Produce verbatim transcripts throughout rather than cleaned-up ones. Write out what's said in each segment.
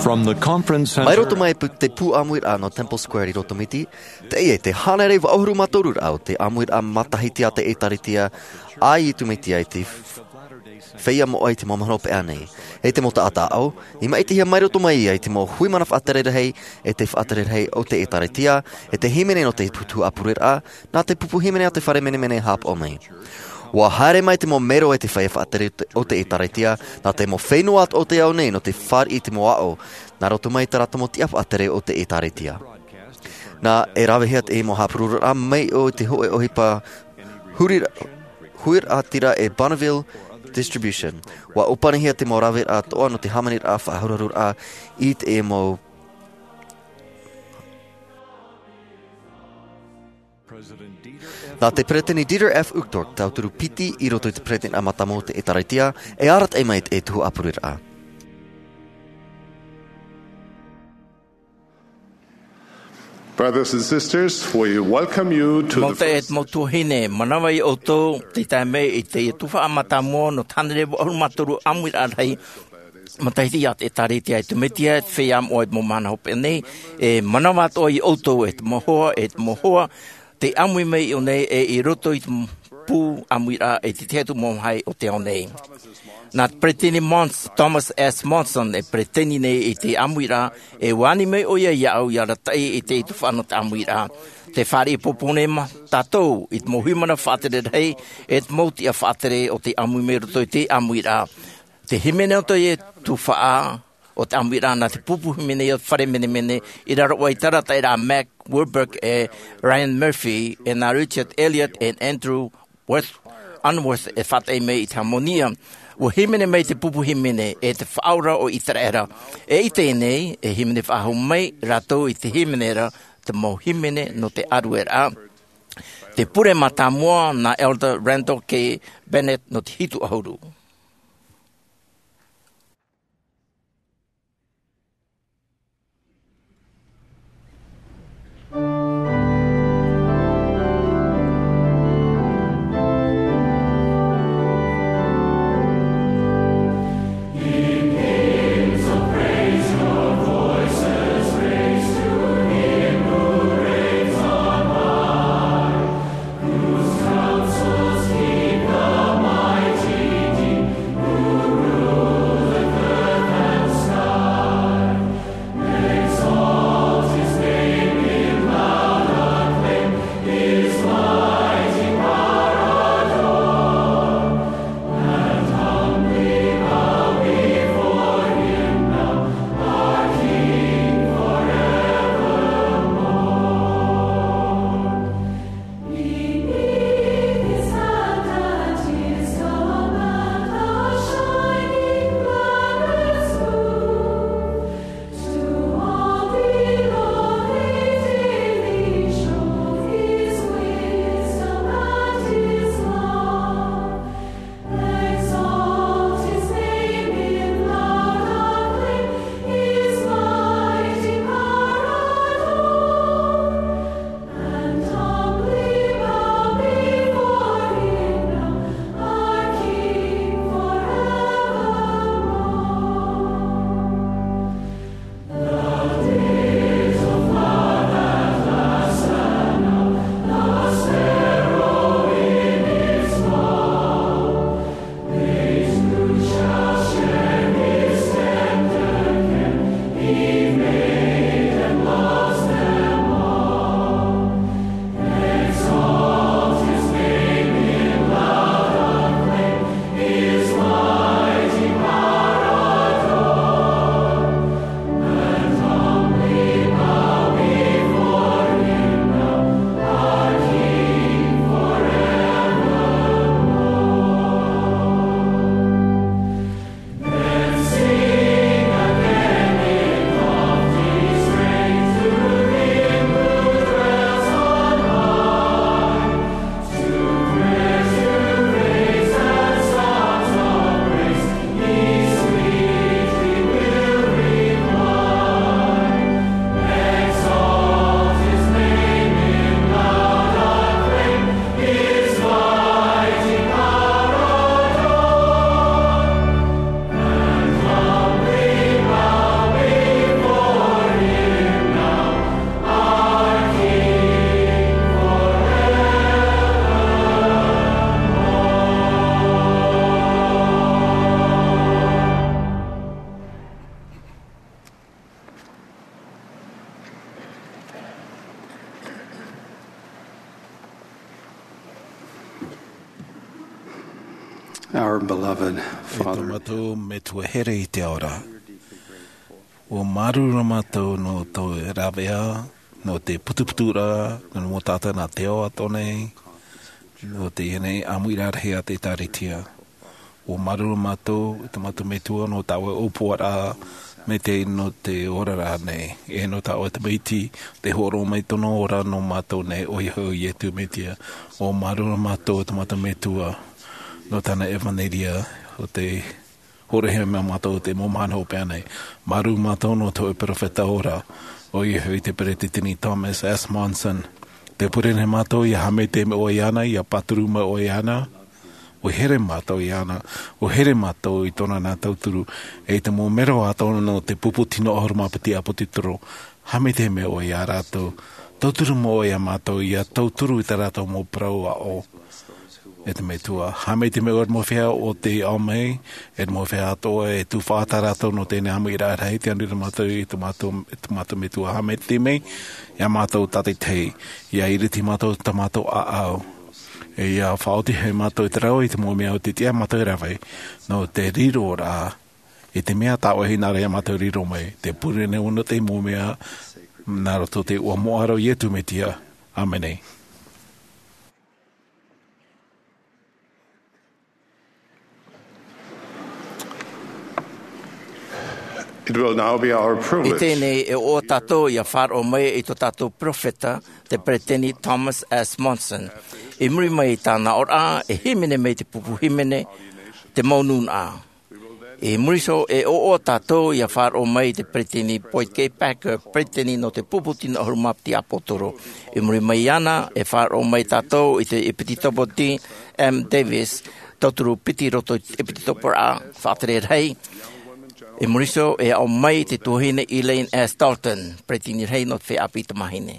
From the conference center. Mai roto mai pu-, te pū ʻāmuiraʻa nō Temple Square i Rotomiti, teie te hānere vaʻu ʻahuru mā toru raʻa o te ʻāmuiraʻa matahiti a te ʻĒtārētia a Iesu Mesia i te f-, feiā moʻa i te mau mahana hopeʻa nei. E te mau taʻata aʻo, i maʻitihia mai roto mai ia i te mau hui mana faʻatere rahi, e te faʻatere rahi o te ʻĒtārētia, e te hīmene nō te tuhaʻa pureraʻa, nā te pupu hīmene a te fare menemene e haʻapaʻo mai. ʻUa haere mai te mau mero e te feiā faʻatere o te, o te ʻĒtārētia, nā te mau fenua o te ao nei nō te fāriʻi i te mau aʻo, nā roto mai i tā rātou mau tiʻa faʻatere o te ʻĒtārētia. Nā, e ravehia te mau haʻapurororaʻa mai i te hōʻē ʻohipa huri-, huiraʻatira e Bonneville Distribution. ʻUa ʻōpanihia te mau raveraʻa atoʻa nō te hāmaniraʻa faʻahurahuraʻa i te mau Nā te Peresideni Dieter F. Uchtdorf, tauturu piti i roto i te Peresideni Mātāmua o te ʻĒtārētia, e arataʻi mai te tuhaʻa pureraʻa. Brothers and sisters, we welcome you to the Mau taeaʻe, mau tuahine, manaʻo ia ʻoutou, tei tae mai i te tuhaʻa mātāmua nō te hānere vaʻu ʻahuru mā toru ʻāmuiraʻa rahi matahiti a te ʻĒtārētia a Iesu Mesia i te feiā moʻa i te mau mahana hopeʻa nei, e manaʻo atoʻa ia ʻoutou, e te mau hoa, e te mau hoa, tei ʻāmui mai iʻō nei e i roto i te pū ʻāmuiraʻa e te tahi atu mau vāhi o te ao nei. Nā te Peresideni Mons-, Thomas S. Monson e peresideni nei i te ʻāmuiraʻa, e ʻua ani mai ʻoia iāʻu ʻia arataʻi i te tuhaʻa nō te ʻāmuiraʻa. Tē fāriʻi pōpō nei mātou i te mau hui mana faʻatere rahi, e te mau tiʻa faʻatere o tei ʻāmui mai roto i te ʻāmuiraʻa. Te hīmene o te tuhaʻa o te ʻāmuiraʻa nā te pupu hīmene o te fare menemene i raro aʻe i te arataʻiraʻa a Mack Wilberg e Ryan Murphy, e nā Richard Elliott e Andrew Worth, Unsworth e faʻataʻi mai i te hāmani. ʻUa hīmene mai te pupu hīmene e te Faʻaora o ʻĪteraʻera. E i teie nei, e hīmene faʻahou mai rātou i te hīmene ra, te mau hīmene nō te ʻārueraʻa. Te pure mātāmua nā Elder Randall K. Bennett nō te hitu ʻahuru. Our beloved Father, e tō mātou Metua here i te ao ra. ʻUa māuruuru mātou nō tō ravea, nō te putuputuraʻa, nō te mau taʻata nā te ao atoʻa nei, nō teie nei ʻāmuiraʻa rahi a te ʻĒtārētia. ʻUa māuruuru mātou, e tō mātou Metua, nō tā ʻoe ʻōpuaraʻa, mai te nō te oraraʻa nei, e nō tā ʻoe tamaiti, tei hōroʻa mai tōna ora nō mātou nei, ʻoia hoʻi ʻo Iesu Mesia. ʻUa māuruuru mātou, e tō mātou Metua, nō tāna ʻevanelia, ʻo tei hōroʻahia mai ia mātou i te mau mahana hopeʻa nei. Māuruuru mātou nō tō ʻoe perofeta ora, ʻoia hoʻi te Peresideni Thomas S. Monson. Tē pure nei mātou ʻia haʻamaitaʻi mai ʻoe iāna, ʻia pāturu mai ʻoe iāna, ʻua here mātou iāna, ʻua here mātou i tōna nā tauturu, e i te mau mero atoʻa nō te pupu tino ʻahuru mā piti ʻāpōsetolo, haʻamaitaʻi mai ʻoe ia rātou, tauturu mai ʻoe ia mātou, ʻia tauturu i tā rātou mau parau aʻo. E te Metua, haʻamaitaʻi mai ʻoe i te mau feiā ʻo tei ao mai, e te mau feiā atoʻa e tufaʻa tā rātou nō teie nei ʻāmuiraʻa rahi, tē ani ra mātou i tō mātou, i tō mātou Metua, haʻamaitaʻi mai ia mātou tātaʻitahi, ʻia iriti mātou i tā mātou ʻāʻau. E ʻia faʻaoti hoʻi mātou i te rave i te mau mea ʻo tei tiʻa mātou e rave, nō te riro ra, i te mea tā ʻoe hinaʻaro ia mātou e riro mai, tē pure nei ʻoe nō te mau mea, nā roto i te iʻoa moʻa ra ʻo Iesu Mesia. ʻĀmene. It will now be our privilege. I teie nei e ʻoaʻoa tātou ʻia faʻaroʻo mai i tō tātou perofeta, te Peresideni Thomas S. Monson. I muri mai i tāna aʻoraʻa, e hīmene mai te pupu hīmene, te mau nūnaʻa. I muri iho e ʻoaʻoa tātou ʻia faʻaroʻo mai i te Peresideni Boyd K. Packer, Peresideni nō te pupu tino ʻahuru mā piti ʻāpōsetolo. I muri mai iāna, e faʻaroʻo mai tātou i te ʻEpitikopo D. M. Davis, tauturu piti roto i te ʻEpitikoporaʻa, faʻatere rahi. I muri iho e aʻo mai te tuahine Elaine S. Dalton, Peresideni rahi nō te feiā ʻāpī tamāhine.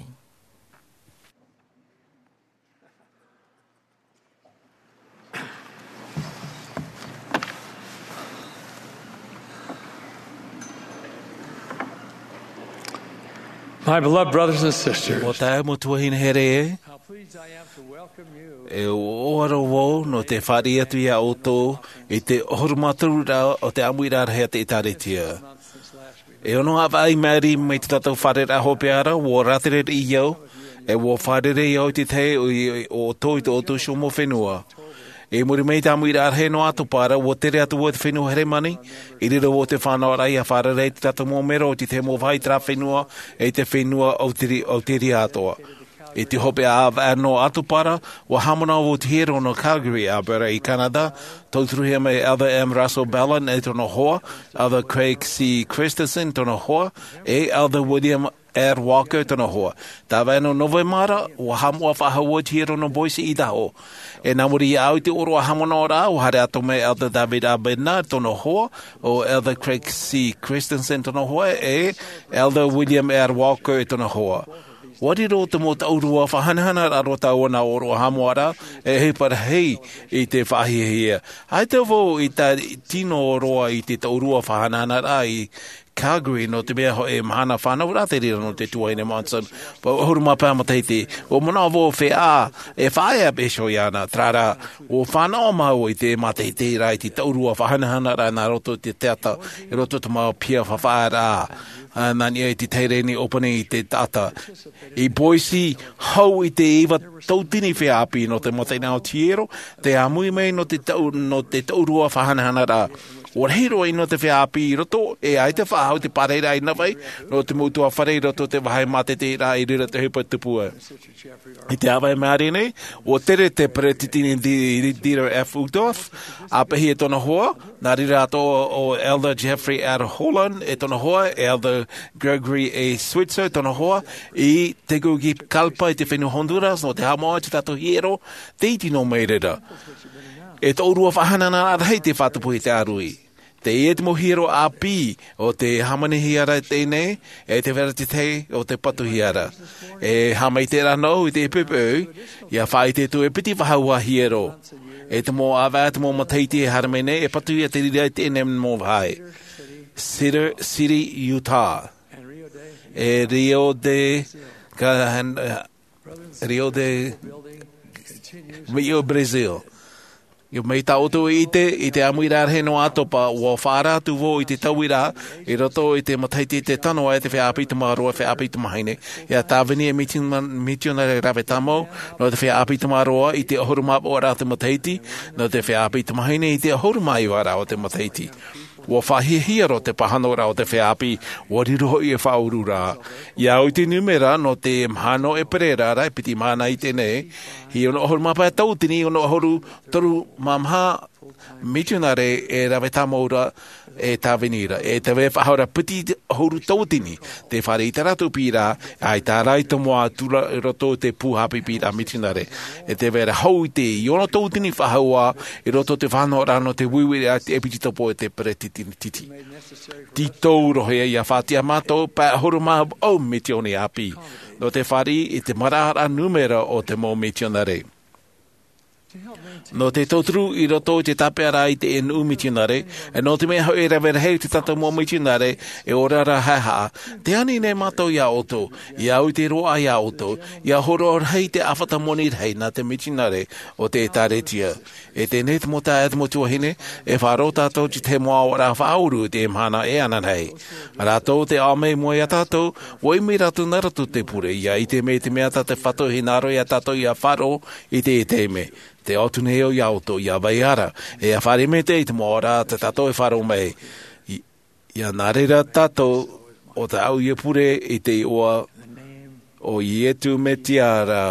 My beloved brothers and sisters, Mau taeaʻe, mau tuahine here ē, how pleased I am to welcome you e ʻoaʻoa roa vau nō te fāriʻi atu ia ʻoutou i te ʻahuru mā toru ra o te ʻāmuiraʻa rahi a te ʻĒtārētia. E ono ʻāvaʻe i maʻiri mai tō tātou fārereiraʻa hopeʻa ra, ʻua rātere riʻi au, e ʻua fārerei au i te tahi o, i, o ʻoutou i tō ʻoutou iho mau fenua. I muri mai i te ʻāmuiraʻa rahi nō ʻAtopara, ʻua tere atu vau i te fenua Heremani, i riro vau i te fānaʻoraʻa ʻia fārerei i tō tātou mau mero i te tahi mau vāhi i terā fenua, e i te fenua Auteri-, Auteri atoʻa. I te hopeʻa ʻāvaʻe nō ʻAtopara, ʻua haʻamanaʻo vau i te hiero nō Calgary, Alberta, i Canada, tauturuhia mai Elder M. Russell Ballard e tōna hoa, Elder Craig C. Christensen tōna hoa, e Elder William R. Walker tōna hoa. Tāvaʻe nō Novema ra, ʻua haʻamoʻa faʻahou vau i te hiero nō Boise, Idaho. E nā muri iāʻu i te ʻōroʻa haʻamanaʻoraʻa, ʻua haere atu mai Elder David A. Bednar tōna hoa, ʻo Elder Craig C. Christensen tōna hoa, e Elder William R. Walker tōna hoa. ʻUa riro te mau taʻurua faʻahanahanaraʻa roa tāua nā ʻōroʻa haʻamoʻaraʻa, e ʻohipa rahi i te faʻahiahia. ʻAita vau i tā-, tino roa i te taʻurua faʻahanahanaraʻa i Calgary, nō te mea hoʻi mahana fānau rā te reira nō te tuahine Monson, pau ʻahuru mā pae matahiti. ʻUa manaʻo vau feiā, e faʻaea pēhea iāna, terā rā, ʻua fānaʻo māua i te mātaʻitaʻiraʻa i te taʻurua faʻahanahanaraʻa nā roto i te teata, i roto i te mau piha faʻaearaʻa. Ā, nā niʻa i te Tehereni ʻōpani i te taʻata. I Boise, hau i te iva tauatini feiā ʻāpī nō te mataʻeinaʻa o te hiero, tei ʻāmui mai nō te tau-, nō te taʻurua faʻahanahanaraʻa. ʻUa rahi roa ʻino te feiā ʻāpī i roto, e ʻaita faʻahou te pārairaʻa i Navaʻi, nō te mau ʻutuāfare i roto i te vāhi mātaʻitaʻiraʻa i reira te ʻohipa i tupu ai. I te ʻāvaʻe i maʻiri nei, ʻua tere te Peresideni Di-, Dieter F. Uchtdorf, ʻāpeʻahi e tōna hoa, nā reira atoʻa ʻo Elder Jeffrey R. Holland e tōna hoa, Elder Gregory A. Switzer e tōna hoa, i Tegucigalpa i te fenua Honduras, nō te haʻamoʻa i tō tātou hiero, tei iti noa mai reira. E taʻurua faʻahanahanaraʻa rahi tei faʻatupu i te ʻāruʻi. Teie te mau hiero ʻāpī o te hāmanihia ra teie nei, e te vera te tahi o te patuhia ra. E haʻamaitaʻi ra noa i te poʻipoʻi, ʻia faʻaʻite atu e piti faʻahou hiero. E te mau ʻāvaʻe, te mau matahiti e haere mai nei, e patuhia te reira i teie nei mau vāhi. Cedar City, Utah. E Rio de, ka, Rio de, Rio, Brazil. Mai tā ʻoutou i ʻite, i te ʻāmuiraʻa rahi noa ʻa Topa, ʻua faʻaara atu vau i te tauiraʻa, i roto i te matahiti e tano ai te feiā ʻāpī Tamaroa, feiā ʻāpī Tamahine, ʻia tāvini e miti-, mitionare rave tāmau, nō te feiā ʻāpī Tamaroa i te ʻahuru mā paʻuraʻa o te matahiti, nō te feiā ʻāpī Tamahine i te ʻahuru mā iva raʻa o te matahiti. ʻUa faʻahiahia roa te pāhonoraʻa o te feiā ʻāpī, ʻua riro hoʻi e faʻaururaʻa. ʻIa au i te nūmera nō te mahana ʻēperēra ra e piti mahana i teie nei, hia ono ʻahuru mā pae tauatini, ono ʻahuru toru mā maha mitionare e rave tāmau ra, e tāvini ra, e te vai faʻahou ra piti ʻahuru tauatini, tē fāriʻi i tā rātou piʻiraʻa, ʻaita rā i tomo atu ra i roto i te pū haʻapiʻiraʻa mitionare. E tē vai ra hou i te ʻī ono tauatini faʻahou ā, i roto i te faʻanahoraʻa nō te uiuiraʻa i te ʻepitopo e te peresideni. Tītau roa ïa ʻia faʻatiʻa mātou, pae ʻahuru mā vaʻu mitioni ʻāpī, nō te fāriʻi i te maraʻaraʻa nūmera o te mau mitionare. Nō te tauturu i roto i te tāpeʻaraʻa i te nuʻu mitionare, e nō te mea hoʻi e rave rahi te tātou mau mitionare, e ora ra haʻehaʻa, tē ani nei mātou iā ʻoutou, ʻia au i te roaʻa iā ʻoutou, ʻia hōroʻa rahi te ʻāfata moni rahi nā te mitionare o te ʻĒtārētia. E teie nei te mau taeaʻe, te mau tuahine, e faʻaroʻo tātou i te mau ʻāvaʻe faʻauru i te mahana e ananahi. Rātou tē ʻaʻau mai i mua iā tātou, ʻua ʻimi rātou nā roto i te pure, ʻia ʻite mai te mea tā te Fatu e hinaʻaro iā tātou ʻia faʻaroʻo i teie taime. Tē ʻoaʻoa atu nei au iā ʻoutou, ʻia vai ra, e ʻia fāriʻi maitaʻi i te mau ʻāvaʻe tā tātou e faʻaroʻo mai. I-, ʻia nā reira tātou ʻo tāʻu ïa pure i te iʻoa o Iesu Mesia ra,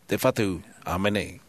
te Fatu. ʻĀmene.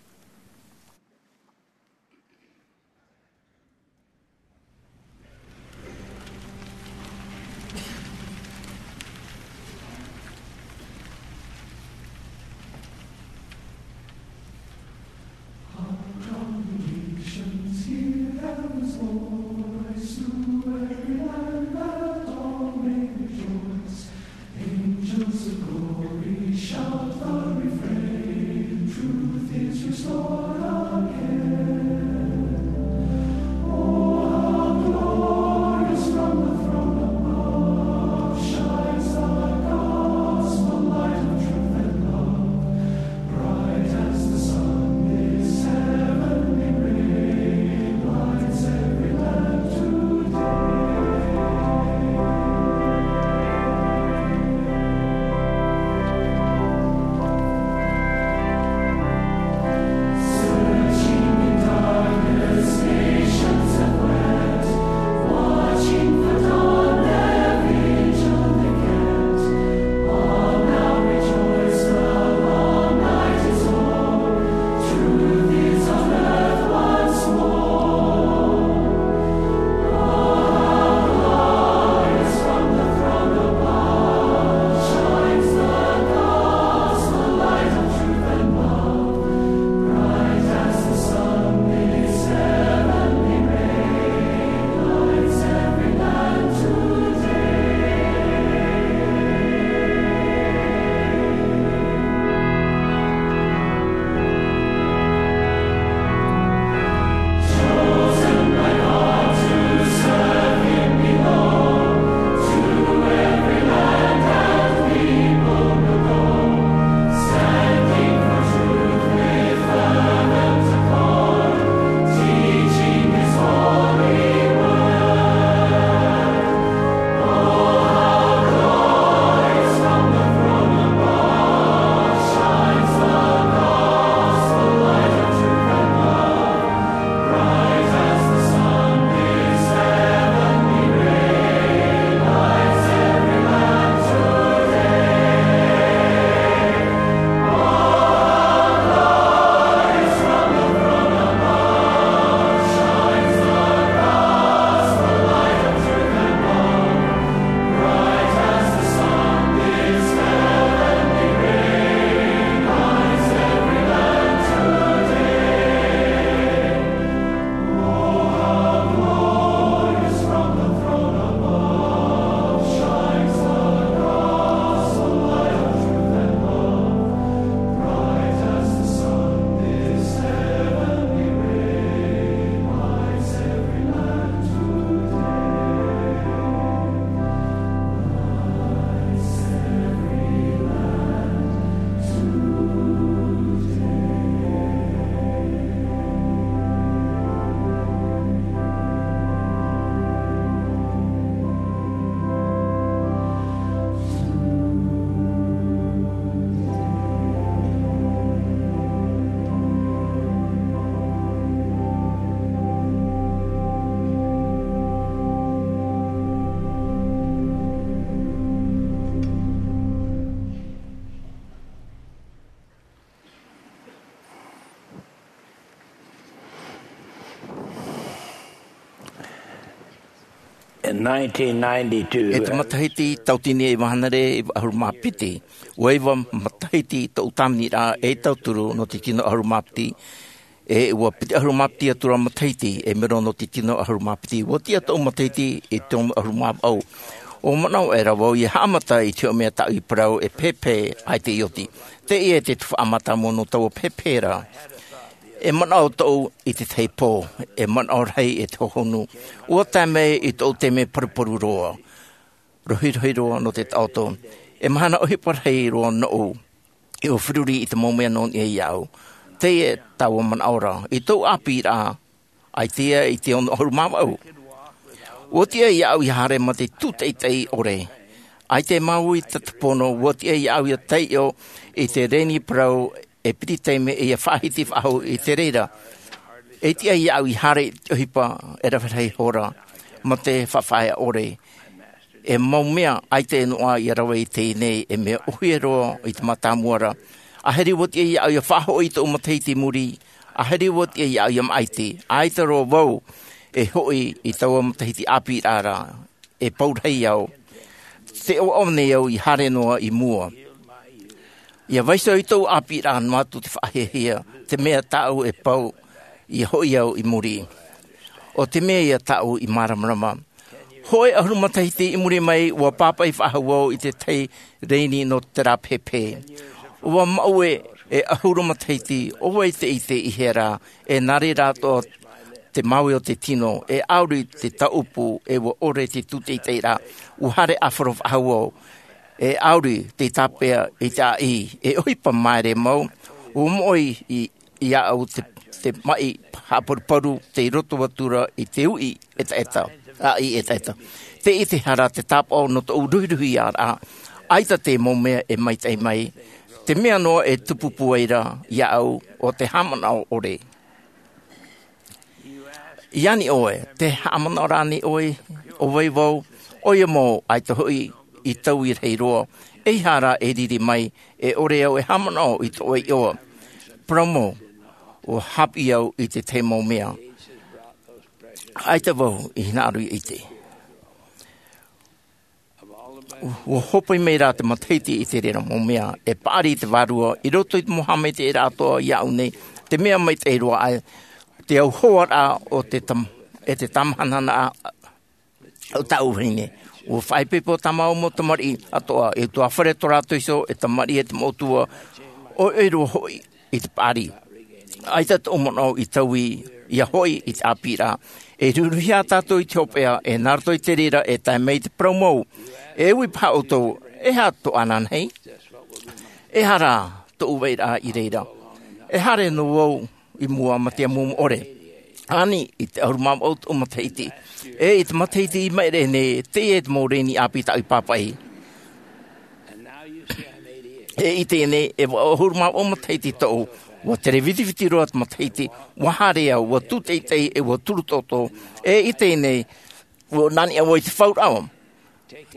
In nineteen ninety-two, e te matahiti tauatini e iva hānere e iva ʻahuru mā piti, ʻua iva matahiti tōʻu tāviniraʻa ei tauturu nō te tino ʻahuru mā piti, e ʻua piti ʻahuru mā piti atu ra matahiti e mero nō te tino ʻahuru mā piti. ʻUa tiʻa tōʻu matahiti i te ono ʻahuru mā vaʻu. ʻUa manaʻo aʻera vau ʻia haʻamata i te hōʻē mea tāʻu i parau e pēpē ʻaita i oti. Teie te tuhaʻa mātāmua nō taua pēpē ra. E manaʻo tōʻu i te tahi pō, e manaʻo rahi e te hohonu. ʻUa tae mai i tōʻu taime paruparu roa, rohirohi roa nō te taʻoto. E mahana ʻohipa rahi roa nōʻu, ʻua feruri i te mau mea nō niʻa iāʻu. Teie taua manaʻo ra, i tōʻu ʻāpīraʻa, ʻaita i te ono ʻahuru mā vaʻu. ʻUa tiʻa iāʻu ʻia haere mā te tūteitei ʻore. ʻAita e māuiui i te tahi pono, ʻua tiʻa iāʻu ʻia taiʻo i te reni parau e piti taime ʻia faʻahiti faʻahou i te reira. E tiʻa iāʻu ʻia haere i te ʻohipa e rave rahi hora mā te faʻafaʻaea ʻore. E mau mea ʻaita e noaʻa ʻia rave i teie nei, e mea ʻohie roa i te mātāmua ra. ʻAhiri ʻua tiʻa iāʻu ʻia faʻahoʻi i tōʻu matahiti i muri. ʻAhiri ʻua tiʻa iāʻu ʻia māʻiti. ʻAita roa vau e hoʻi i taua matahiti ʻāpīraʻa ra, e pau rahi au. Tē ʻoaʻoa nei au ʻia haere noa i mua. ʻIa vaiiho i tōʻu ʻāpīraʻa noa atu te faʻahiahia, te mea tāʻu e pau ʻia hoʻi au i muri. ʻO te mea ia tāʻu i māramarama. Hōʻē ʻahuru matahiti i muri mai, ʻua pāpaʻi faʻahou au i te tahi reni nō terā pēpē. ʻUa maʻue e ʻahuru matahiti, ʻo vai te ʻite i hea rā, e nā reira atoʻa te māuiui o te tino, e ʻauri te tāʻupu, e ʻua ʻore te tūteiteiraʻa, ʻua haere ʻāfaro faʻahou au, e ʻauri te tāpeʻa i te ʻāʻī, e ʻohipa māere mau, ʻua moʻe i, iāʻu te, te maʻi haʻaparuparu, tei roto atu ra i te uʻi ʻetaʻeta, ʻāʻī ʻetaʻeta. Tē ʻitehia ra te tāpaʻo nō tōʻu ruhiruhiaraʻa, ʻaita te mau mea e maitaʻi mai, te mea noa e tupu pūai ra iāʻu, ʻo te haʻamanaʻo ʻore. ʻIa ani ʻoe, tē haʻamanaʻo ra ānei ʻoe, ʻo vai vau, ʻoia mau, ʻaita hoʻi i taui rahi roa, eiaha rā e riri mai, e ʻore au e haʻamanaʻo i tōʻu iʻoa. Parau mau, ʻua haʻapiʻi au i te tahi mau mea. ʻAita vau i hinaʻaro ʻia ʻite. ʻUa hōpoi mai rā te matahiti i te reira mau mea, e paʻari i te vārua, i roto i te mau haʻamaitaʻiraʻa atoʻa iāʻu nei, te mea maitaʻi roa aʻe, te auhoaraʻa o te tam-, e te tamahanahanaʻa o tāʻu vahine. ʻUa faʻaipoipo tā māua mau tamariʻi atoʻa, e ʻutuāfare tō rātou iho, e tamariʻi e te mau ʻōtua, ʻoiʻoi roa hoʻi i te paʻari. ʻAita tōʻu manaʻo i taui, ʻia hoʻi i te ʻāpīraʻa. E ruruhia tātou i te hopeʻa, e nā roto i te reira e tae mai te parau mau. E ui paha ʻoutou, e aha tō ananahi? E aha rā tōʻu vairaʻa i reira? E haere noa vau i mua mā te amuamu ʻore. Ani, i te ʻahuru mā vaʻu tōʻu matahiti. E i te matahiti i maʻiri nei, teie te mau reni ʻāpī tāʻu i pāpaʻi. E i teie nei, e vaʻu ʻahuru mā vaʻu matahiti tōʻu, ʻua tere vitiviti roa te matahiti, ʻua haere au, ʻua tūteitei, e ʻua turu toto. E i teie nei, ʻua nā niʻa vau i te fauraʻa.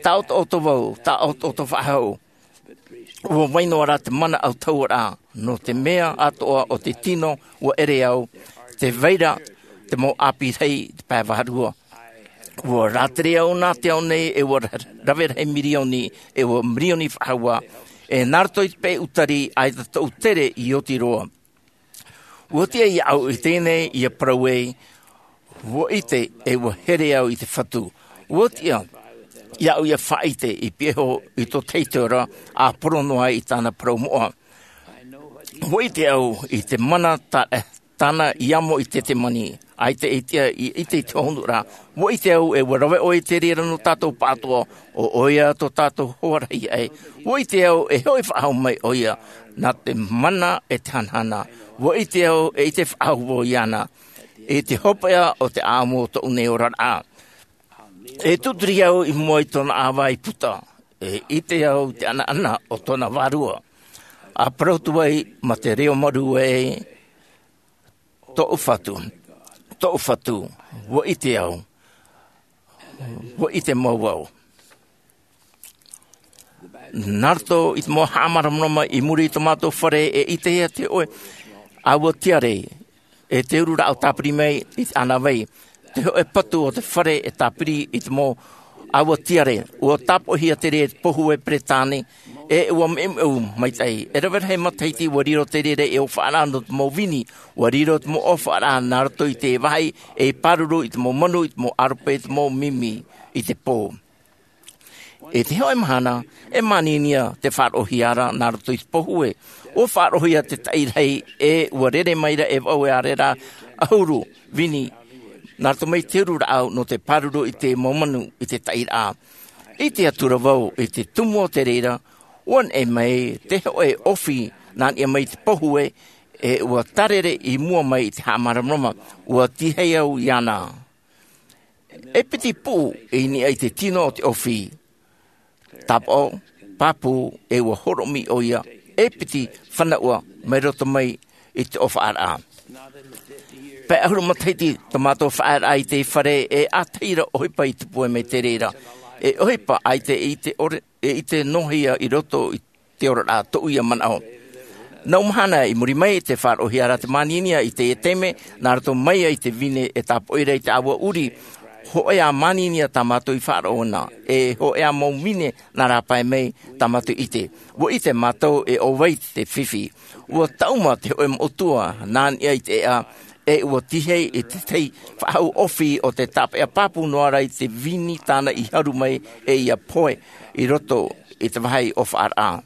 Taʻotoʻoto vau, taʻotoʻoto faʻahou. ʻUa vai noa rā te mana autahuʻaraʻa, nō te mea atoʻa o te tino, ʻua ʻere au, tē vai ra te mau ʻāpī rahi i te pae vārua. ʻUa rātere au nā te ao nei, e ʻua ra-, rave rahi mirioni, e ʻua mirioni faʻahou ā, e nā roto i te peu tari, ʻaita tōʻu tere i oti roa. ʻUa tiʻa iāʻu i teie nei ʻia parau ai, ʻua ʻite e ʻua here au i te Fatu. ʻUa tiʻa iāʻu ʻia faʻaʻite i pihaʻi iho i tō teitei ra, ʻa poro noa ai i tāna parau moʻa. ʻUa ʻite au i te mana tā-, tāna i amo i Tetemani, ʻaita e tiʻa i ʻite i te hohonu ra. ʻUa ʻite au e ʻua rave ʻoe i te reira nō tātou pāʻatoʻa, ʻo ʻoia tō tātou hoa rahi aʻe. ʻUa ʻite au e hoʻi faʻahou mai ʻoia, nā te mana e te hanahana. ʻUa ʻite au e ʻite faʻahou vau iāna, i te hopeʻa o te ʻāʻamu o tōʻu nei oraraʻa. E tūturi au i mua i tōna ʻāvae i puta, e ʻite au i te ʻanaʻana o tōna vārua. ʻA parau atu ai mā te reo marū ē, tōʻu Fatu, tōʻu Fatu, ʻua ʻite au, ʻua ʻite mau vau. Nā roto i te mau haʻamāramarama i muri i tō mātou fare, e ʻitehia te hōʻē ʻāua tiare, e te uru rāʻau tāpiri mai i te ʻānāvai. te hoʻe patu o te fare e tāpiri i te mau ʻaua tiare. Ua tāpoʻihia te reira e te pōhue peretāne, e ua meʻumeʻu maitaʻi. E rave rahi matahiti ua riro te reira ei ʻōfaʻaraʻa nō te mau vini. Ua riro te mau ʻōfaʻaraʻa nā roto i te vāhi ei pāruru i te mau manu, i te mau ʻarope, i te mau mimi i te pō. I te hoʻe mahana, e māninia te faʻaroʻohia ra nā roto i te pōhue. Ua faʻaroʻohia te taʻi rahi, e ua rere mai ra e vaʻu e ʻāreʻa ʻahuru vini nā roto mai te uru rāʻau nō te pāruru i te mau manu i te taʻi raʻa. ʻIte atu ra vau i te tumu o te reira, ua neʻe mai te hoʻe ʻōfī nā niʻa mai i te pōhue, e ua tārere i mua mai i te haʻamāramarama. Ua tīaʻi au iāna. E piti puʻu i niʻa i te tino o te ʻōfī, tāpaʻo pāpū, e ua horoʻomi ʻoia e piti fānaʻua mai roto mai i te ʻōfaʻaraʻa. Pae ʻahuru matahiti tō mātou faʻaearaʻa i te fare, e ʻātahi ra ʻohipa i tupu mai te reira. E ʻohipa ʻaita e ʻite ʻore, e ʻite noa hia i roto i te oraraʻa tōʻu ia manaʻo. Nau mahana i muri mai, te faʻaroʻohia ra te māninia i teie taime nā roto mai ai te vine e tāpoʻi ra i te ʻāua ʻuri. Hōʻē ā māninia tā mātou i faʻaroʻo na, e hōʻē ā mau vine nā rāpae mai tā mātou i ʻite. Ua ʻite mātou e ʻo vai te fifi. Ua taʻuma te hoʻe moʻotua nā niʻa i te ʻeʻa, e ua tīaʻi i te tahi faʻahou ʻōfī o te tāpeʻa pāpū noa ra i te vini tāna i haru mai e ia pohe i roto i te vāhi ʻōfaʻaraʻa.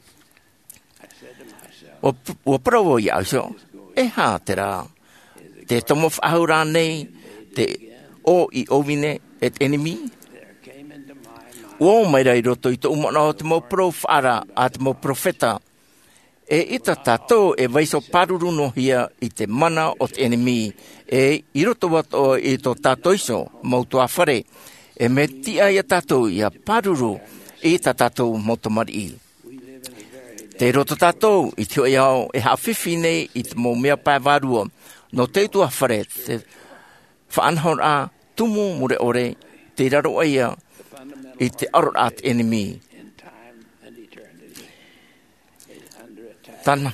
Ua, ua parau au iā ʻoe iho, e aha terā? Te tomo faʻahou rānei te ʻō i ʻōvine e te ʻenemi? Ua ō mai ra i roto i tōʻu manaʻo te mau parau faʻaara a te mau peropheta. E ʻita tātou e vaiiho pāruru noa hia i te mana o te ʻenemi, e i roto atoʻa i tō tātou iho mau tuāfare. E mea tiʻa iā tātou ia pāruru i tā tātou mau tamariʻi. Tei roto tātou i te hoʻe ao e haʻafifi nei i te mau mea pae vārua nō te utuāfare, te faʻanahoraʻa tumu mure ʻore, tei raro aʻe ia i te ʻaroraʻa a te ʻenemi. Tāna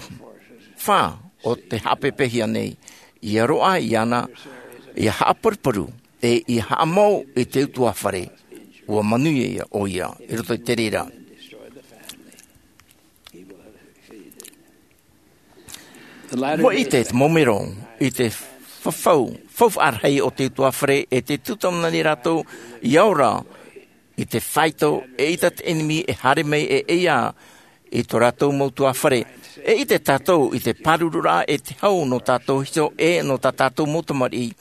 fā o te haʻapēpēhia nei, ia roaʻa iāna, ia haʻaparuparu, e ia haʻamau i te utuāfare. Ua manuia ia ʻoia i roto i te reira. Ua ʻite te mau mero i te fafau, faufaʻa rahi o te utuāfare, e te tūtau nei rātou ia ora i te faito, e ʻita te ʻenemi e haere mai e ʻeiā i tō rātou mau tuāfare. E ʻite tātou i te pāruruʻraʻa e te hau nō tātou iho e nō tā tātou mau tamariʻi.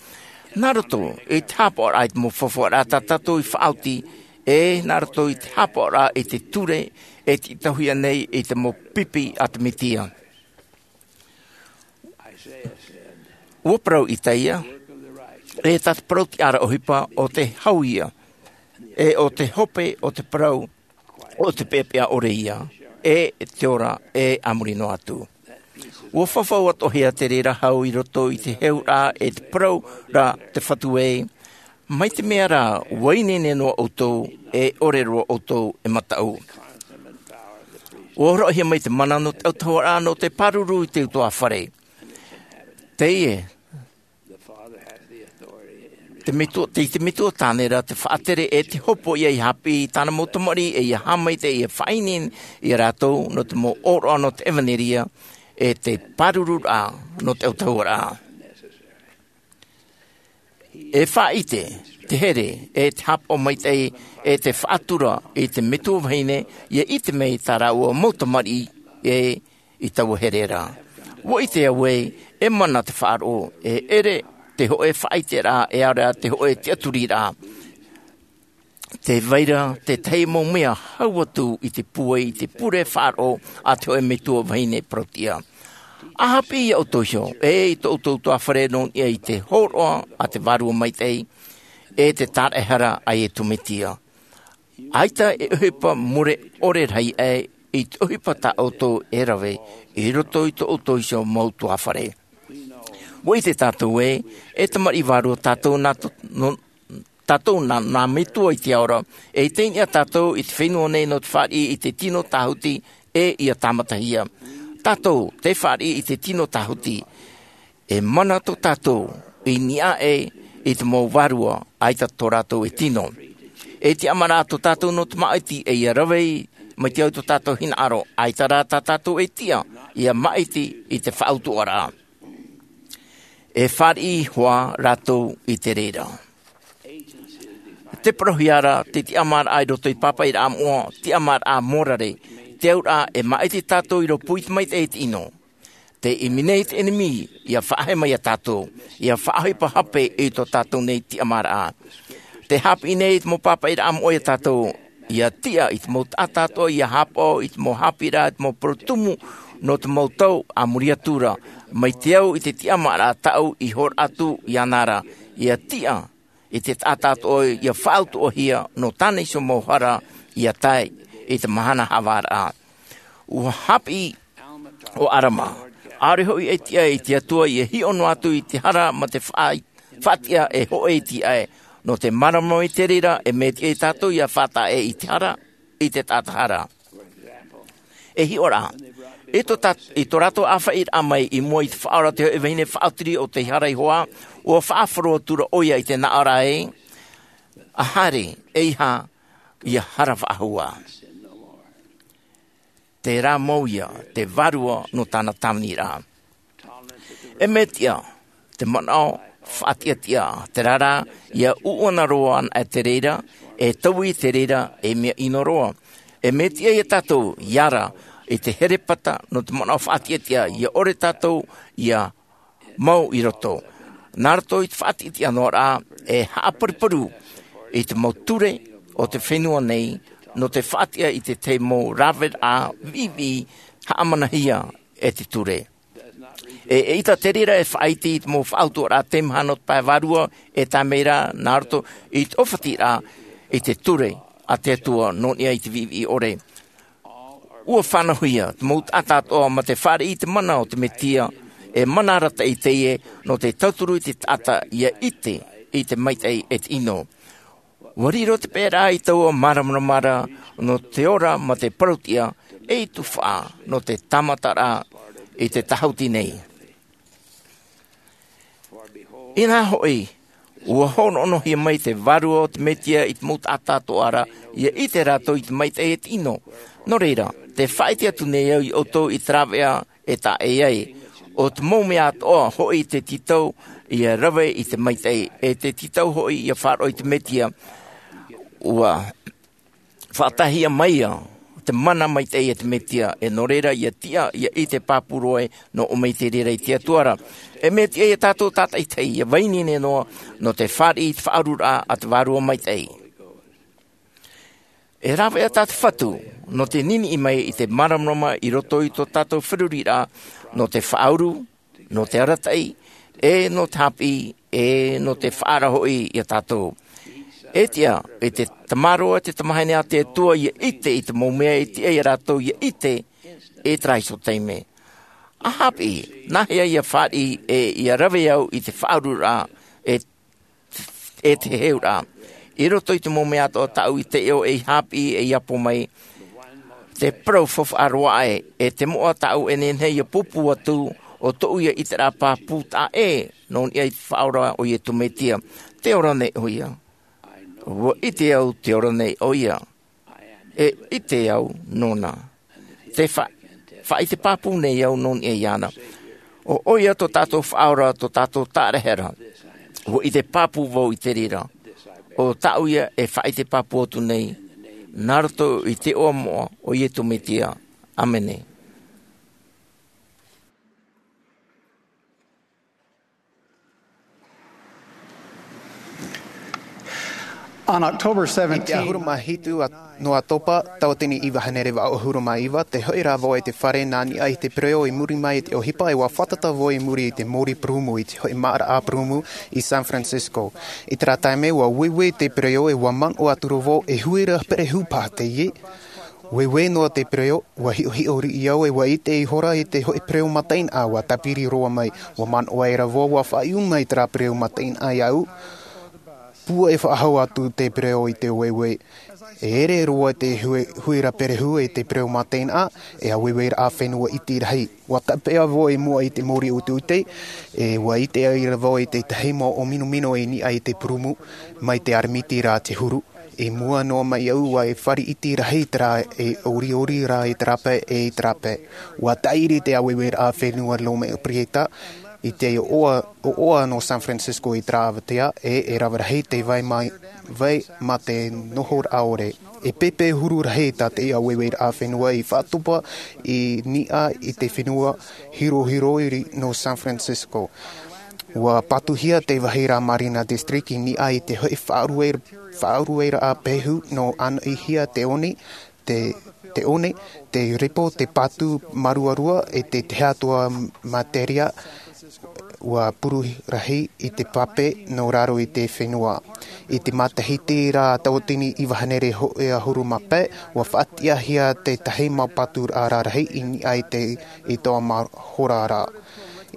Nā roto i te haʻapaʻoraʻa i te mau faufaʻaraʻa tā tātou i faʻaoti, e nā roto i te haʻapaʻoraʻa i te ture e tītauhia nei i te mau pipi a te Mesia. Ua parau Isaia, e tā te parau tiʻaraʻa ʻohipa ʻo te hau ia, e ʻo te hope o te parau ʻo te peʻapeʻa ʻore ia, e te ora e a muri noa atu. Ua fafau atoʻahia te reira hau i roto i te heuraʻa e te parau ra te Fatu ē, mai te mea rā, ua ineine noa ʻoutou, e ʻore roa ʻoutou e mataʻu. Ua horoʻahia mai te mana nō te autahuʻaraʻa nō te pāruru i te utuāfare. Teie, te metua, tei te metua tāne ra te faʻatere e te hopoiʻa ia haʻapiʻi i tāna mau tamariʻi, e ia haʻamaitaʻi, e faʻaineine ia rātou nō te mau ʻōroʻa nō te ʻevanelia, e te pāruruʻraʻa nō te autahuʻaraʻa. E faʻaʻite te here, e te haʻapaʻo maitaʻi, e te faʻatura i te metua vahine, ia ʻite mai tā rāua mau tamariʻi, e i taua here ra. Ua ʻite au ē, e mana te faʻaroʻo, e ʻere te hoʻe faʻaʻiteraʻa, e ʻaore rā te hoʻe tiʻaturiraʻa. Tē vai ra te tahi mau mea hau atu i te pūai, i te pure faʻaroʻo a te hoʻe metua vahine parau-tiʻa. ʻA haʻapiʻi iā ʻoutou iho, e i tō ʻoutou utuāfare nō niʻa i te hōroʻa a te Vārua Maitaʻi, e te tāraʻehara a Iesu Mesia. ʻAita e ʻohipa mure ʻore rahi aʻe i te ʻohipa tā ʻoutou e rave i roto i tō ʻoutou iho mau utuāfare. Ua ʻite tātou ē, e tamariʻi vārua tātou nā tō, nō, tātou nā, nā Metua i te ao ra, e i teie nei tātou i te fenua nei nō te fāriʻi i te tino tāhuti, e ia tāmatahia. Tātou, tē fāriʻi i te tino tāhuti. E mana tō tātou i niʻa aʻe i te mau vārua, ʻaita tō rātou e tino. E tiʻamāraʻa tō tātou nō te māʻiti ʻe ʻia rave mai te au i tō tātou hinaʻaro, ʻaita rā tā tātou e tiʻa ʻia māʻiti i te faʻautuʻaraʻa. E fāriʻi hoʻi rātou i te reira. Te parauhia ra te tiʻamāraʻa i roto i te pāpaʻiraʻa moʻa, tiʻamāraʻa mōrare, te auraʻa e māʻiti tātou i roto i te maitaʻi e te ʻino. Te ʻimi nei te ʻenemi ʻia faʻaheʻe mai ia tātou, ʻia faʻaʻohipa hape i tō tātou nei tiʻamāraʻa. Te haʻapiʻi nei i te mau pāpaʻiraʻa moʻa ia tātou, ʻia tiʻa i te mau taʻata atoʻa ʻia haʻapaʻo i te mau haʻapiʻiraʻa, i te mau parau tumu nō te mau tau a muri atu ra, mai te au i te tiʻamāraʻa tāʻu i horo atu iāna ra, ʻia tiʻa i te taʻata atoʻa ʻia faʻautuʻahia nō tāna iho mau hara ʻia tae i te mahana haʻavāraʻa. ʻUa haʻapiʻi ʻo ʻAlama, ʻaore hoʻi e tiʻa i te Atua ʻia hiʻo noa atu i te hara ma te faʻa-, faʻatiʻa e hōʻē iti aʻe, nō te māramarama i te reira e mea tiʻa ia tātou ʻia faʻataʻa i te hara, i te taʻata hara. E hiʻo ra, i tō tā-, i tō rātou ʻāfaʻiraʻa mai i mua i te Faʻaora te hōʻē vahine faʻaotiri o te hara iho ā, ʻua faʻahoro atu ra ʻoia i te naʻo ra ē, ʻa haere, ʻeiaha, ʻia hara faʻahou ā. Terā mau ïa te vārua nō tāna tāviniraʻa. E mea tiʻa te manaʻo faʻatiʻatiʻa, terā rā, ʻia ʻuʻana roa anaʻe te reira, e taui te reira, e mea ʻino roa. E mea tiʻa ia tātou ʻia ara i te herepata nō te manaʻo faʻatiʻatiʻa, ʻia ʻore tātou ʻia mau i roto. Nā roto i te faʻatiʻatiʻa noa ra, e haʻaparuparu i te mau ture o te fenua nei, nō te faʻatiʻa i te tahi mau raveraʻa viʻiviʻi haʻamanahia e te ture. E, eʻita te reira e faʻaʻite i te mau faʻautuʻaraʻa teimaha nō te pae vārua, e tae mai ra nā roto i te ʻōfatiraʻa i te ture a te Atua nō niʻa i te viʻiviʻi ʻore. ʻUa fānauhia te mau taʻata atoʻa ma te fāriʻi i te mana o te Mesia, e mana arataʻi teie nō te tauturu i te taʻata ʻia ʻite i te maitaʻi e te ʻino. ʻUa riro te peʻeraʻa i taua māramarama ra nō te ora ma te parauʻtiʻa, e tufaʻa nō te tāmataraʻa i te tāhuti nei. Inā hoʻi, ʻua hōroʻahia mai te vārua o te Mesia i te mau taʻata atoʻa ra, ʻia ʻite rātou i te maitaʻi e te ʻino. Nō reira, tē faʻaʻite atu nei au ia ʻoutou i te rāveʻa e taʻa ʻē ai. ʻO te mau mea atoʻa hoʻi te tītau ʻia rave i te maitaʻi, e te tītau hoʻi ʻia faʻaroʻo i te Mesia. ʻUa faʻataʻahia mai ïa te mana maitaʻi e te Mesia, e nō reira ʻia tiʻa, ʻia ʻite pāpū roa ē, nō ʻō mai te reira i te Atua ra. E mea tiʻa ia tātou tātaʻitahi, ʻia vai ineine noa, nō te fāriʻi i te faʻaururaʻa a te Vārua Maitaʻi. E rāveʻa tā te Fatu, nō te niniʻi mai i te māramarama i roto i tō tātou feruriraʻa, nō te faʻauru, nō te arataʻi, e nō te haʻapiʻi, e nō te faʻaara hoʻi ia tātou. E tiʻa, e te tamaroa, te tamahine a te Atua ʻia ʻite i te mau mea e tiʻa ia rātou ʻia ʻite, e terā iho taime. ʻA haʻapiʻi, nā hea ʻia fāriʻi, e ʻia rave au i te faʻaururaʻa, e e te heheuraʻa. I roto i te mau mea atoʻa tāʻu i taiʻo ei haʻapiʻi ei ʻapo mai, te parau faufaʻa roa aʻe, e te moʻa tāʻu e nehenehe ʻia pūpū atu, ʻo tōʻu ïa ʻiteraʻa pāpū taʻa ʻē, nō niʻa i te Faʻaora ʻo Iesu Mesia. Tē ora nei ʻoia. ʻUa ʻite au tē ora nei ʻoia. E ʻite au nōna. Tē fa-, faʻaʻite pāpū nei au nō niʻa iāna. ʻO ʻoia tō tātou Faʻaora, tō tātou Tāʻerehera. ʻUa ʻite pāpū vau i te reira. ʻO tāʻu ïa e faʻaʻite pāpū atu nei. Nā roto i te iʻoa moʻa o Iesu Mesia. ʻĀmene. On October I te seventeenth, ʻahuru mā hitu a-, nō ʻOtopa, tauatini iva hānere vaʻu ʻahuru mā iva, tē hoʻi ra vau i te fare nā niʻa i te pereō i muri mai i te ʻohipa, ʻua fātata vau i muri i te mōrī purūmu i te hoʻi māʻaraʻa purūmu i San Francisco. I terā taime, ʻua ueue te pereō ʻe ʻua manaʻo atu ra vau, e huira perehupa teie. Ueue noa te pereō, ʻua hiʻohiʻo riʻi au ʻe ʻua ʻite ihora i te hoʻi pereō mataʻeinaʻa ʻua tāpiri roa mai. ʻUa manaʻo aʻera vau, ʻua faʻaiʻu mai terā pereō mataʻeinaʻa iāʻu. Pūai faʻahou atu te pereō i te ueue. E ere roa te hui- huira perehu e te pereʻo mā teie nei, e ʻāueue raʻa fenua iti rahi. Ua tāpeʻa vau i mua i te mōrī o te ʻuteʻute, e ua ʻite ai ra vau i te tahi mau ʻōminomino i niʻa i te purumu, mai te aremiti rā te huru. I mua noa mai au ua e fare iti rahi te rā e ʻoriʻori rā i te rāpae e i te rāpae. Ua tāʻiri te ʻāueue raʻa fenua Roma Prieta, i te ʻoʻoa, ʻoʻoa nō San Francisco i te rāveʻa, e, e rave rahi te vai mai, vai mā te noho raʻa ʻore. E pēpē huru rahi tā te ʻāueue raʻa fenua i faʻatopa i niʻa i te fenua hirohiro iri nō San Francisco. Ua patuhia te vāhi rā Marina District i niʻa i te hoʻi faʻarueraʻa pehu nō ʻānoʻihia te one, te, te one, te repo, te patu māruarua e te tahi atoʻa materia ua puru rahi i te pape nō raro i te fenua. I te matahiti rā tauatini iva hānere hōʻē ʻahuru mā pae, ua faʻatiʻahia te tahi mau patu rarahi i niʻa i te, i tō mahora rā.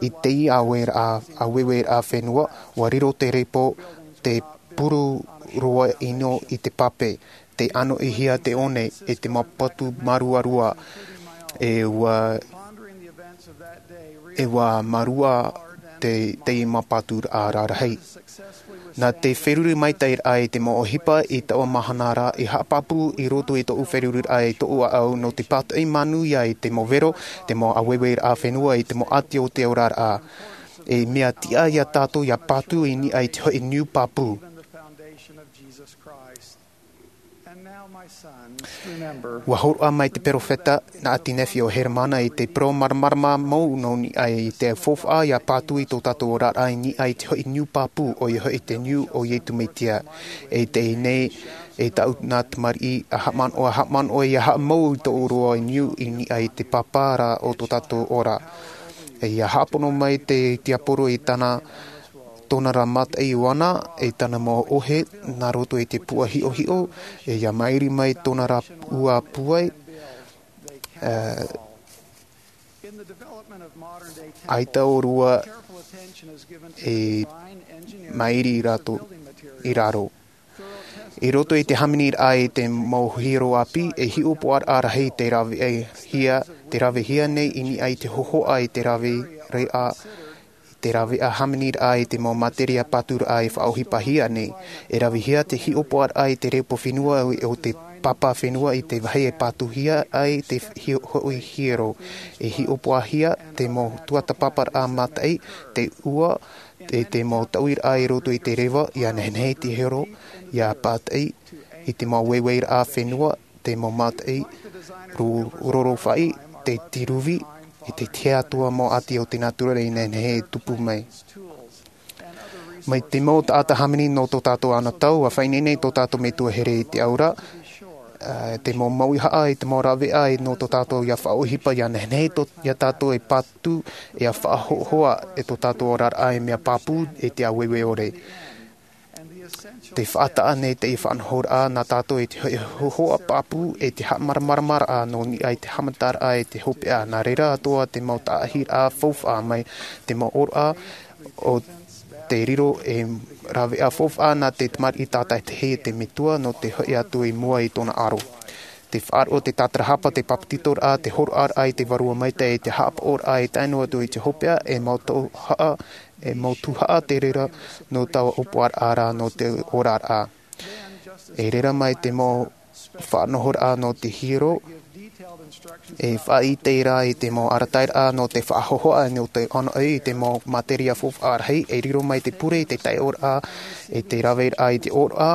I te ʻāueue raʻa, ʻāueue raʻa fenua, ua riro te repo, te puru roa ʻino i te pape, te ʻānoʻihia te one, e te mau patu māruarua, e ua, e ua mārua te, te mau patu rarahi. Nā te feruri maitaʻi raʻa i te mau ʻohipa i taua mahana rā, i haʻapāpū i roto i tōʻu feruri raʻa i tōʻu ʻāʻau nō te pātoʻi manuia i te mau vero, te mau ʻāueue raʻa fenua i te mau ʻati o te oraraʻa. E mea tiʻa ia tātou ia patu i niʻa i te hoʻi niu pāpū. Ua hōroʻa mai te peropheta nā ʻĀti Nephi ʻo Heremana i te parau māramarama mau nō niʻa i te faufaʻa ia patu i tō tātou oraraʻa i niʻa i te hoʻi niu pāpū, ʻoia hoʻi te niu o Iesu Mesia. E teie nei, e tāʻu nā tamariʻi, ʻa haʻamanaʻo, ʻa haʻamanaʻo ia haʻamau i tō ʻoe niu i niʻa i te papa rā o tō tātou ora. E ia haʻapono mai te tiaporo i tāna, tōna rā mataʻi ʻoia, e tāna mau ʻohe, nā roto i te puaʻa hiʻohiʻo, e ia mairi mai tōna rā ua puai, e, ʻaita ʻōrua e mairi rātou i raro. I roto i te hāmani raʻa i te mau hiero ʻāpī, e hiʻopoʻaraʻa rahi te ravehia, te ravehia nei i niʻa i te hōhoʻa i te rave reʻa, te rave hāmani raʻa i te mau materia patu raʻa e faʻaʻohipahia nei. E ravehia te hiʻopoʻaraʻa i te repo fenua o te papa fenua i te vāhi e patuhia ai te hi-, hoʻi hiero. E hiʻopoʻahia te mau tuatāpaparaʻa mataʻi, te ua, e te mau tauiraʻa i roto i te reva, ia nehenehe te hiero, ia pātaʻi i te mau ʻāueue raʻa fenua, te mau mataʻi, ru-, rorofaʻi, te tiruvi, e te tahi atoʻa mau ʻati o te nātura i nehenehe e tupu mai. Mai te mau taʻata hāmani nō tō tātou anotau, ʻua faʻaineine tō tātou Metua here i te ora, ā, te mau mauhaʻa i te mau raveʻa nō tō tātou ia faʻaʻohipa ia nehenehe tō, ia tātou e patu, e ia faʻahoʻohoʻa e tō tātou oraraʻa e mea pāpū e te ʻāueue ʻore. Te faʻataʻa nei te faʻanahoraʻa nā tātou i te hoʻi hōhoʻa pāpū e te haʻamāramaramaraʻa nō niʻa i te haʻamataraʻa e te hopeʻa, nā reira atoʻa te mau taʻahiraʻa faufaʻa mai te mau ʻōroʻa o te riro e raveʻa faufaʻa nā te tamariʻi tātaʻitahi e te Metua nō te hoʻi atu i mua i tōna aro. Te faʻaroʻo, te tātarahapa, te papetitoraʻa, te hōroʻaraʻa i te Vārua Maitaʻi, e te haʻapaʻoraʻa e tae noa atu i te hopeʻa, e mau tuhaʻa, e mau tuhaʻa te reira nō taua ʻōpuaraʻa rā nō te oraraʻa. E reira mai te mau faʻanahoraʻa nō te hiero, e faʻaʻite rā i te mau arataʻiraʻa nō te faʻahohoʻa, nō te ʻānoʻi i te mau materia faufaʻa rahi, e riro mai te pure i te taiʻoraʻa, e te raveraʻa i te ʻōroʻa,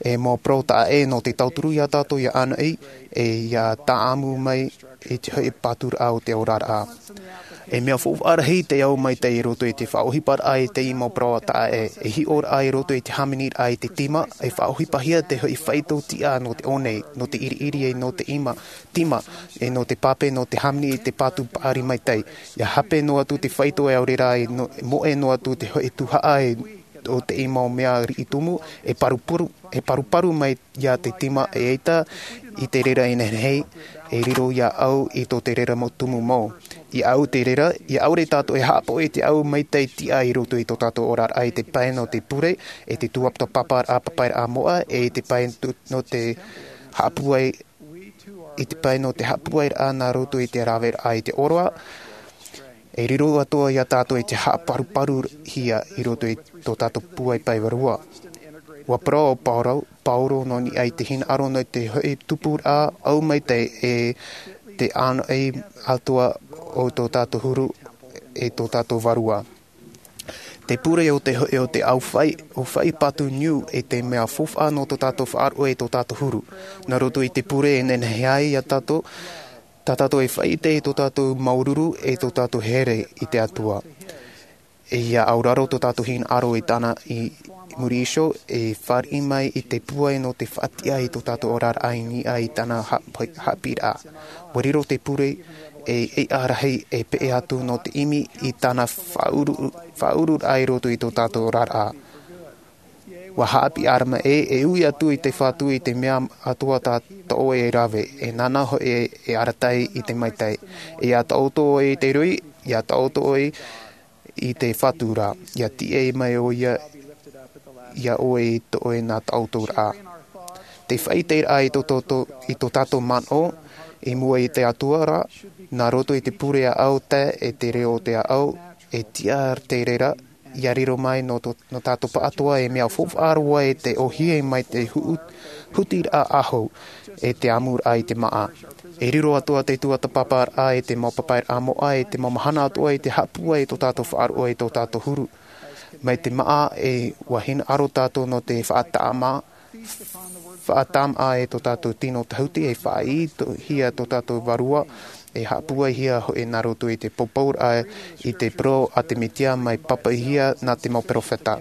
e mau parau taʻa ʻē nō te tauturu ia tātou ia ʻānoʻi, e ia tāʻamu mai i te hoʻi pāturaʻa o te oraraʻa. E mea faufaʻa rahi te au maitaʻi i roto i te faʻaʻohiparaʻa i te mau parau taʻa ʻē, e hiʻoraʻa i roto i te hāmaniraʻa i te tīma, e faʻaʻohipahia te hoʻi faito tiʻa nō te ʻōnei, nō te ʻiriʻiri e nō te ʻima, tīma, e nō te pape, nō te hāmani i te patu paʻari maitaʻi. Ia hape noa atu te faito e ʻaore rā e no-, moʻe noa atu te hoʻi tuhaʻa e o te mau mea riʻi tumu, e paruparu, e paruparu mai ia te tīma e ʻaita i te reira e nehenehe, E riro iā ʻau i tō te reira mau tumu mau. Iā ʻau te reira, ia ʻaore tātou e haʻapaʻo i te ʻau maitaʻi tiʻa i roto i tō tātou oraraʻa i te pae nō te pure, e te tuatāpaparaʻa papairaʻa moʻa, e i te pae nō te haʻapūai, i te pae nō te haʻapūairaʻa nā roto i te raveraʻa i te ʻōroʻa. E riro atoʻa iā tātou i te haʻaparuparuhia i roto i tō tātou pūai pae vārua. Ua parau ʻo Paulo, Paulo nō niʻa i te hinaʻaro nō te hoʻi tupuraʻa ʻau maitaʻi e te ʻānoʻi atoʻa o tō tātou huru e tō tātou vārua. Te pure o te hoʻi o te ʻau fai, ʻo fai patu niu e te mea faufaʻa nō tō tātou faʻaroʻo e tō tātou huru. Nā roto i te pure e nehenehe ai iā tātou, tā tātou e faʻaʻite i tō tātou māuruuru e tō tātou here i te Atua. E ia auraro tō tātou hinaʻaro i tāna i muri iho, e fāriʻi mai i te pūai nō te faʻatiʻa i tō tātou oraraʻa i niʻa i tāna haʻapi-, haʻapiʻiraʻa. Ua riro te pure e ʻeiʻa rahi e peʻe atu nō te ʻimi i tāna faʻaʻuru-, faʻaʻururaʻa i roto i tō tātou oraraʻa. Ua haʻapiʻi ʻĀrama ē, e ui atu i te Fatu i te mea atoʻa tā ʻoe e rave, e nāna hoʻi e, e arataʻi i te maitaʻi. E ia taʻoto ʻoe i te rui, ia taʻoto ʻoe i te Fatu ra, ia tiʻa mai ʻoia iā ʻoe i tō ʻoe nā taʻoto ra. Te faʻaʻiteraʻa i tō, tō, tō, i tō tātou manaʻo, i mua i te Atua ra, nā roto i te pure ʻāʻau tae e te reo o te ʻāʻau, e tiʻa te reira, ia riro mai nō tō, nō tātou pāʻatoʻa e mea faufaʻa roa e te ʻōhie mai te hu-, hutiraʻa ʻahu, e te ʻamuraʻa i te māʻa. E riro atoʻa te tuatāpaparaʻa e te mau papairaʻa moʻa e te mau mahana atoʻa i te haʻapūai i tō tātou faʻaroʻo e tō tātou huru. Mai te māʻa e ua hinaʻaro tātou nō te faʻatāmā, faʻatāmā e tō tātou tino tahuti e faʻaitoitohia tō tātou vārua, e haʻapūaihia hoʻi nā roto i te poupouraʻa i te parau a te Mesia mai pāpaʻihia nā te mau peropheta.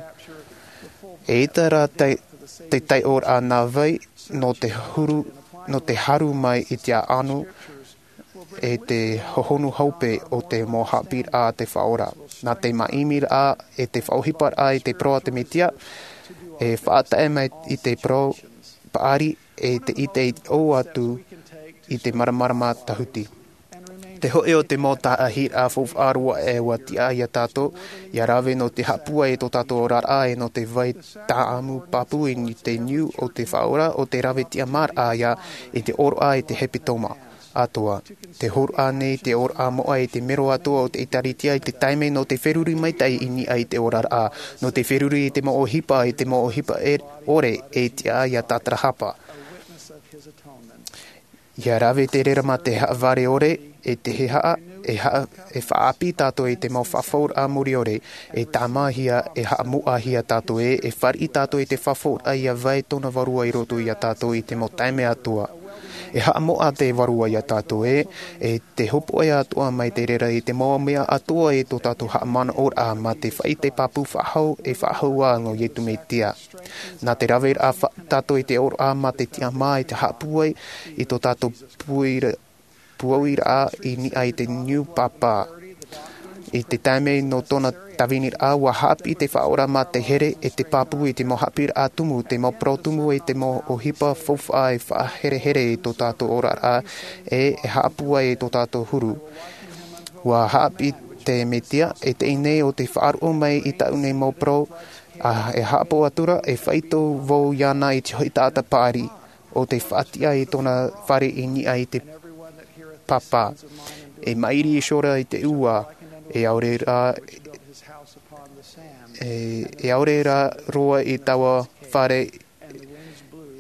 E ʻita rā te, te taiʻoraʻa nā vai nō te huru, nō te haru mai i te ʻāʻanu, e te hohonu hope o te mau haʻapiʻiraʻa a te Faʻa ora. Nā te māʻimiraʻa e te faʻaʻohiparaʻa i te parau a te Mesia, e faʻatae mai i te parau paʻari e te ʻite i ʻō atu i te māramarama tahuti. Te hoʻi o te mau tāʻahiraʻa faufaʻa roa e ua tiʻa iā tātou, ia rave nō te haʻapūai i tō tātou oraraʻa e nō te vai tāʻamu pāpū i te niu o te Faʻa ora, ʻo te rave tiʻamāraʻa ia i te ʻōroʻa e te hepetoma atoʻa. Te hōroʻa nei te ʻōroʻa moʻa i te mero atoʻa o te ʻĒtārētia i te taime nō te feruri maitaʻi i niʻa i te oraraʻa, nō te feruri i te mau ʻohipa, i te mau ʻohipa e, ʻore e tiʻa iā Tātarahapa. Ia rave te reira mā te haʻavare ʻore, e te haʻa, e haʻa, e faʻaʻāpī tātou i te mau fafauraʻa mure ʻore, e tāmāhia, e haʻamoʻahia tātou ē, e fāriʻi tātou i te fafauraʻa ia vai tōna vārua i roto iā tātou i te mau taime atoʻa. E haʻamoʻa te vārua iā tātou ē, e te hopoiʻa atoʻa mai te reira i te mau mea atoʻa i tō tātou haʻamanaʻoraʻa mā te faʻaʻite pāpū faʻahou, e faʻahou ā nō Iesu Mesia. Nā te raveraʻa fa-, tātou i te ʻōroʻa mā te tiʻamā i te haʻapūai i tō tātou pūairaʻa, pūairaʻa i niʻa i te niu pāpā. I te taime nō tōna tāviniraʻa, ua haʻapiʻi te Faʻa ora mā te here e te pāpū i te mau haʻapiʻiraʻa tumu, te mau parau tumu e te mau ʻohipa faufaʻa e faʻaherehere i tō tātou oraraʻa, e, e haʻapūai i tō tātou huru. Ua haʻapiʻi te Mesia, e teie nei ʻo te faʻaroʻo mai i tāʻu nei mau parau, ā, e haʻapaʻo atura, e faʻaitoito vau iāna i te hoʻi taʻata paʻari, ʻo te faʻatiʻa i tōna fare i niʻa i te pāpā. E maʻiri iho ra i te ua, e ʻaore rā, e, e ʻaore rā roa i taua fare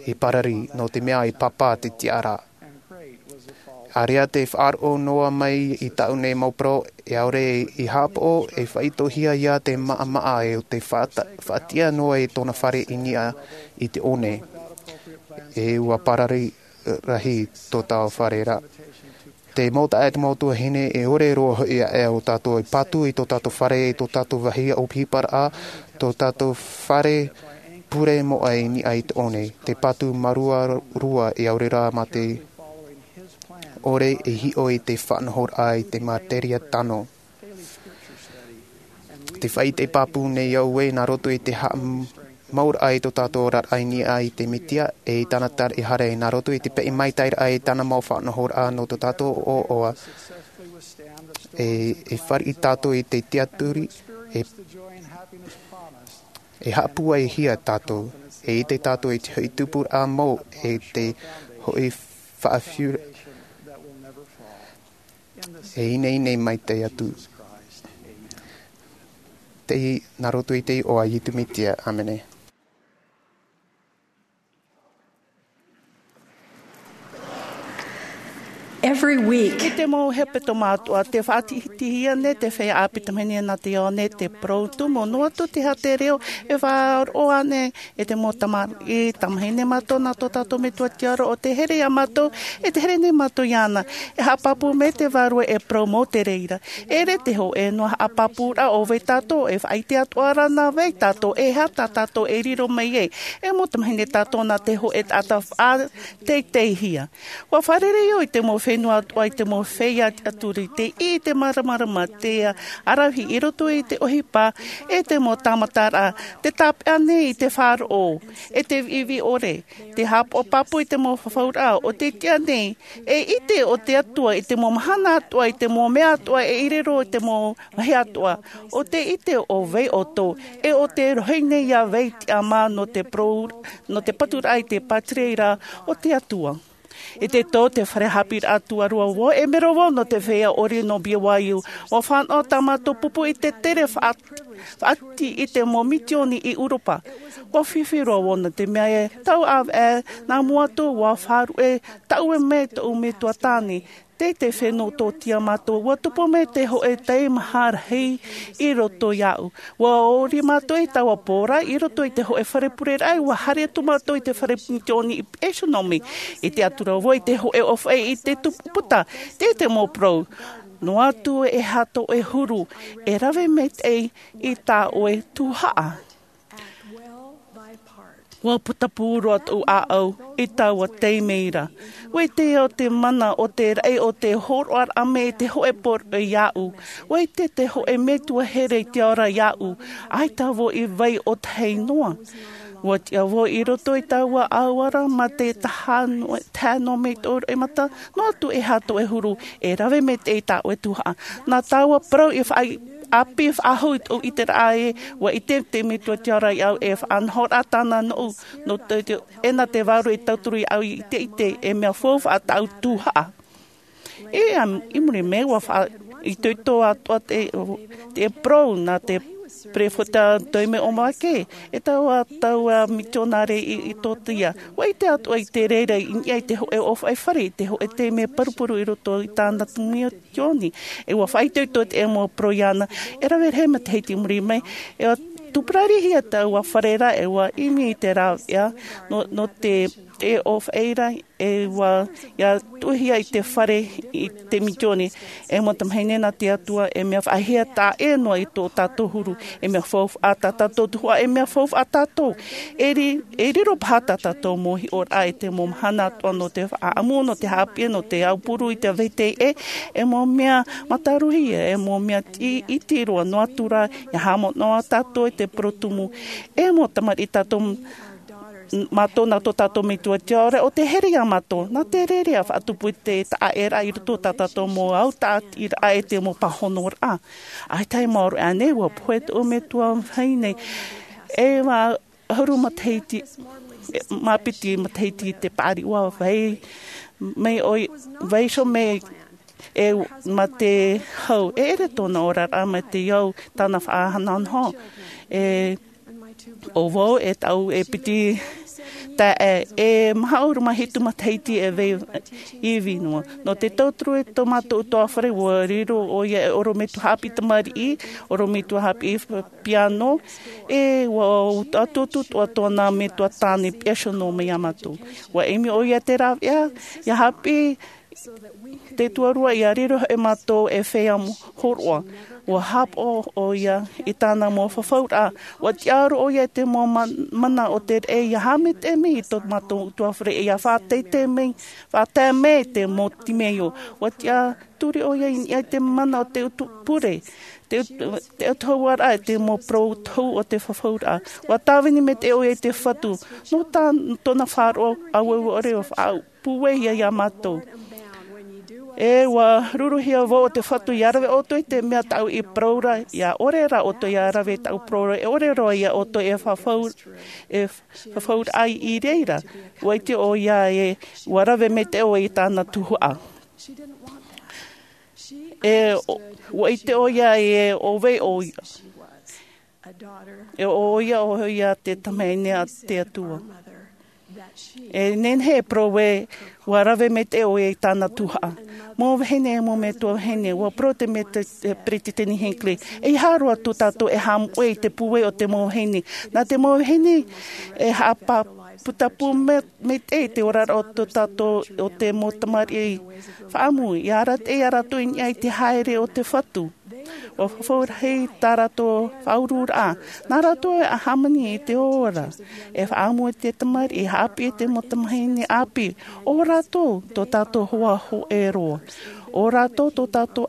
i parari, nō te mea i pāpā te tiʻaraʻa. ʻĀreʻa te faʻaroʻo noa mai i tāʻu nei mau parau, e ʻaore i haʻapaʻo, e faʻaitoitohia ia te maʻamaʻa e ʻo te faʻata-, faʻatiʻa noa i tōna fare i niʻa i te one. E ua parari rahi tō tāua fare ra. Te mau taeaʻe, te mau tuahine, e ʻore roa hoʻi aʻe ā tātou e patu i tō tātou fare, i tō tātou vāhi ʻohiparaʻa, tō tātou fare pure moʻa i niʻa i te one. Te patu māuruuru e ʻaore rā mā te ʻore e hiʻo i te faʻanahoraʻa i te materia tano. Te faʻaʻite pāpū nei au ē, nā roto i te haʻam-, mau raʻa i tō tātou oraraʻa i niʻa i te Mesia, e i tāna taraʻehara, nā roto i te peʻe maitaʻiraʻa i tāna mau faʻanahoraʻa nō tō tātou ʻoaʻoa. E, e fāriʻi tātou i te tiaturi, e, e haʻapūaihia tātou, e ʻite tātou i te hoʻi tupuraʻa mau, e te hoʻi faʻafiu, e ineine maitaʻi atu. Tei, nā roto i te iʻoa o Iesu Mesia, ʻāmene. Every week. I te mau hepetoma atoʻa, te faʻatihitihia nei te feiā ʻāpī tamahine nā te ao nei te parau tumu, noa atu te haʻatereo e faʻaroʻo nei e te mau tamariʻi, tamahine mātou nā tō tātou Metua Tiʻa ra, ʻo tē here ia mātou, e tē here nei mātou iāna. E haʻapāpū mai te Vārua e parau mau te reira. E ʻere te hōʻē noa haʻapāpūraʻa ʻo vai tātou, e faʻaʻite atoʻa ra nā vai tātou, e aha tā tātou e riro mai ai. E mau tamahine tātou nā te hōʻē taʻata faʻateiteihia. ʻUa fārerei au i te mau fenua atoʻa, i te mau feiā tiʻaturi, tei ʻī i te māramarama, te ʻaravihi i roto i te ʻohipa, e te mau tāmataraʻa, tē tāpeʻa nei i te faʻaroʻo, e te viʻiviʻi ʻore, te haʻapaʻo pāpū i te mau fafauraʻa, ʻo tē tiʻa nei, e ʻite ʻo te Atua i te mau mahana atoʻa, i te mau mea atoʻa, e i riro i te mau vāhi atoʻa, ʻo tē ʻite ʻo vai ʻoutou, e ʻo tē rohi nei ia vai tiʻamā nō te parau, nō te paturaʻa i te pātireia o te Atua. I te tau te fare haʻapiʻiraʻa tuarua vau, e mero vau nō te feiā ʻori nō B Y U. ʻUa fānaʻo tā mātou pupu i te tere faʻa-, faʻati i te mau misiōni i ʻEuropa. ʻUa fifi roa vau nō te mea e tau ʻāvaʻe nā mua atu, ʻua faʻaruʻe taʻue mai tōʻu metua tāne. Tei te fenua tōtia mātou, ʻua tupu mai te hōʻē teimaha rahi i roto iāʻu. ʻUa ʻori mātou i taua pō ra i roto i te hōʻē fare pureraʻa, ʻua haere atu mātou i te fare misiōni i Pētenomi. I te atura vau i te hōʻē ʻōfaʻi i te tupu puta, tei te mau parau. Noa atu e aha tō ʻoe huru, e rave maitaʻi i tā ʻoe tuhaʻa. ʻUa putapū roa tōʻu ʻāʻau i taua taime ra. ʻUa ʻite au te mana o te raʻi o te hōroʻaraʻa mai i te hōʻē poroʻi iāʻu. ʻUa ʻite te hōʻē metua here i te ao ra iāʻu. ʻAita vau i vai ʻo tahi noa. ʻUa tiʻa vau i roto i taua ʻāua ra mā te tahi noa, tahi noa mai tōʻu roimata, noa atu e aha tō ʻoe huru, e rave maitaʻi tā ʻoe tuhaʻa. Nā taua parau i faʻa-, ʻāpī faʻahou i tōʻu ʻiteraʻa ē, ʻua ʻite te Metua Tiʻa ra iāʻu e faʻanahoraʻa tāna nōʻu, nō te, te, e nā te Vārua i tauturu iāʻu i te ʻite, e mea faufaʻa tāʻu tuhaʻa. E, ā, i muri mai, ʻua faʻaitoito atoʻa te, te parau nā te perofeta Tōmasi Mōrikē, e taua, taua mitionare i, i Etiōpia. ʻUa ʻite atoʻa i te reira i niʻa i te hōʻē ʻōfaʻi fare, i te hōʻē taime parupuru i roto i tāna tumu misiōni. E ʻua faʻaitoito te mau parau iāna, e rave rahi matahiti i muri mai, e ʻua tūpararihia taua fare ra, e ʻua ʻimi i te rāveʻa, nō, nō te, te ʻōfaʻi ra, e ʻua, ʻia tuʻuhia i te fare i te misiōni, e mau tamahine nā te Atua, e mea faʻahiahia taʻa ʻē noa i tō tātou huru, e mea faufaʻa tā tātou tuhaʻa, e mea faufaʻa tātou. E ri-, e riro paha tā tātou mau hiʻoraʻa i te mau mahana atoʻa nō te faʻaʻamu, nō te haʻapiʻi, nō te aupuru i te vāhi teie, e mau mea mātāruhia, e mau mea iti, iti roa noa atu rā, ʻia haʻamanaʻo tātou i te parau tumu, e mau tamariʻi tātou, mātou nā tō tātou Metua Tiʻa ra, ʻo tē here ia mātou, nā te reira ʻia faʻatupu i te taʻaʻēraʻa i roto tā tātou mau autaʻatiraʻa e te mau pāhonoraʻa. ʻAita e maoro aʻe nei, ʻua pohe tōʻu metua vahine, e ʻua ʻahuru matahiti, e, mā piti matahiti te paʻari, ʻua vai, mai ʻoia, vaiiho mai e mā te hau, e ʻere tōna oraraʻa mai te au, tāna faʻanahonaho. E, ʻo vau, e tāʻu e piti taeaʻe, e maha ʻahuru mā hitu matahiti e vai ivi noa. Nō te tauturu i tō mātou ʻutuāfare, ʻua riro ʻoia e ʻorometua haʻapiʻi tamariʻi, ʻorometua haʻapiʻi piano, e ʻua ʻutuʻutu atoʻa nā metua tāne piasono mai iā mātou. ʻUa ʻimi ʻoia te rāveʻa, ʻia haʻapiʻi, Te tuarua ia riro e mātou e fea horoʻa. Ua hāpaʻo ʻo ia i tāna mau fafauraʻa. Ua tiʻa roa ʻo ia i te mau mana o te reʻe ia haʻamaitaʻi mai i tō mātou utuafare ia faʻateitei mai, faʻatae mai te mau timeio. Ua tiʻaturi ʻo ia i niʻa i te mana o te utuāfare, te utuāfare i te mau parau tohu o te fafauraʻa. Ua tāvini maitaʻi ʻo ia i te fatu nō tōna faʻaroʻo aueue ʻore ua faʻaʻau pūai ia mātou. E ua ruruhia vau o te fatu ia rave ʻoutou i te mea tāʻu i parau ra ia ʻore rā ʻoutou ia rave tāʻu parau ra e ʻore roa ia ʻoutou e fafau e fafauraʻa i reira. Ua ʻite ʻo ia e ua rave maitaʻi ʻo ia i tāna tuhaʻa. E ua ʻite ʻo ia e ʻo vai ʻo ia. E ʻo ia ʻo ia te tamahine a te atua. E nehenehe e parau ē ua rave maitaʻi ʻo ia i tāna tuhaʻa. Mau vahine e mau metua vahine ua parau te peresideni hinckley, e hāroa tō tātou e haʻamoʻe i te pūai o te mau vahine. Nā te mau vahine e haʻapāpū maitaʻi i te oraraʻa o tō tātou o te mau tamariʻi faʻaʻamu ia arataʻi ia rātou i niʻa i te haere o te fatu. Ua fafau rahi tā rātou faʻauruuraʻa. Nā rātou e hāmani i te ora e faʻaʻamu i te tamariʻi haʻapiʻi i te mau tamahine ʻāpī. O rātou tō tātou hoa hōʻē roa. O rātou tō tātou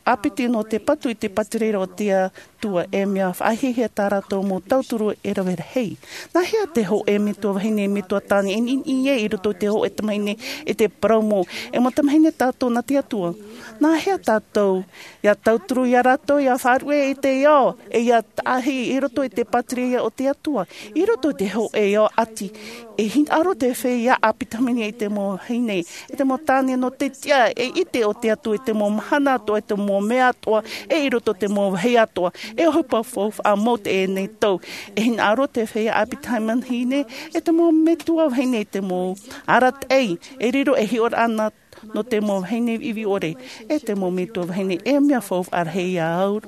ʻāpiti nō te patu i te pātireia o te atua e mea faʻahiahia tā rātou mau tauturu e rave rahi. Nā hea te hōʻē metua vahine metua tāne e niʻiniʻi ai i roto i te hōʻē tamahine i te parau mau e mau tamahine tātou nā te atua? Nā hea tātou ia tauturu ia rātou ia faʻaruʻe i te ao e ia tahi i roto i te pātireia o te atua? I roto i te hōʻē ao ʻati e hinaʻaro te feiā ʻāpī tamahine i te mau vahine i te mau tāne nō te tiʻa e ʻite o te atua i te mau mahana atoʻa i te mau mea atoʻa e i roto i te mau vāhi atoʻa. E ʻohipa faufaʻa mau teie nei tau. E hinaʻaro te feiā ʻāpī tamahine e te mau metua vahine i te mau arataʻi e riro e hiʻoraʻa nā nō te mau vahine viʻiviʻi ʻore e te mau metua vahine e mea faufaʻa rahi ia au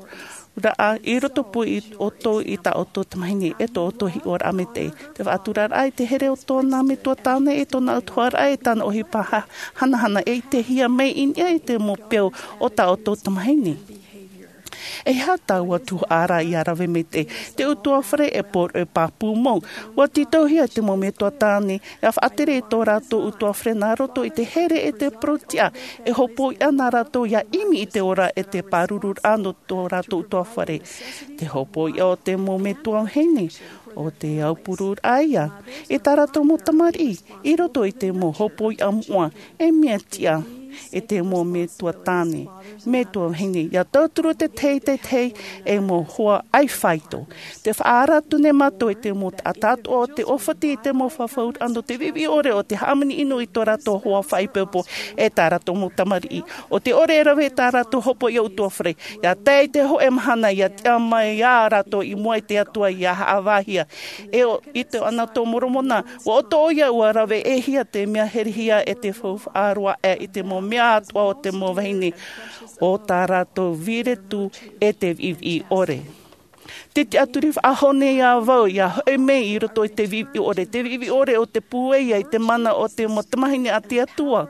raʻa i roto pū i ʻoutou i tā ʻoutou tamahine e tō ʻoutou hiʻoraʻa maitaʻi. Te faʻaturaraʻa i te here o tōna metua tāne e tōna ʻautuharaʻa e tāna ʻohipa hanahana e ʻitehia mai i niʻa i te mau peu o tā ʻoutou tamahine. E hā taua tuhaʻa ia rave maitaʻi? Te utuafare e pō e pāpū mau. Ua tītauhia te mau metua tāne ia faʻatere i tō rātou utuafare nā roto i te here e te parau tiʻa e hopoiʻa nā rātou ia ʻimi i te ora e te pārururaʻa nō tō rātou utuafare. Te hopoiʻa o te mau metua vahine o te aupururaʻa ia i tā rātou mau tamariʻi i roto i te mau hopoiʻa moʻa e mea tiʻa e te mau metua tāne metua vahine ia tauturu te teitei e mau hoa ʻai faito. Te faʻaara atu nei mātou i te mau taʻata atoʻa o te ʻōfati i te mau fafauraʻa nō te viʻiviʻi ʻore o te hāmani ʻino i tō rātou hoa faʻaipoipo e tā rātou mau tamariʻi. ʻO te ʻore e rave i tā rātou hopoiʻa utuafare ia tae i te hōʻē mahana ia tiʻa mai ia rātou i mua i te atua ia haʻavāhia. E ʻo i te ʻana tō moromona ua ʻoto ʻo ia ua rave e hia te mea herehia e te faufaʻa roa aʻe i te mau mea atoʻa o te mau vahine o tā rātou viretu e te viʻiviʻi ʻore. Te tiʻaturi faʻahou nei ia vau ia hoʻi mai i roto i te viʻiviʻi ʻore te viʻiviʻi ʻore o te pūai i te mana o te mau tamahine a te atua.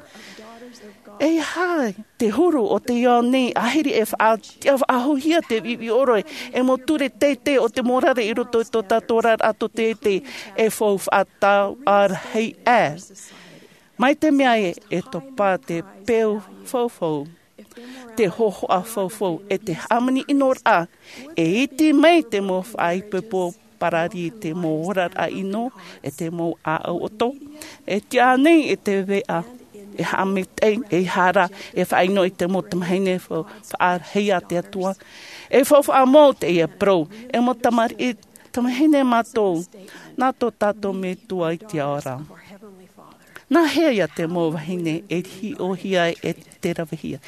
E hā te huru o te ao nei ahiri e faʻatiʻa faʻahouhia te viʻiviʻi ʻore e mau ture teitei o te morare i roto i tō tātou oraraʻa tō teitei e faufaʻa tau ʻarahi aʻe. Mai te mea e topa te peu faufau te hohoʻa faufau e te hāmani ʻinoraʻa e iti mai te mau faʻaipoipo parari i te mau oraraʻa ʻino e te mau ʻāʻau ʻoto e tiʻa nei e te veʻa e haʻamaitaʻi e hara e faʻaʻino i te mau tamahine faʻarahi a te atua e faufaʻa mau teie parau e mau tamariʻi tamahine mātou nā tō tātou metua i te ao ra. Nā hea ia te mau vahine e hiʻohia e te ravehia?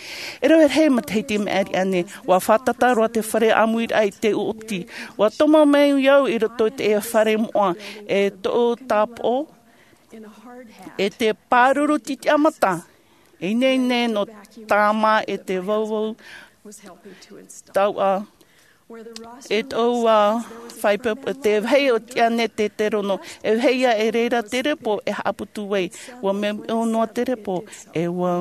E rave rahi matahiti maʻiri aʻe nei ua fātata roa te fare ʻāmuiraʻa i te ʻoti. Ua tomo mai au i roto i te fare moʻa e toʻu tāpoʻo e te pāruru titiʻamata e ineine nō tāmā e te vauvau tauʻa E tōʻu ā fai pāpū, te vāhi o tiʻa nei te, te rono, e vāhi ia e reira te repo e haʻaputu ai, ʻua meʻo noa te repo, e ʻua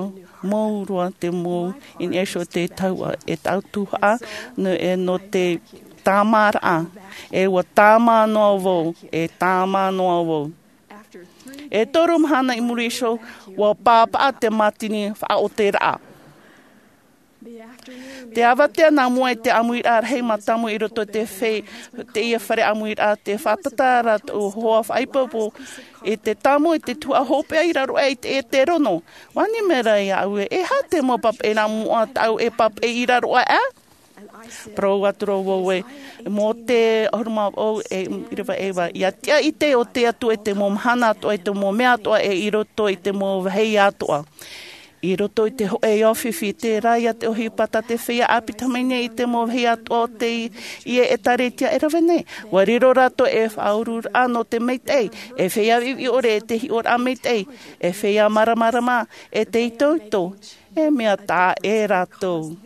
mou roa te mou, i niʻa iho te taua, e tāʻu tuhaʻa, nō e nō te tāmāraʻa, e ʻua tāmā noa vau, e tāmā noa vau. E toru mahana i muri iho, ʻua pāpaʻa te mātini faʻaoteraʻa. Te avatea nā mua i te ʻāmuiraʻa rahi mātāmua i roto i te fe-, teie fare ʻāmuiraʻa, te fātata ra tōʻu hoa faʻaipoipo i te tāmau i te tuhaʻa hopeʻa i raro aʻe i te, i te rono. ʻUa ʻite mai ra iāʻu ē, e aha te mau papaʻi nā mua tāʻu e papaʻi i raro aʻe? Parau atu ra vau ē, Mōte ʻahuru mā vaʻu e ʻīrava e iva, ʻia tiʻa ʻite ʻo te Atua i te mau mahana atoʻa, i te mau mea atoʻa, e i roto i te mau vāhi atoʻa. I roto i te hōʻē ao fifi, terā ia te ʻohipa tā te feiā ʻāpī tamāhine i te mau vāhi atoʻa o teie ʻētāretia e rave nei. ʻUa riro rātou ei faʻaururaʻa nō te maitaʻi, ei feiā viʻiviʻi ʻore, ei hiʻoraʻa maitaʻi, ei feiā māramarama, ei itoito, ei mea taʻa ʻē rātou.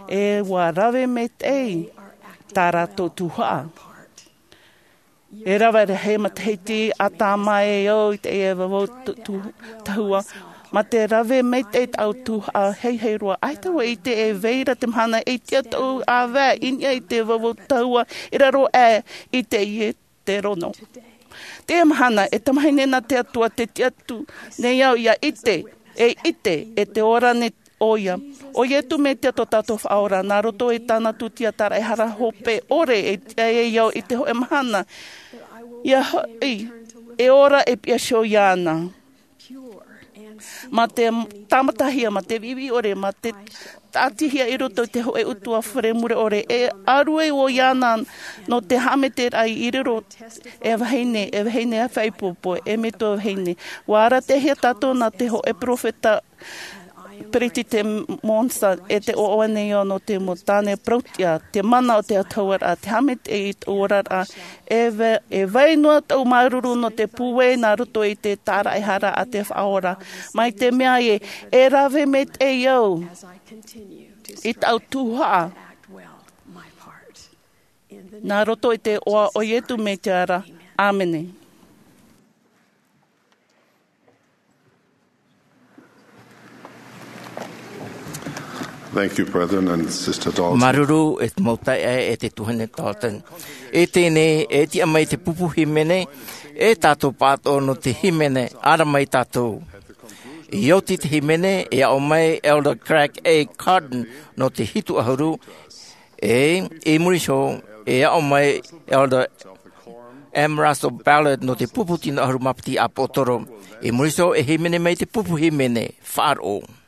E ʻua rave maitaʻi tā rātou tuhaʻa. E rave rahi matahiti ʻa tāmā e au i teie vavau tu-, tu-, tahua. Mā te rave maitaʻi tāʻu tuhaʻa, heihei roa, ʻaita vau e ʻite e vai ra te mahana e tiʻa tōʻu ʻāvae i niʻa i te vavau tahua i raro aʻe i teie te rono. Teie mahana, e tamāhine nā te Atua, tē tiʻa atu nei au ʻia ʻite, e ʻite, e te ora nei ʻoia. ʻO Iesu Mesia tō tātou Faʻaora, nā roto i tāna tūtia tāraʻehara hope ʻore, e tiʻa ai au i te hōʻē mahana, ʻia hoʻi, e ora e piʻi iho iāna. Mā te tāmatahia, mā te viʻiviʻi ʻore, mā te tāʻatihia i roto i te hōʻē ʻutuāfare mure ʻore, e ʻāruʻi vau iāna nō te haʻameteraʻa i riro e vahine, e vahine faʻaipoipo, e metua vahine. ʻUa arataʻihia tātou nā te hōʻē peropheta Peresideni Monson, e tē ʻoaʻoa nei au nō te mau tāne parauʻtiʻa, te mana o te autahuʻaraʻa, te haʻamaitaʻi i tōʻu oraraʻa, e va-, e vai noa tōʻu māuruuru nō te pūai nā roto i te tāraʻehara a te Faʻaora. Mai te mea ē, e rave maitaʻi au i tāʻu tuhaʻa. Nā roto i te iʻoa o Iesu Mesia ra. ʻĀmene. Thank you, brethren and Sister Dalton. Māuruuru e te mau taeaʻe e te tuahine Dalton. E teie nei, e tiʻa mai te pupu hīmene, e tātou pāʻatoʻa nō te hīmene, ara mai tātou. I oti te hīmene, e aʻo mai Elder Craig A. Cardon nō te hitu ʻahuru, e, i muri iho, e aʻo mai Elder M. Russell Ballard nō te pupu tino ʻahuru mā piti ʻāpōsetolo. I muri iho, e hīmene mai te pupu hīmene, faʻaroʻo.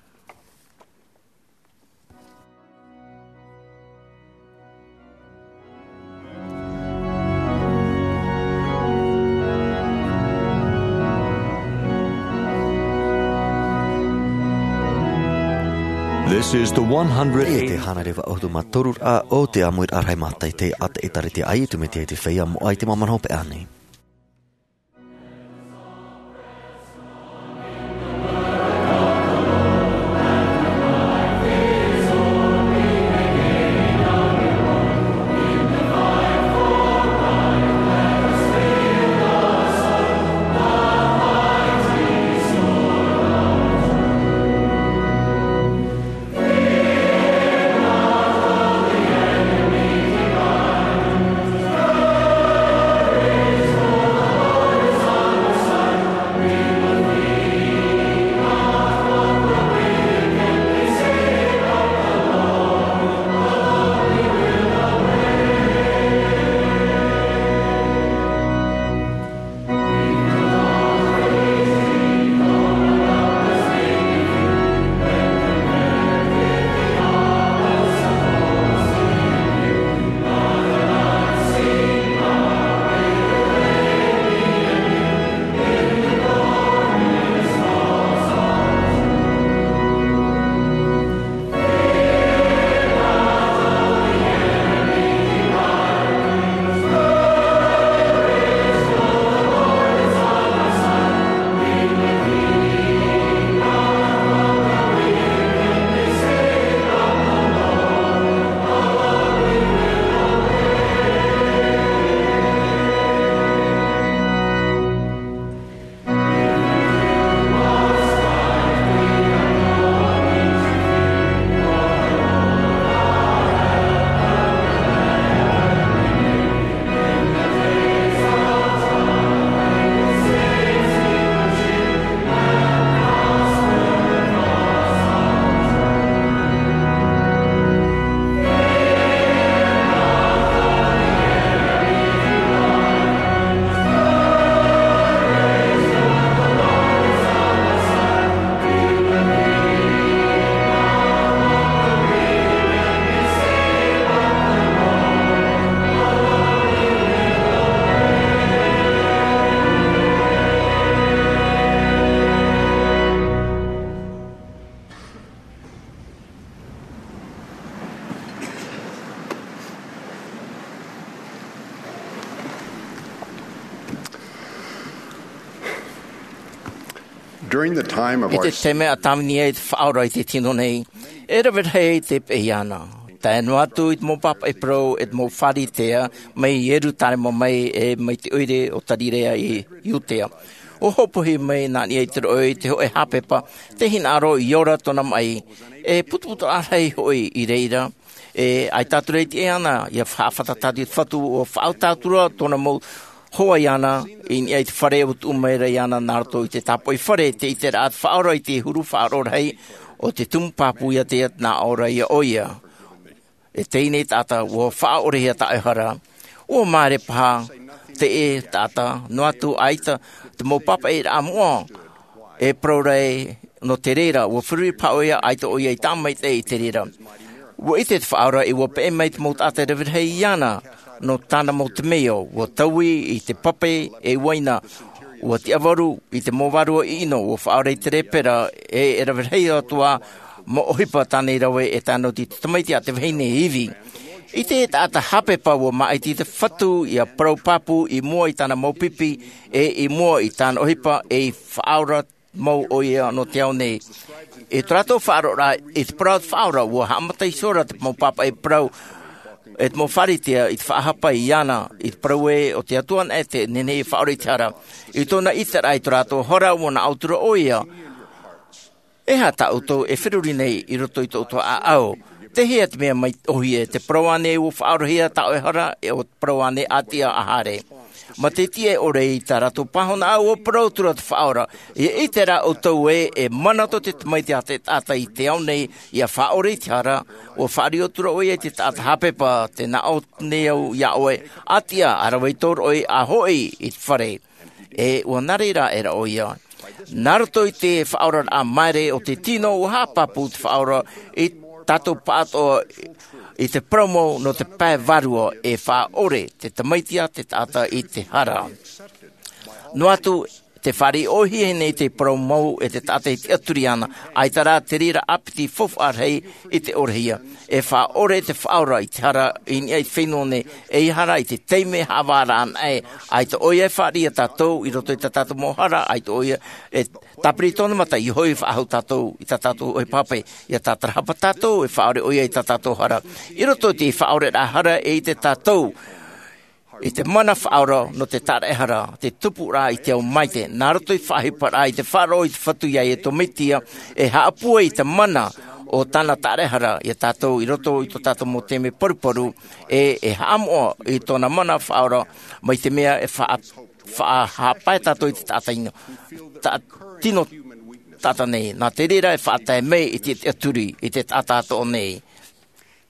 This is the one hundred. E te hānere vaʻu ʻahuru mā toru ra o te ʻāmuiraʻa rahi mātaʻitahi a te ʻĒtārētia a Iesu Mesia i te Feiā Moʻa i te māmana hopeʻa nei. During the time of I te our taime a tāvini ai te faʻaora i te tino nei, e rave rahi te peʻe iāna. Tae noa atu i te mau pāpaʻi parau e te mau Pharisea mai Ierutarema mai e mai te ʻoire o Tarirea i Iutea. ʻUa hopoiʻa mai nā niʻa i te roʻo i te hōʻē haʻapepa, te hinaʻaro i ora tōna maʻi, e putuputu rahi hoʻi i reira, e ʻaita atu ra i te ʻē ana, ʻia faʻafatatari te Fatu, ʻua faʻaʻau atu ra tōna mau hoa iāna, i niʻa i te fare ʻua tuʻu mai ra iāna nā roto i te tāpoʻi fare, te ʻiteraʻa te faʻaora i te huru faʻaroʻo rahi o te tumu pāpū iā te ia nā ʻō ra ia ʻoia. E teie nei taʻata, ʻua faʻaʻorehia tā ʻoe hara. ʻUa māere paha te ʻē taʻata, noa atu ʻaita te mau pāpaʻiraʻa moʻa, e parau ra ē, nō te reira, ʻua feruri paha ʻoia, ʻaita ʻoia i tāmaitaʻi i te reira. ʻUa ʻite te faʻaora, e ʻua peʻe mai te mau taʻata e rave rahi iāna, nō tāna mau temeio, ʻua taui i te pape e uaina, ʻua tiʻavaru i te mau vārua ʻino, ʻua faʻaora i te lepera, e, e rave rahi atoʻa mau ʻohipa tāna i rave e tae noa atu i te tamaiti a te vahine ivi. I te taʻata haʻapepa ʻua māʻiti te Fatu ʻia parau pāpū i mua i tāna mau pipi, e i mua i tāna ʻohipa, e i faʻaora mau ʻoia nō te ao nei. I tō rātou faʻaroʻoraʻa i te parau a te faʻaora, ʻua haʻamata iho ra te mau pāpaʻi parau, e te mau Pharisea i te faʻahapa iāna, i te parau ē, ʻo te Atua anaʻe tē nehenehe e faʻaora i te hara. I tōna ʻiteraʻa i tō rātou hara, ʻua naʻo atu ra ʻoia. E aha tā ʻoutou e feruri nei i roto i tō ʻoutou ʻāʻau? Tei hea te mea mai ʻōhie, te parau ānei ʻua faʻaorahia tā ʻoe hara, e ʻo te parau ānei ʻātiʻa ā haere? Matahiti e ʻore i tā rātou pāhonoraʻa, ʻua parau atu ra te faʻaora, ʻia ʻite rā ʻoutou ē, e mana tō te tamaiti a te taʻata i te ao nei, ʻia faʻaora i te hara, ʻua faʻario atu ra ʻoia i te taʻata haʻapepa, tē naʻo nei au iā ʻoe, ʻātiʻa, ʻa rave i tō roʻi, ʻa hoʻi i te fare. E ʻua nā reira aʻera ʻoia. Nā roto i te faʻaoraraʻa māere o te tino, ʻua haʻapāpū te faʻaora i tātou pāʻatoʻa i te parau mau nō te pae vārua, e faʻaʻore te tamaiti a te taʻata i te hara. Noa atu, tē fāriʻi ʻōhie nei te parau mau e te taʻata i tiʻaturi ana, ʻaita rā te reira ʻāpiti faufaʻa rahi i te ʻorehia. E faʻaʻore te faʻaora i te hara i niʻa i te fenua nei, eiaha rā i te taime haʻavāraʻa anaʻe, ʻaita ʻoia e fāriʻi ia tātou i roto i tā tātou mau hara, ʻaita ʻoia e tāpiri i tōna mata, ʻia hoʻi faʻahou tātou i tā tātou ʻohipa hape, ʻia tātarahapa tātou, e faʻaʻore ʻoia i tā tātou hara. I roto i te faʻaʻoreraʻa hara e ʻite tātou i te mana faʻaora nō te tāraʻehara, te tupuraʻa i te ao maitaʻi, nā roto i te faʻaʻohiparaʻa i te faʻaroʻo i te Fatu iā Iesu Mesia, e haʻapūai i te mana o tāna tāraʻehara iā tātou i roto i tō tātou mau taime paruparu, e, e haʻamoʻa i tōna mana faʻaora, mai te mea e faʻa-, faʻahaʻapae tātou i te taʻata ʻino, ta-, tino taʻata nei, nā te reira e faʻatae mai i te, te tiʻaturi i te taʻata atoʻa nei.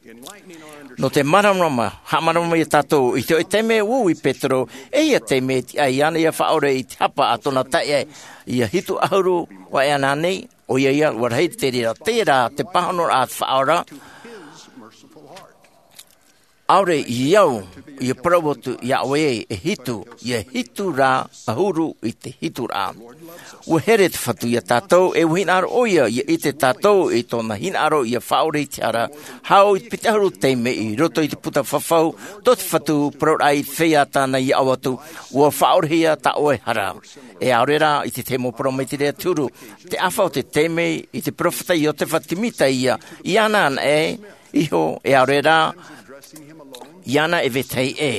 Nō te māramarama, haʻamāramarama ia tātou, i te hōʻē taime ʻua ui Petero, e ia taime e tiʻa iāna ʻia faʻaʻore i te hapa a tōna taeaʻe, ʻia hitu ʻahuru, ʻua ʻite ānei, ʻoia ia, ʻua rahi te reira, terā, te pāhonoraʻa a te faʻaora, ʻaore i au, ʻia parau atu iā ʻoe e hitu, ʻia hitu rā, ʻahuru i te hituraʻa. ʻUa here te Fatu iā tātou, e ʻua hinaʻaro ʻoia, ʻia ʻite tātou i tōna hinaʻaro ʻia faʻaʻore i te hara, hau i te piti ʻahuru taime i roto i te puta fafau, tō te Fatu, parauraʻa i te feiā tāna ʻia ʻau atu, ʻua faʻaʻorehia tā ʻoe hara. E ʻaore rā, i te tahi mau parau mai te reira te huru, te ʻāfa o te taime i te peropheta Iotefa Semita ia, iāna anaʻe, iho, e ʻaore rā, iāna e vetahi ʻē.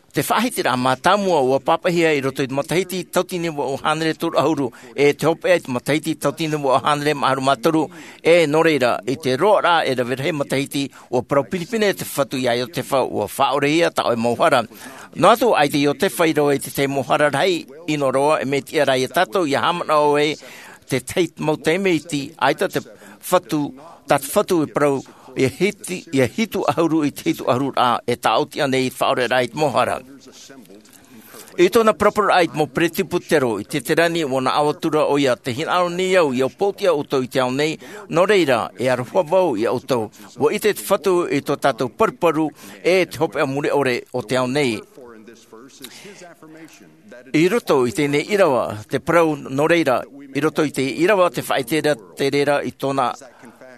Te faʻahitiraʻa mātāmua ʻua pāpaʻihia i roto i te matahiti tauatini vaʻu hānere toru ʻahuru, e te hopeʻa i te matahiti tauatini vaʻu hānere maha ʻahuru mā toru, e nō reira, i te roaraʻa e rave rahi matahiti, ʻua parau pinepine te Fatu iā Iotefa, ʻua faʻaʻorehia tā ʻoe mau hara. Noa atu, ʻaita Iotefa i rave i te tahi mau hara rahi, ʻino roa, e mea tiʻa rā ia tātou, ʻia haʻamanaʻo ē, te tahi mau taime iti, ʻaita te Fatu, tā te Fatu e parau, ʻia hiti, ʻia hitu ʻahuru i te hitu ʻahuru rā, e tāʻoti ānei i te faʻaʻoreraʻa i te mau hara. I tōna paraparau i te mau peresibutero, i te terani ʻua naʻo atu ra ʻoia, tē hinaʻaro nei au, ʻia pōtiʻa ʻoutou i te ao nei, nō reira, e aroha vau ia ʻoutou. ʻUa ʻite te Fatu i tō tātou paruparu, e te hopeʻa mure ʻore o te ao nei. I roto i teie nei ʻīrava, te parau nō reira, i roto i te ʻīrava, te faʻaʻite ra te reira i tōna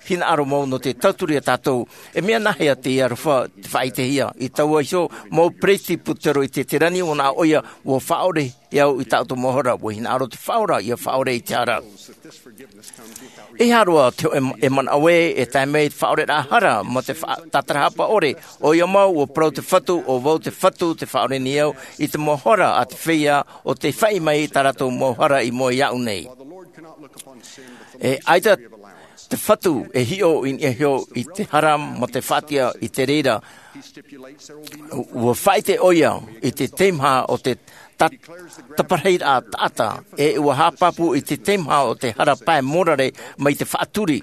hinaʻaro mau nō te tauturu iā tātou. E mea nāhea te aroha te faʻaʻitehia? I taua iho mau peresibutero i te terani, ʻo nā ʻoia ua faʻaʻore e au i tā ʻoutou mau hara. Ua hinaʻaro te Faʻaora ia faʻaʻore i te hara. E hāroa te hōʻē e manaʻo ē e tae mai te faʻaʻoreraʻa hara mā te tātarahapa ʻore. ʻOia mau, ua parau te Fatu, ʻo vau te Fatu, te faʻaʻore nei au i te mau hara a te feiā, ʻo tei faʻi mai i tā rātou mau hara i mua iāʻu nei. E ʻaita te Fatu e hiʻo i niʻa iho i te hara mā te faʻatiʻa i te reira. Ua faʻaʻite ʻoia i te teimaha o te taparahi taʻata, e ua haʻapāpū i te teimaha o te hara pae mōrare mai te faʻaturi.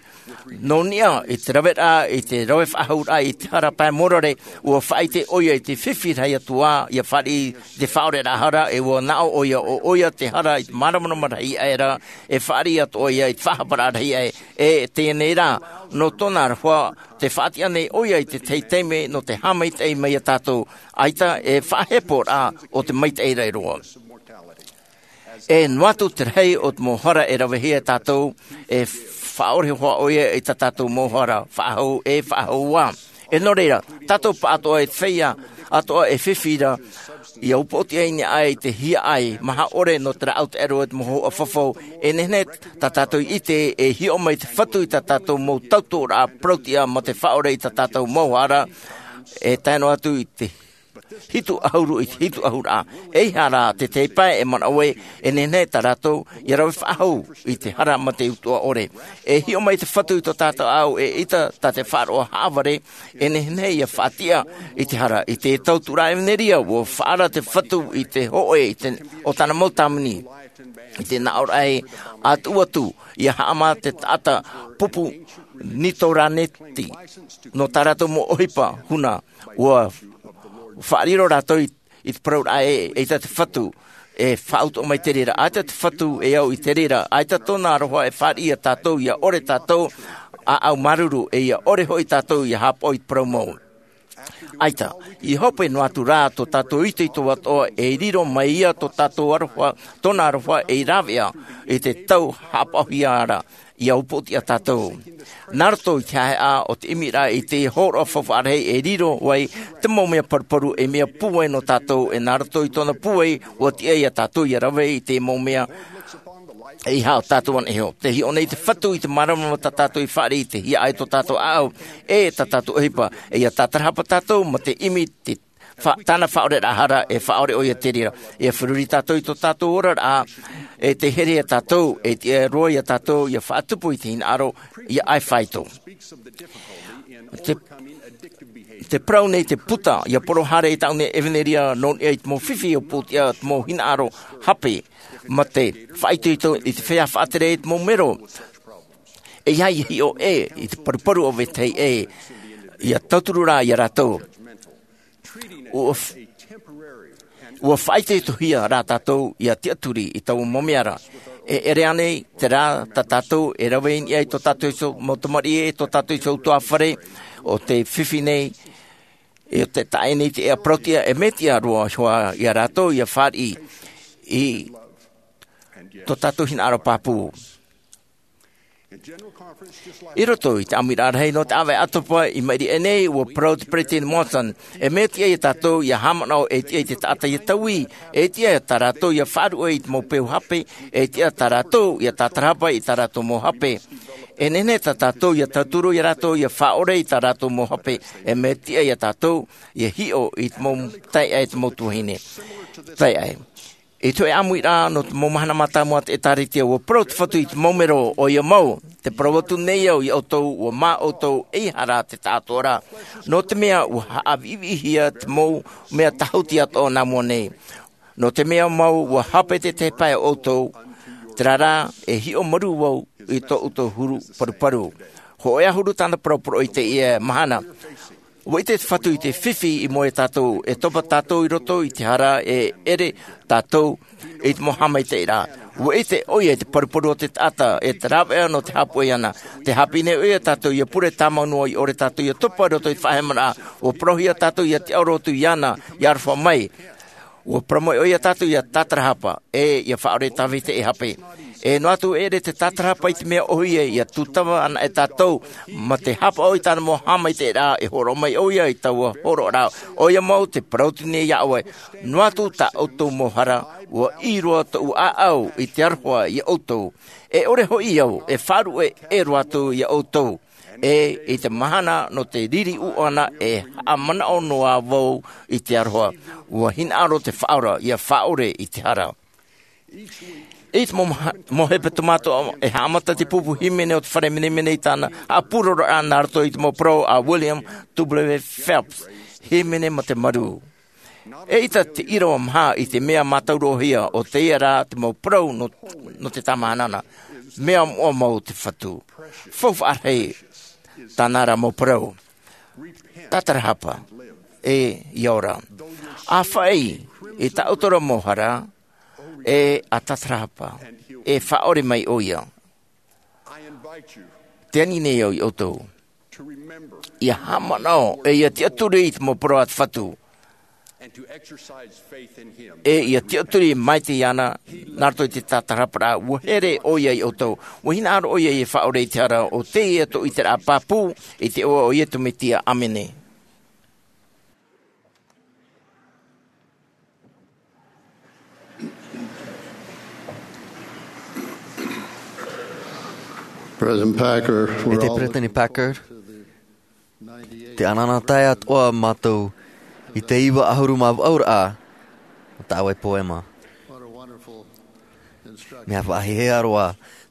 Nō niʻa i te raveraʻa i te rave faʻahouraʻa i te hara pae mōrare, ua faʻaʻite ʻoia i te fifi rahi atu ā ia fāriʻi i te faʻaʻoreraʻa hara, e ua nā ʻō ʻoia ʻo ʻoia te hara i te māramarama rahi aʻe ra, e fāriʻi atu ʻoia i te faʻahaparaʻa rahi aʻe. E teie nei rā, nō tōna aroha te faʻatiʻa nei ʻoia i te tahi taime nō te haʻamaitaʻi mai iā tātou, ʻaita e faʻaheporaʻa o te maitaʻi rahi roa. E noa atu te rahi o te mau hara e ravehia e tātou, e faʻaʻore hoʻi ʻoia i tā tātou mau hara faʻahou e faʻahou ā. E nō reira, tātou pāʻatoʻa e te feiā atoʻa e fifi ra ia upoʻotiʻa i niʻa i te hiaʻai maha ʻore nō te rāʻau taʻero e te mau hōhoʻa fafau. E nehenehe tā tātou i ʻite e hiʻo mai te Fatu i tā tātou mau tautoʻoraʻa parautiʻa mā te faʻaʻore i tā tātou mau hara, e tae noa atu i te hitu ʻahuru i te hitu ʻahuru ā. Eiaha rā te tahi pae e manaʻo ē e nehenehe tā rātou ia rave faʻahou i te hara mā te utuʻa ʻore. E hiʻo mai te Fatu i tō tātou ʻāʻau, eʻita tā te faʻaroʻo haʻavare e nehenehe ia faʻatiʻa i te hara. I te tauturu ʻevanelia, ua faʻaara te Fatu i te hōʻē i te o tāna mau tāmoni i te naʻoraʻa ē a tuʻu atu ia haʻamā te taʻata pupu nitoraneti nō tā rātou mau ʻohipa huna. Ua faʻariro rātou i te parauraʻa ē eʻita te Fatu e faʻautuʻa mai te reira. ʻAita te Fatu e au i te reira, ʻaita tōna aroha e fāriʻi iā tātou ia ʻore tātou ʻāʻau māuruuru, e ia ʻore hoʻi tātou ia haʻapaʻo i te parau mau. ʻAita, i hope noa atu rā tō tātou itoito atoʻa e riro mai ia tō tātou aroha, tōna aroha ei rāveʻa i te tau haʻapaʻohia ra ia upoʻotiʻa tātou. Nā roto i te haʻehaʻa o te ʻimiraʻa i te hōroʻa faufaʻa rahi e riro ai te mau mea paruparu ei mea pūai nō tātou, e nā roto i tōna pūai ua tiʻa iā tātou ia rave i te mau mea. Eiaha ʻo tātou ana iho. Tē hiʻo nei te Fatu i te māramarama tā tātou i fāriʻi i te hiaʻai tō tātou ʻāʻau e tā tātou ʻohipa, e ia tātarahapa tātou mā te ʻimi te tāna faʻaʻoreraʻa hara, e faʻaʻore ʻoia te reira. Ia feruri tātou i tō tātou oraraʻa, e tē here iā tātou, e tiʻa roa iā tātou ia faʻatupu i te hinaʻaro ia ʻae faito. Te parau nei te puta ia poro haere i tāʻu nei ʻevanelia nō niʻa i te mau fifi upoʻotiʻa, te mau hinaʻaro hape mā te faʻaitoito i te feiā faʻatere i te mau mero. E ia hiʻo ē i te paruparu o vetahi ē ia tauturu rā iā rātou. Ua faʻaitoitohia rā tātou ia tiʻaturi i taua mau mea ra. E ʻere ānei te rā tā tātou e rave i niʻa i tō tātou iho mau tamariʻi e tō tātou iho utuafare o te fifi nei, e o te taʻe nei te ea parautiʻa e mea tiʻa roa hoʻi iā rātou ia fāriʻi i tō tātou hinaʻaro pāpū. I roto i te ʻāmuiraʻa rahi nō te ʻāvaʻe ʻatopa i maʻiri aʻe nei, ua parau te peresideni Monson, e mea tiʻa iā tātou ia haʻamanaʻo e tiʻa i te taʻata ia taui, e tiʻa tā rātou ia faʻaruʻe i te mau peu hape, e tiʻa tā rātou ia tātarahapa i tā rātou mau hape. E nehenehe tā tātou ia tauturu iā rātou ia faʻaʻore i tā rātou mau hape, e mea tiʻa iā tātou ia hiʻo i te mau taeaʻe, te mau tuahine taeaʻe. I te hōʻē ʻāmuiraʻa nō te mau mahana mātāmua a te ʻĒtārētia, ua parau te Fatu i te mau mero, ʻoia mau, tē parau atu nei au iā ʻoutou, ua mā ʻoutou, eiaha rā te taʻatoʻaraʻa. Nō te mea ua haʻaviʻiviʻihia te mau mea tāhuti atoʻa nā mua nei. Nō te mea mau ua hape te tahi pae o ʻoutou, terā rā, e hiʻo marū vau i tō ʻoutou huru paruparu. Hōʻē ʻahuru tāna parau poroʻi i teie mahana. Ua ʻite te Fatu i te fifi i mua iā tātou, e topa tātou i roto i te hara, e ʻere tātou i te mau haʻamaitaʻiraʻa. Ua ʻite ʻoia i te paruparu o te taʻata, e te rāveʻa nō te haʻapuʻe iāna. Tē haʻapiʻi nei ʻoia iā tātou ia pure tāmau noa i ʻore tātou ia topa i roto i te faʻahemaraʻa. Ua parauhia tātou ia tiʻaoro atu iāna, ia aroha mai. Ua parau mai ʻoia iā tātou ia tātarahapa, e ia faʻaʻore tā vetahi hape. E noa atu ʻere te tātarahapa i te mea ʻohie ia tūtava ana e tātou ma te hāpaʻo i tāna mau haʻamaitaʻiraʻa e hōroʻa mai ʻoia i taua hōroʻaraʻa. ʻOia mau te parau nei iā ʻoe, noa atu tā ʻoutou mau hara, ua ʻī roa tōʻu ʻāʻau i te aroha iā ʻoutou. E ʻore hoʻi au e faʻaruʻe e roa atu iā ʻoutou, e i te mahana nō te riri ʻuʻana e haʻamanaʻo noa vau i te aroha. Ua hinaʻaro te faʻaora ia faʻaʻore i te hara. I te mau maha- mau hepetoma atoʻa e haʻamata te pupu hīmene o te fare menemene i tāna haʻapūroroʻa nā roto i te mau parau a William W Phelps, hīmene ma te marū. E ʻita te ʻīrava maha i te mea mātaurohia o teie rā te mau parau nō, nō te tāmāhana. Mea moʻa mau te Fatu. Faufaʻa rahi tāna rā mau parau. Tātarahapa e ia ora. ʻA faʻaʻī i tā ʻoutou mau hara, e ʻa tātarahapa e faʻaʻore mai ʻoia. Te ani nei au iā ʻoutou ia haʻamanaʻo e ia tiʻaturi i te mau parau a te Fatu, e ia tiʻaturi mai te iāna nā roto i te tātarahaparaʻa. Ua here ʻoia iā ʻoutou, ua hinaʻaro ʻoia ia faʻaʻore i te hara. ʻO teie tō ʻiteraʻa pāpū i te iʻoa o Iesu Mesia. ʻĀmene. President Packer, e te Peresideni Packer, te ʻanaʻanatae atoʻa mātou i te iva ʻahuru mā vaʻu raʻa o tāʻu e poema. Mea faʻahiahia roa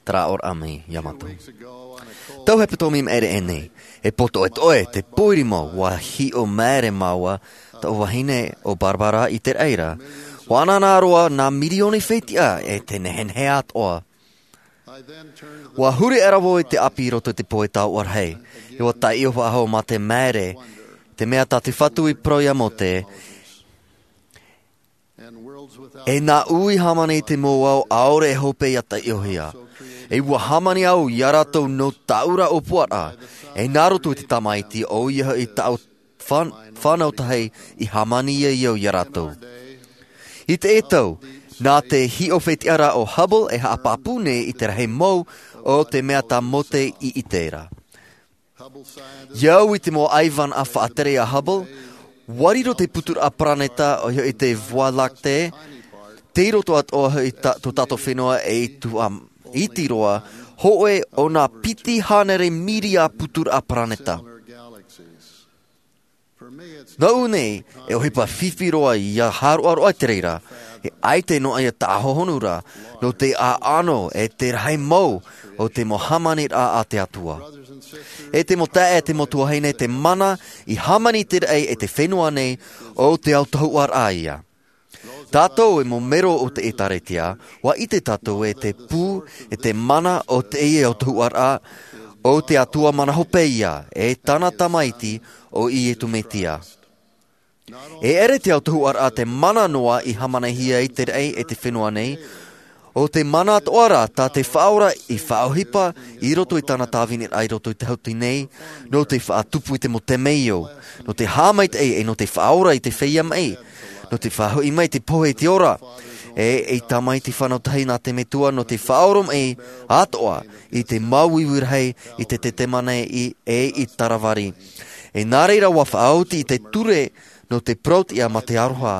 te rāʻau mai iā mātou. Tau hepetoma i maʻiri aʻe nei, e pōtoʻetoʻe te pōʻiri mau, ua hiʻo maere māua, tōʻu vahine ʻo Barbara i te raʻi ra. Ua ʻanaʻana roa nā mirioni fetiʻa e te nehenehe atoʻa. Ua huri aʻera vau i te ʻāpī i roto i te pohe tauʻarahi, e ua taiʻo faʻahou mā te maere, te mea tā te Fatu i parau iā Mōse, e nā ʻu i hāmani i te mau ao ʻaore e hope ia taiʻohia. E ua hāmani au iā rātou nō tāʻu ra ʻōpuaraʻa, e nā roto i te Tamaiti ʻoia hoʻi tāʻu fan-, fānau tahi i hāmani ai au iā rātou. I teie tau, nā te hiʻo fetiʻa ra o Hubble e haʻapāpū nei i te rahi mau o te mea tā Mōse i ʻite ra. Ia au i te mau ʻaivānaʻa faʻatere a Hubble, ua riro te puturaʻa paraneta ʻoia hoʻi te Voie Lactée, tei roto atoʻa hoʻi tā, tō tātou fenua e i tuhaʻa iti roa, hōʻē ʻo nā piti hānere mīria puturaʻa paraneta. Nōʻu nei, e ʻohipa fifi roa ia hāroʻaroʻa i te reira, e ʻaita noa ia tāhohonu ra, nō te ʻaʻano e te rahi mau o te mau hāmaniraʻa a te Atua. E te mau taeaʻe, e te mau tuahine, te mana i hāmani i te raʻi e te fenua nei, ʻo te autahuʻaraʻa ia. Tātou e mau melo o te ʻĒtārētia, ua ʻite tātou e te pū, e te mana o teie autahuʻaraʻa, ʻo te Atua mana hope ia, e tāna Tamaiti, ʻo Iesu Mesia. E ʻere te autahuʻaraʻa te mana noa i hāmanihia i te raʻi e te fenua nei, ʻo te mana atoʻa rā tā te Faʻaora i faʻaʻohipa i roto i tāna tāviniraʻa i roto i te hautū nei, nō te faʻatupu i te mau temeio, nō te haʻamaitaʻi e nō te faʻaora i te feiā maʻi, nō te faʻahoʻi mai te pohe i te ora, e i tamaiti fānau tahi nā te Metua nō te faʻaoromaʻi atoʻa i te māuiui rahi i te Tetemane i, e i Taravari. E nā reira ua faʻaoti i te ture nō te parauʻtiʻa mā te aroha,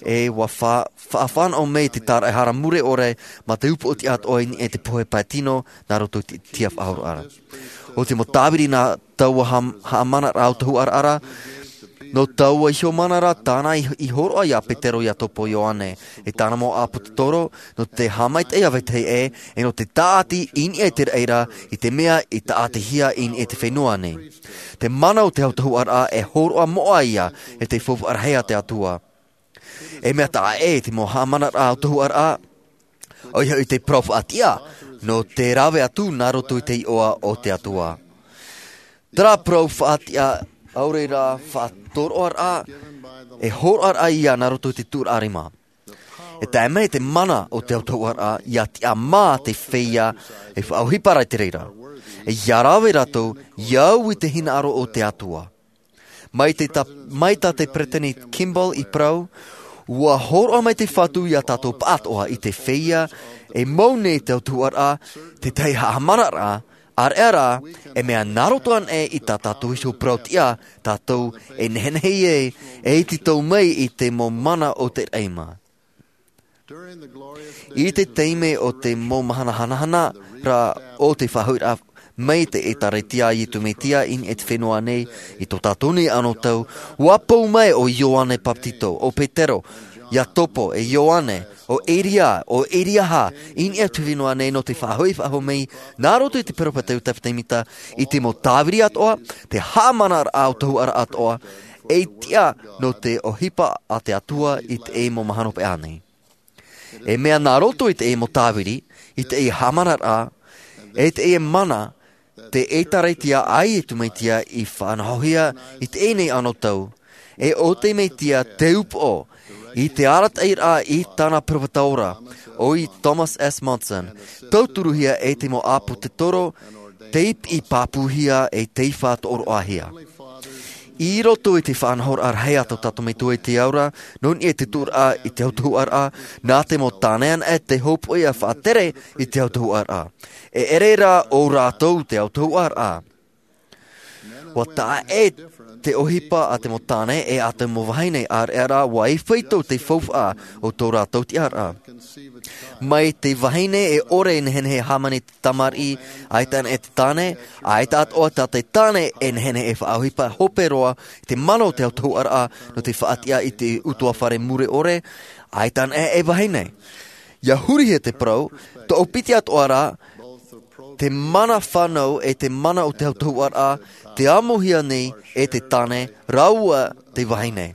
e ua fa-, faʻafānaʻo mai te tāraʻehara mure ʻore mā te upoʻotiʻa atoʻa i niʻa i te pohe pae tino nā roto i te tiʻa faʻahoroʻa ra. ʻO te mau tāviri nā taua ha-, haʻamanaraʻa autahuʻaraʻa ra, nō taua iho mana ra tāna i, i hōroʻa iā Petero, Iakobo, Ioane, e tāna mau ʻāpōsetolo, nō te haʻamaitaʻi a vetahi ʻē, e nō te tāʻati i niʻa i te raʻi ra, i te mea i tāʻatihia i niʻa i te fenua nei. Te mana o te autahuʻaraʻa e hōroʻa moʻa ia e te faufaʻa rahi a te Atua. E mea taʻa ʻē te mau haʻamanaraʻa autahuʻaraʻa, ʻoia hoʻi te parau faʻatiʻa, nō te rave atu nā roto i te iʻoa o te Atua. Terā parau faʻatiʻa ʻaore rā faʻatoroʻaraʻa, e hōroʻaraʻa ia nā roto i te tūraʻa rima. E tae mai te mana o te autahuʻaraʻa, ia tiʻamā te feiā e faʻaʻohipa ra i te reira. E ia rave rātou, ia au i te hinaʻaro o te Atua. Mai te ta-, mai tā te Peresideni Kimball i parau, Ua horoʻa mai te Fatu iā tātou pāʻatoʻa i te feiā e mau nei te autahuʻaraʻa, tētahi haʻamanaraʻa, ʻāreʻa rā, e mea nā roto anaʻe i tā tātou iho parau-tiʻa, tātou e nehenehe ai, e tītau mai i te mau mana o te raʻi mā. I te taime o te mau mahana hanahana rā o te faʻahoʻiraʻa mai te ʻĒtārētia a Iesu Mesia i niʻa i te fenua nei, i tō tātou nei anotau, ua pou mai ʻo Ioane Papetito, ʻo Petero, Iakobo, e Ioane, ʻo Eria, ʻo Eriaha, i niʻa i te fenua nei nō te faʻahoʻi faʻahou mai, nā roto i te peropheta Iosefa Sāmita, i te mau tāviri atoʻa, te haʻamanaraʻa autahuʻaraʻa atoʻa, e tiʻa nō te ʻohipa a te Atua i teie mau mahana hopeʻa nei. E mea nā roto i teie mau tāviri, i teie haʻamanaraʻa, e teie mana, te ʻĒtārētia a Iesu Mesia i faʻanahohia i teie nei anotau, e ʻo te Mesia te upoʻo, i te arataʻiraʻa i tāna peropheta ora, ʻo Thomas S. Monson, tauturuhia e te mau ʻāpōsetolo, tei piʻi pāpūhia e tei faʻatoroʻahia. I roto i te faʻanahoraʻa rahi a tō tātou Metua i te ao ra, nō niʻa i te tuʻuraʻa i te autahuʻaraʻa, nā te mau tāne anaʻe te hōpoiʻa faʻatere i te autahuʻaraʻa. E ʻere rā ʻo rātou te autahuʻaraʻa. Ua taʻa ʻē te ʻohipa a te mau tāne e a te mau vahine, ʻāreʻa rā, ua faito te faufaʻa o tō rātou tiʻaraʻa. Mai te vahine e ʻore e nehenehe e hāmani te tamariʻi, ʻaita anaʻe te tāne, ʻaita atoʻa tā te tāne e nehenehe e faʻaʻohipa hope roa i te mana o te autahuʻaraʻa nō te faʻatiʻa i te ʻutuāfare mure ʻore, ʻaita anaʻe e vahine. ʻIa hurihia te parau, toʻopiti atoʻa rā, te mana fānau e te mana o te autahuʻaraʻa, tē amohia nei e te tāne rāua te vahine.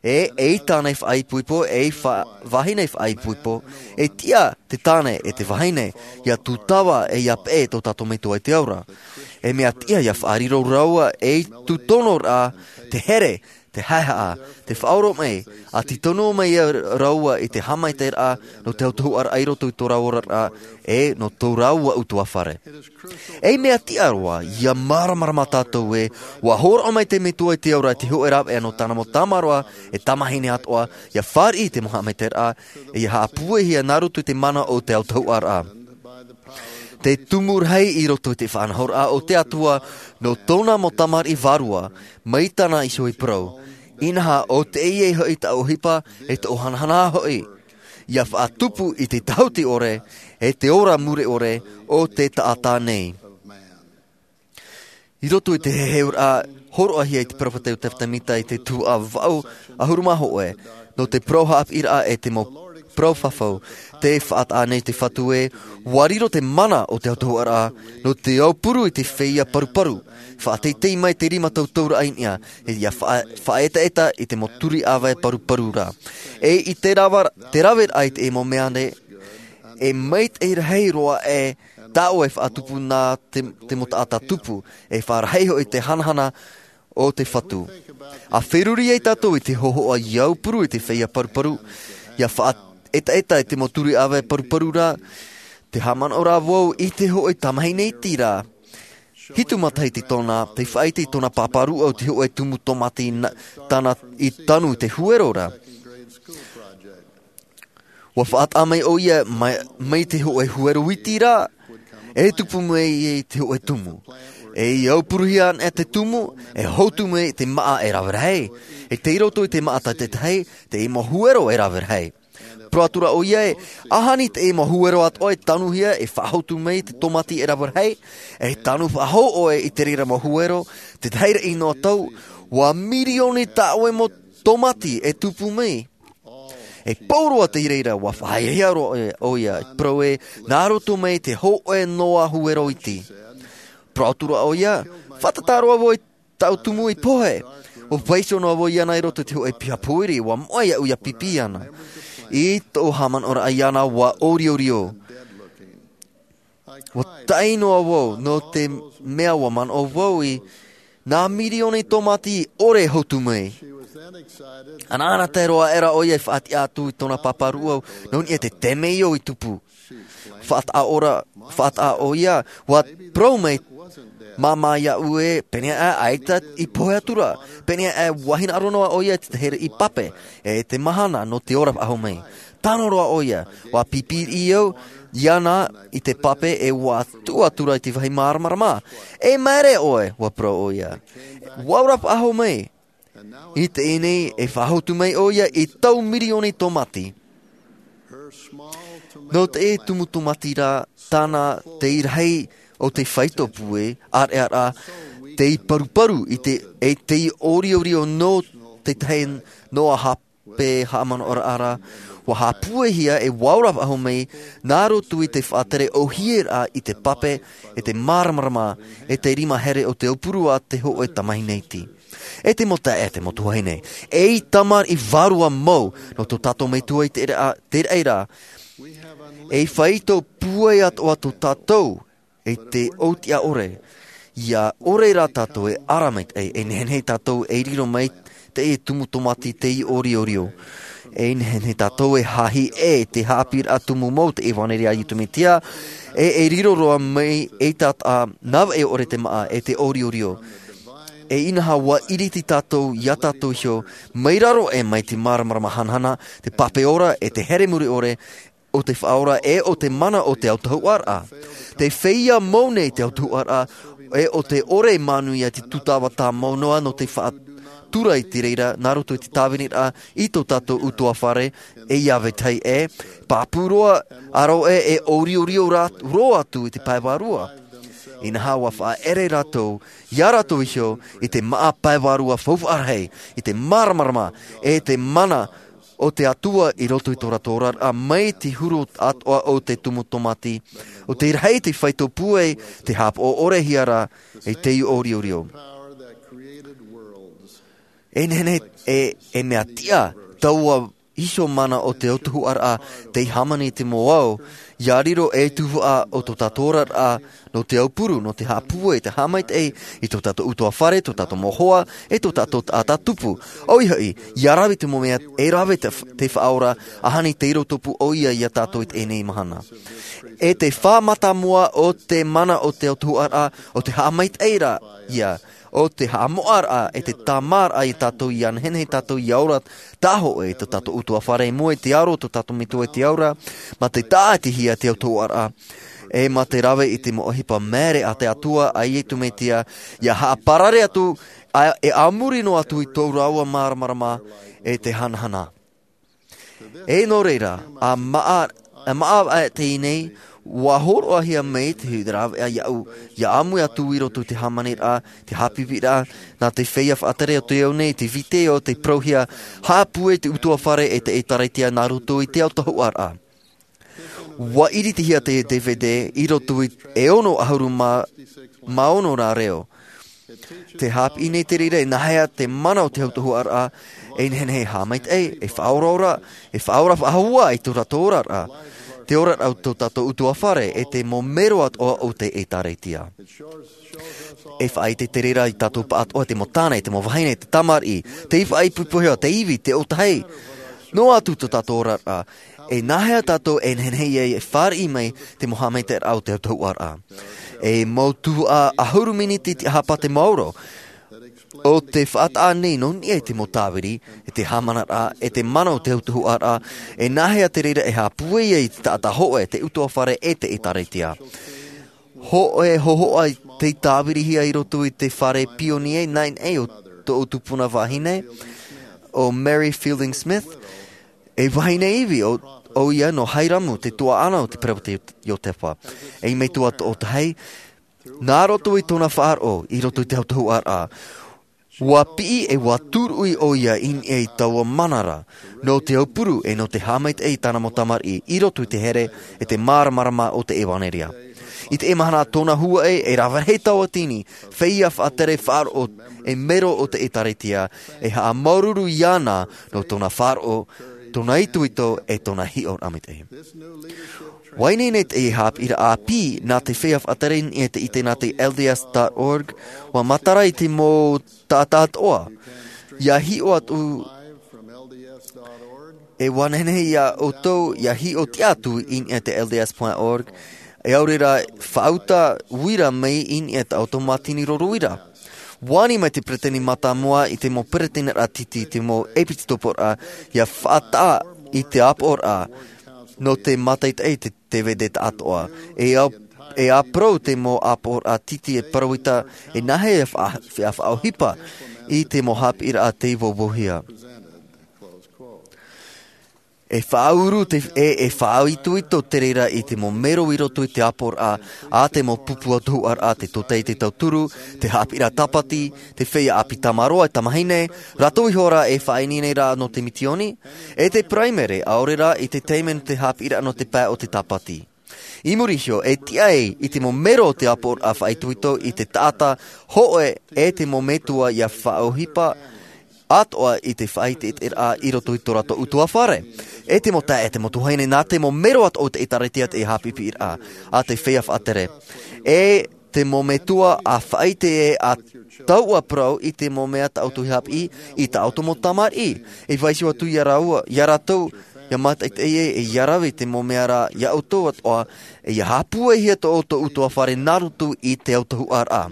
E, ei tāne faʻaipoipo, ei fa-, vahine faʻaipoipo, e tiʻa te tāne e te vahine, ʻia tūtava e ʻia peʻe tō tātou Metua i te ao ra. E mea tiʻa ʻia faʻariro rāua ei tūtono ra, te here, te haʻehaʻa, te faʻaoromaʻi, ʻa tītauhia mai rāua i te haʻamaitaʻiraʻa nō te autahuʻaraʻa i roto i tō rāua oraraʻa, e nō tō rāua ʻutuāfare. Ei mea tiʻa roa, ʻia māramarama tātou ē, ua hōroʻa mai te Metua i te ao ra i te hōʻē rāveʻa nō tāna mau tamaroa, e tamahine atoʻa, ʻia fāriʻi i te mau haʻamaitaʻiraʻa, e ʻia haʻapūaihia nā roto i te mana o te autahuʻaraʻa. Te tumu rahi i roto i te faʻanahoraʻa o te Atua, nō tōna mau tamariʻi vārua, mai tāna iho e parau. Inaha, ʻo teie hoʻi taʻu ʻohipa, e toʻu hanahana hoʻi. ʻIa faʻatupu i te tahuti ʻore, e te ora mure ʻore, o te taʻata nei. I roto i te heheuraʻa, hōroʻahia e te peropheta Iosefa Sāmita i te tuhaʻa vaʻu ʻahuru mā hōʻē, nō te parau haʻapiʻiraʻa e te mau parau fafau, tē faʻataʻa nei te Fatu ē, ua riro te mana o te autahuʻaraʻa, nō te aupuru i te feiā paruparu, faʻateitei mai te rima tauturu i niʻa, e ʻia faʻa-, faʻaetaeta i te mau turi ʻāvae paruparu ra. E i te rava-, te raveraʻa i te mau mea nei, e maitaʻi rahi roa e tāʻoe faʻatupu nā te, te mau taʻata tupu, e faʻarahi hoʻi te hanahana o te Fatu. ʻA feruri ai tātou i te hōhoʻa ʻia aupuru i te feiā paruparu, ʻia faʻaetaeta i te mau turi ʻāvae paruparu ra, tē haʻamanaʻo ra vau i te hōʻē tamahine iti ra. Hitu matahiti tōna, tē faʻaʻite i tōna pāpā rūʻau te hōʻē tumu tōmati na-, tāna i tanu i te huero ra. Ua faʻataʻa mai ʻoia mai, mai te hōʻē huero iti ra, e tupu mai ai te hōʻē tumu. E ʻia aupuruhia anaʻe te tumu, e hotu mai te māʻa e rave rahi. E tei roto i te māʻa tātaʻitahi, teie mau huero e rave rahi. Parau atu ra ʻoia ē, ʻaita teie mau huero atoʻa e tanuhia e faʻahotu mai te tōmati e rave rahi, e tanu faʻahou ʻoe i te reira mau huero, te tahi ra ʻino tau, ua mirioni tāʻoe mau tōmati e tupu mai. E pauroa te reira, ua faʻahiahia roa ʻoia, ʻoia, e parau ē, nā roto mai te hōʻē noa huero iti. Parau atu ra ʻoia, fātata roa vau i taʻu tumu i pohe. ʻUa vaiiho noa vau iāna i roto i te hōʻē piha pōiri, ʻua moʻe iaʻu ʻia pipi iāna. I tōʻu haʻamanaʻoraʻa iāna, ʻua ʻōriorio. ʻUa taʻi noa vau, nō te mea ʻua manaʻo vau i nā mirioni tōmati ʻore e hotu mai. Anaʻanatae roa aʻera ʻoia e faʻatiʻa atu i tōna pāpā rūʻau, nō niʻa i te temeio i tupu. Faʻataʻa ora, faʻataʻa ʻoia, ʻua parau mai Māmā iāʻu ē, pēneiaʻe ʻaita i pohe atu ra. Pēneiaʻe ua hinaʻaro noa ʻoia i te here i pape, e te mahana nō te ora faʻahou mai. Tano roa ʻoia, ua pīpīriʻi au iāna i te pape e ua tuʻu atu ra i te vāhi māramarama. E maere ʻoe, ua parau ʻoia. Ua ora faʻahou mai. I teie nei e faʻahotu mai ʻoia i tau mirioni tōmāti. Nō te tumu tōmāti rā, tāna te rahi o te faito pūai ʻāreʻa rā, tei paruparu i te, e tei ʻoriorio nō te tahi noa hape haʻamanaʻoraʻa ra, ua haʻapūaihia e ua ora faʻahou mai, nā roto i te faʻatere ʻōhieraʻa i te pape, e te māramarama, e te rima here o te aupuru a te hōʻē tamahine iti. E te mau taeaʻe, e te mau tuahine, ei tamariʻi vārua mau nō tō tātou Metua i te reira, te reira. E faito pūai atoʻa tō tātou, e te ʻōtiʻa ʻore. ʻIa ʻore rā tātou e ara maitaʻi, e nehenehe tātou e riro mai te tumu tōmāti tei ʻoriorio. E nehenehe tātou e hahi e te haʻapiʻiraʻa tumu mau te ʻevanelia a Iesu Mesia, e, e riro roa mai ei taʻata nā vaʻe ʻore te māʻa e te ʻoriorio. E inaha ua ʻiriti tātou iā tātou iho, mai raro e mai te māramarama hanahana, te pape ora, e te here muri ʻore, o te faʻaora e o te mana o te autahuʻaraʻa. Te feiā mau nei te autahuʻaraʻa, e o te ʻore e manuia te tūtava tāmau noa nō te faʻatura i te reira, nā roto i te tāviniraʻa i tō tātou ʻutuāfare, e iā vetahi e, pāpū roa, aro e, e ʻoriorio rā, roa atu i te pae vārua. Inaha ua faʻaʻere rātou, iā rātou iho, i te māʻa pae vārua faufaʻa rahi, i te māramarama, e te mana o te Atua i roto i tō rātou oraraʻa mai te huru atoʻa o te tumu tōmāti, o te rahi te faito pūai, te haʻapaʻo ʻorehia ra, e te ʻoriorio. E nehenehe, e, e mea tiʻa, taua iho mana o te autahuʻaraʻa, tei hāmani i te mau ao, ʻia riro ei tuhaʻa o tō tātou oraraʻa, nō te aupuru, nō te haʻapūai, te haʻamaitaʻi, i tō tātou ʻutuāfare, tō tātou mau hoa, e tō tātou taʻata tupu. ʻOia hoʻi, ʻia rave te mau mea, e rave te, te faʻaora, ʻahani tei riro tupu ʻoia iā tātou i teie nei mahana. E te fā mātāmua o te mana o te autahuʻaraʻa, o te haʻamaitaʻiraʻa, o te haʻamoʻaraʻa, e te tāmāraʻa iā tātou ʻia nehenehe tātou ʻia ora, tāhōʻē i tō tātou ʻutuāfare i mua i te aro o tō tātou Metua i te ao ra, mā te tāʻatihia te autahuʻaraʻa, e mā te rave i te mau ʻohipa maere a te Atua a Iesu Mesia, ʻia haʻaparare atu, ā, e a muri noa atu i tō rāua māramarama, e te hanahana. E nō reira, ʻa māʻa, ʻa māʻa ʻā teie nei, ʻua hōroʻahia mai te rāveʻa iāʻu, ʻia ʻāmui atu i roto i te hāmaniraʻa, te haʻapiʻiraʻa, nā te feiā faʻatere o te ao nei, te vitiō, te parauhia, haʻapūai te ʻutuāfare e te ʻĒtārētia nā roto i te autahuʻaraʻa. ʻUa ʻiritihia te D V D i roto i e ono ʻahuru mā, mā ono rā reo. Te haʻapiʻi nei te reira, e nāhea te mana o te autahuʻaraʻa, e nehenehe e haʻamaitaʻi, e faʻaoraora, e faʻaora faʻahou i tō rātou oraraʻa, te oraraʻa o tō tātou ʻutuāfare, e te mau mero atoʻa o te ʻĒtārētia. E faʻaʻite te reira iā tātou pāʻatoʻa, te mau tāne, te mau vahine, te tamariʻi, te faʻaipoipohia, te ivi, te ʻōtahi. Noa atu tō tātou oraraʻa, e nāhea tātou e nehenehe ai e fāriʻi mai te mau haʻamaitaʻiraʻa o te autahuʻaraʻa. E mau tuhaʻa ʻahuru miniti te ʻāpiti maoro. ʻO te faʻataʻa nei nō niʻa i te mau tāviri, e te haʻamanaraʻa, e te mana o te autahuʻaraʻa, e nāhea te reira e haʻapūai ai te taʻata hōʻē, te ʻutuāfare e te ʻĒtārētia. Hōʻē hōhoʻa tei tāvirihia i roto i te fare pionie naʻinaʻi o tōʻu tupuna vahine, ʻo Mary Fielding Smith, e vahine ivi ʻo, ʻoia nō Hairamu, te tuaʻana o te perepheta Iotefa. E metua toʻotahi, nā roto i tōna faʻaroʻo, i roto i te autahuʻaraʻa, ʻua piʻi e ʻua tūruʻi ʻoia i niʻa i taua mana ra, nō te aupuru e nō te haʻamaitaʻi i tāna mau tamariʻi, i roto i te here, e te māramarama o te ʻevanelia. I teie mahana tōna huaʻai, e rave rahi tauatini, feiā faʻatere faʻaroʻo, e mero o te ʻĒtārētia, e haʻamāuruuru iāna, nō tōna faʻaroʻo, tōna itoito, e tōna hiʻoraʻa maitaʻi. ʻUa ineine teie haʻapiʻiraʻa ʻāpī, nā te feiā faʻatere i niʻa i te ʻite nā te L D S dot org, ʻua matara i te mau taʻata atoʻa. ʻIa hiʻo atu, e ʻua nehenehe iā ʻoutou, ʻia hiʻo tiʻa atu i niʻa i te L D S point org, E aore rā faʻauta uira mai i niʻa i tā ʻoutou mātini roro uira. Ua ani mai te peresideni mātāmua i te mau peresideni raʻa titi, te mau ʻepitoporaʻa, ia faʻataʻa i te ʻāpoʻoraʻa nō te mātaʻitaʻi i te D V D taʻatoʻa. E au, e ʻāparau te mau ʻāpoʻoraʻa titi e parau ita, e nāhea e faʻa-, e faʻaʻohipa i te mau haʻapiʻiraʻa tei vauvauhia. E faʻauru te, e, e faʻaitoito te reira i te mau mero i roto i te ʻāpoʻoraʻa, ā te mau pupu autahuʻaraʻa, te tōtaiete tauturu, te haʻapiʻiraʻa tāpati, te feiā ʻāpī tamaroa e tamahine, rātou iho rā e faʻaineine ra nō te misiōni, e te paraimere, ʻaore rā i te taime nō te haʻapiʻiraʻa nō te pae o te tāpati. I muri iho, e tiʻa ai i te mau mero o te ʻāpoʻoraʻa faʻaitoito i te taʻata hōʻē e te mau metua ia faʻaʻohipa atoʻa i te faʻaʻiteʻiteraʻa i roto i tō rātou ʻutuāfare. E te mau taeaʻe, te mau tuahine, nā te mau mero atoʻa o te ʻĒtārētia te haʻapiʻiraʻa a te feiā faʻatere. E te mau metua ʻa faʻaʻite ē ʻa taua parau i te mau mea tā ʻoutou i haʻapiʻi, i tā ʻoutou mau tamariʻi. E vaiiho atu ia rāua, ia rātou, ia mātaʻitaʻi ē, e ia rave i te mau mea ra ia ʻoutou atoʻa, e ia haʻapūaihia tō ʻoutou ʻutuāfare nā roto i te autahuʻaraʻa.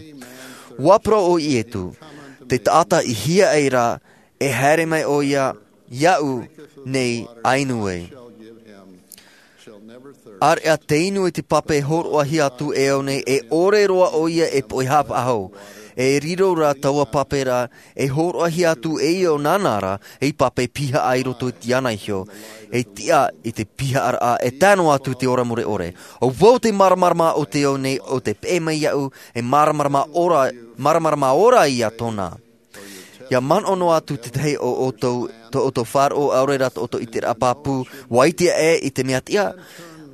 Ua parau ʻo Ietu, te taʻata i hiaʻai ra, e haere mai ʻoia iāʻu nei ʻa inu ai. ʻĀreʻa tē inu i te pape e hōroʻahia atu e au nei, e ʻore roa ʻoia e poʻihapa hau. E riro rā taua pape ra, e hōroʻahia atu e ia ʻo nāna ra, ei pape pihaʻa i roto i te ana iho. E tiʻa i te pihaʻaraʻa, e tae noa atu i te ora mure ʻore. ʻO vau te māramarama o te ao nei, ʻo tē peʻe mai iāʻu, e māramarama ora, māramarama ora ia tōna. Ia manaʻo noa atu te tahi o ʻoutou, tō ʻoutou faʻaroʻo ʻaore rā tō ʻoutou ʻiteraʻa pāpū, ua ʻite ē i te mea tiʻa,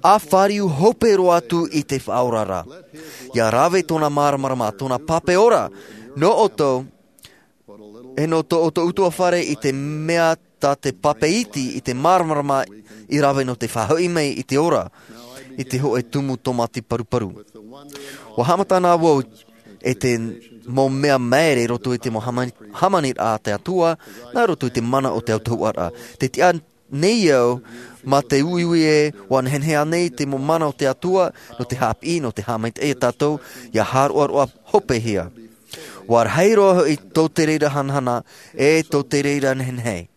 ʻa fāriu hope roa atu i te Faʻaora ra. Ia rave tōna māramarama, tōna pape ora, nō ʻoutou, e nō tō ʻoutou ʻutuāfare i te mea tā te pape iti i te māramarama i rave nō te faʻahoʻi mai i te ora, i te hōʻē tumu tōmati paruparu. Ua haʻamata na vau e te mau mea maere i roto i te mau hāmani-, hāmaniraʻa a te Atua, nā roto i te mana o te autahuʻaraʻa. Tē tiʻa nei au, mā te uiui ē, ua nehenehe ānei te mau mana o te Atua, nō te haʻapiʻi, nō te haʻamaitaʻi ia tātou, ia hāroʻaroʻa hopehia. Ua rahi roa hoʻi tō te reira hanahana, e tō te reira nehenehe.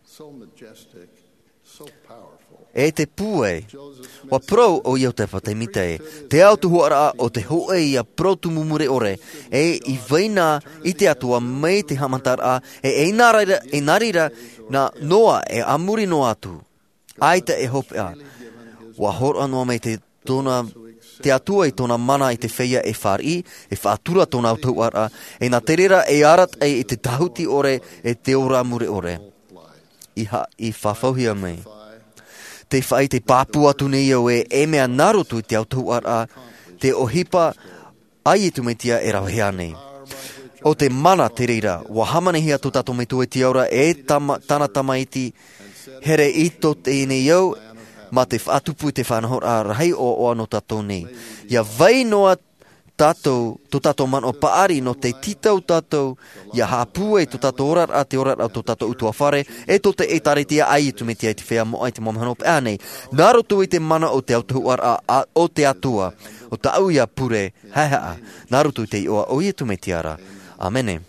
E te pūai, ua parau ʻo Iotefa Tēmita ē, te autahuʻaraʻa o te hōʻē ia parau tumu mure ʻore, e i vai na i te Atua mai te haʻamataraʻa, e, e nā reira, e nā reira, nā Noa e a muri noa atu. ʻAita e hopeʻa. Ua hōroʻa noa mai te tōna, te Atua i tōna mana i te feiā e fāriʻi, e faʻatura tōna autahuʻaraʻa, e nā te reira e arataʻi i te tāhuti ʻore, e te ora mure ʻore. I ha-, i fafauhia mai. Tē faʻaʻite pāpū atu nei au ē, e mea nā roto i te autahuʻaraʻa, te ʻohipa a Iesu Mesia e ravehia nei. ʻO te mana te reira, ua hāmanihia tō tātou Metua i te ao ra e tama-, tāna Tamaiti, here i tō teie nei ao, mā te faʻatupu i te faʻanahoraʻa rahi ʻoaʻoa nō tātou nei. Ia vai noa tātou, tō tātou manaʻo paʻari nō te tītau tātou, ia haʻapūai tō tātou oraraʻa, te oraraʻa o tō tātou ʻutuāfare, e tō te ʻĒtārētia a Iesu Mesia i te feiā moʻa i te mau mahana hopeʻa nei. Nā roto i te mana o te autahuʻaraʻa, a, o te Atua, ʻo tāʻu ia pure, haʻehaʻa, nā roto i te iʻoa o Iesu Mesia ra. ʻĀmene.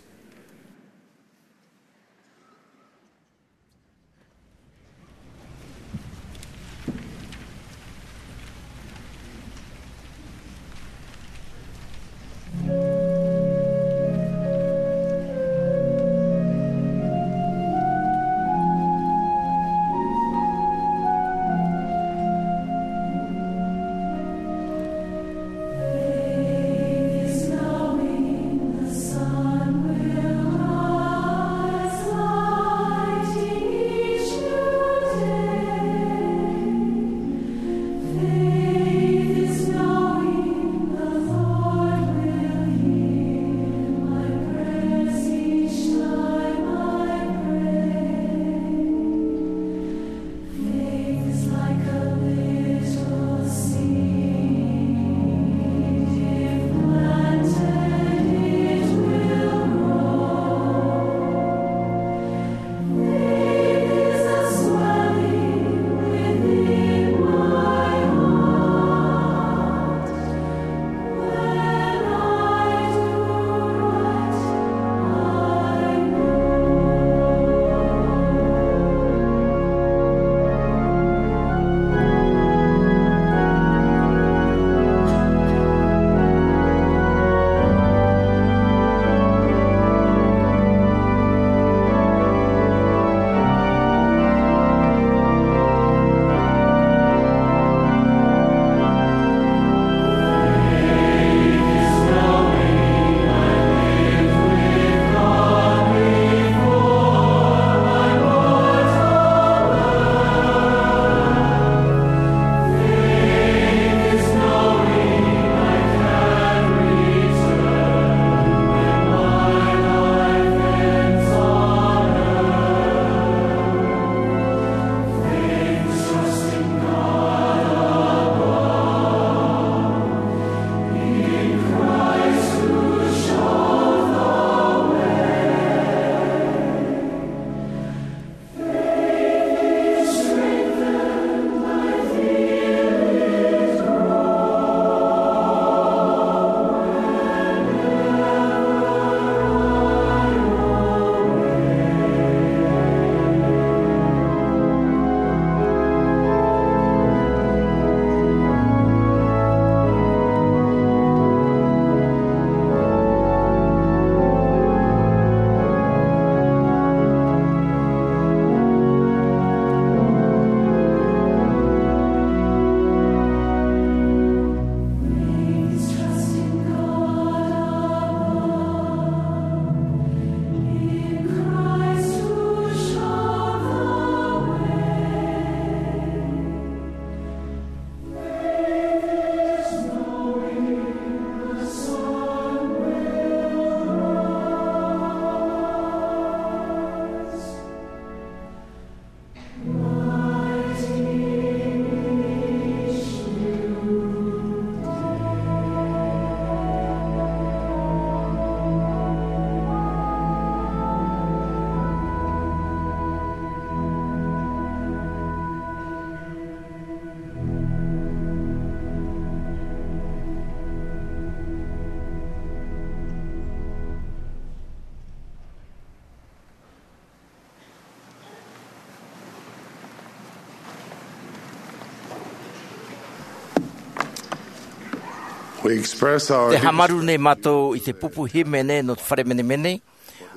Te hāmaru nei mātou i te pupu hīmene nō te fare menemene,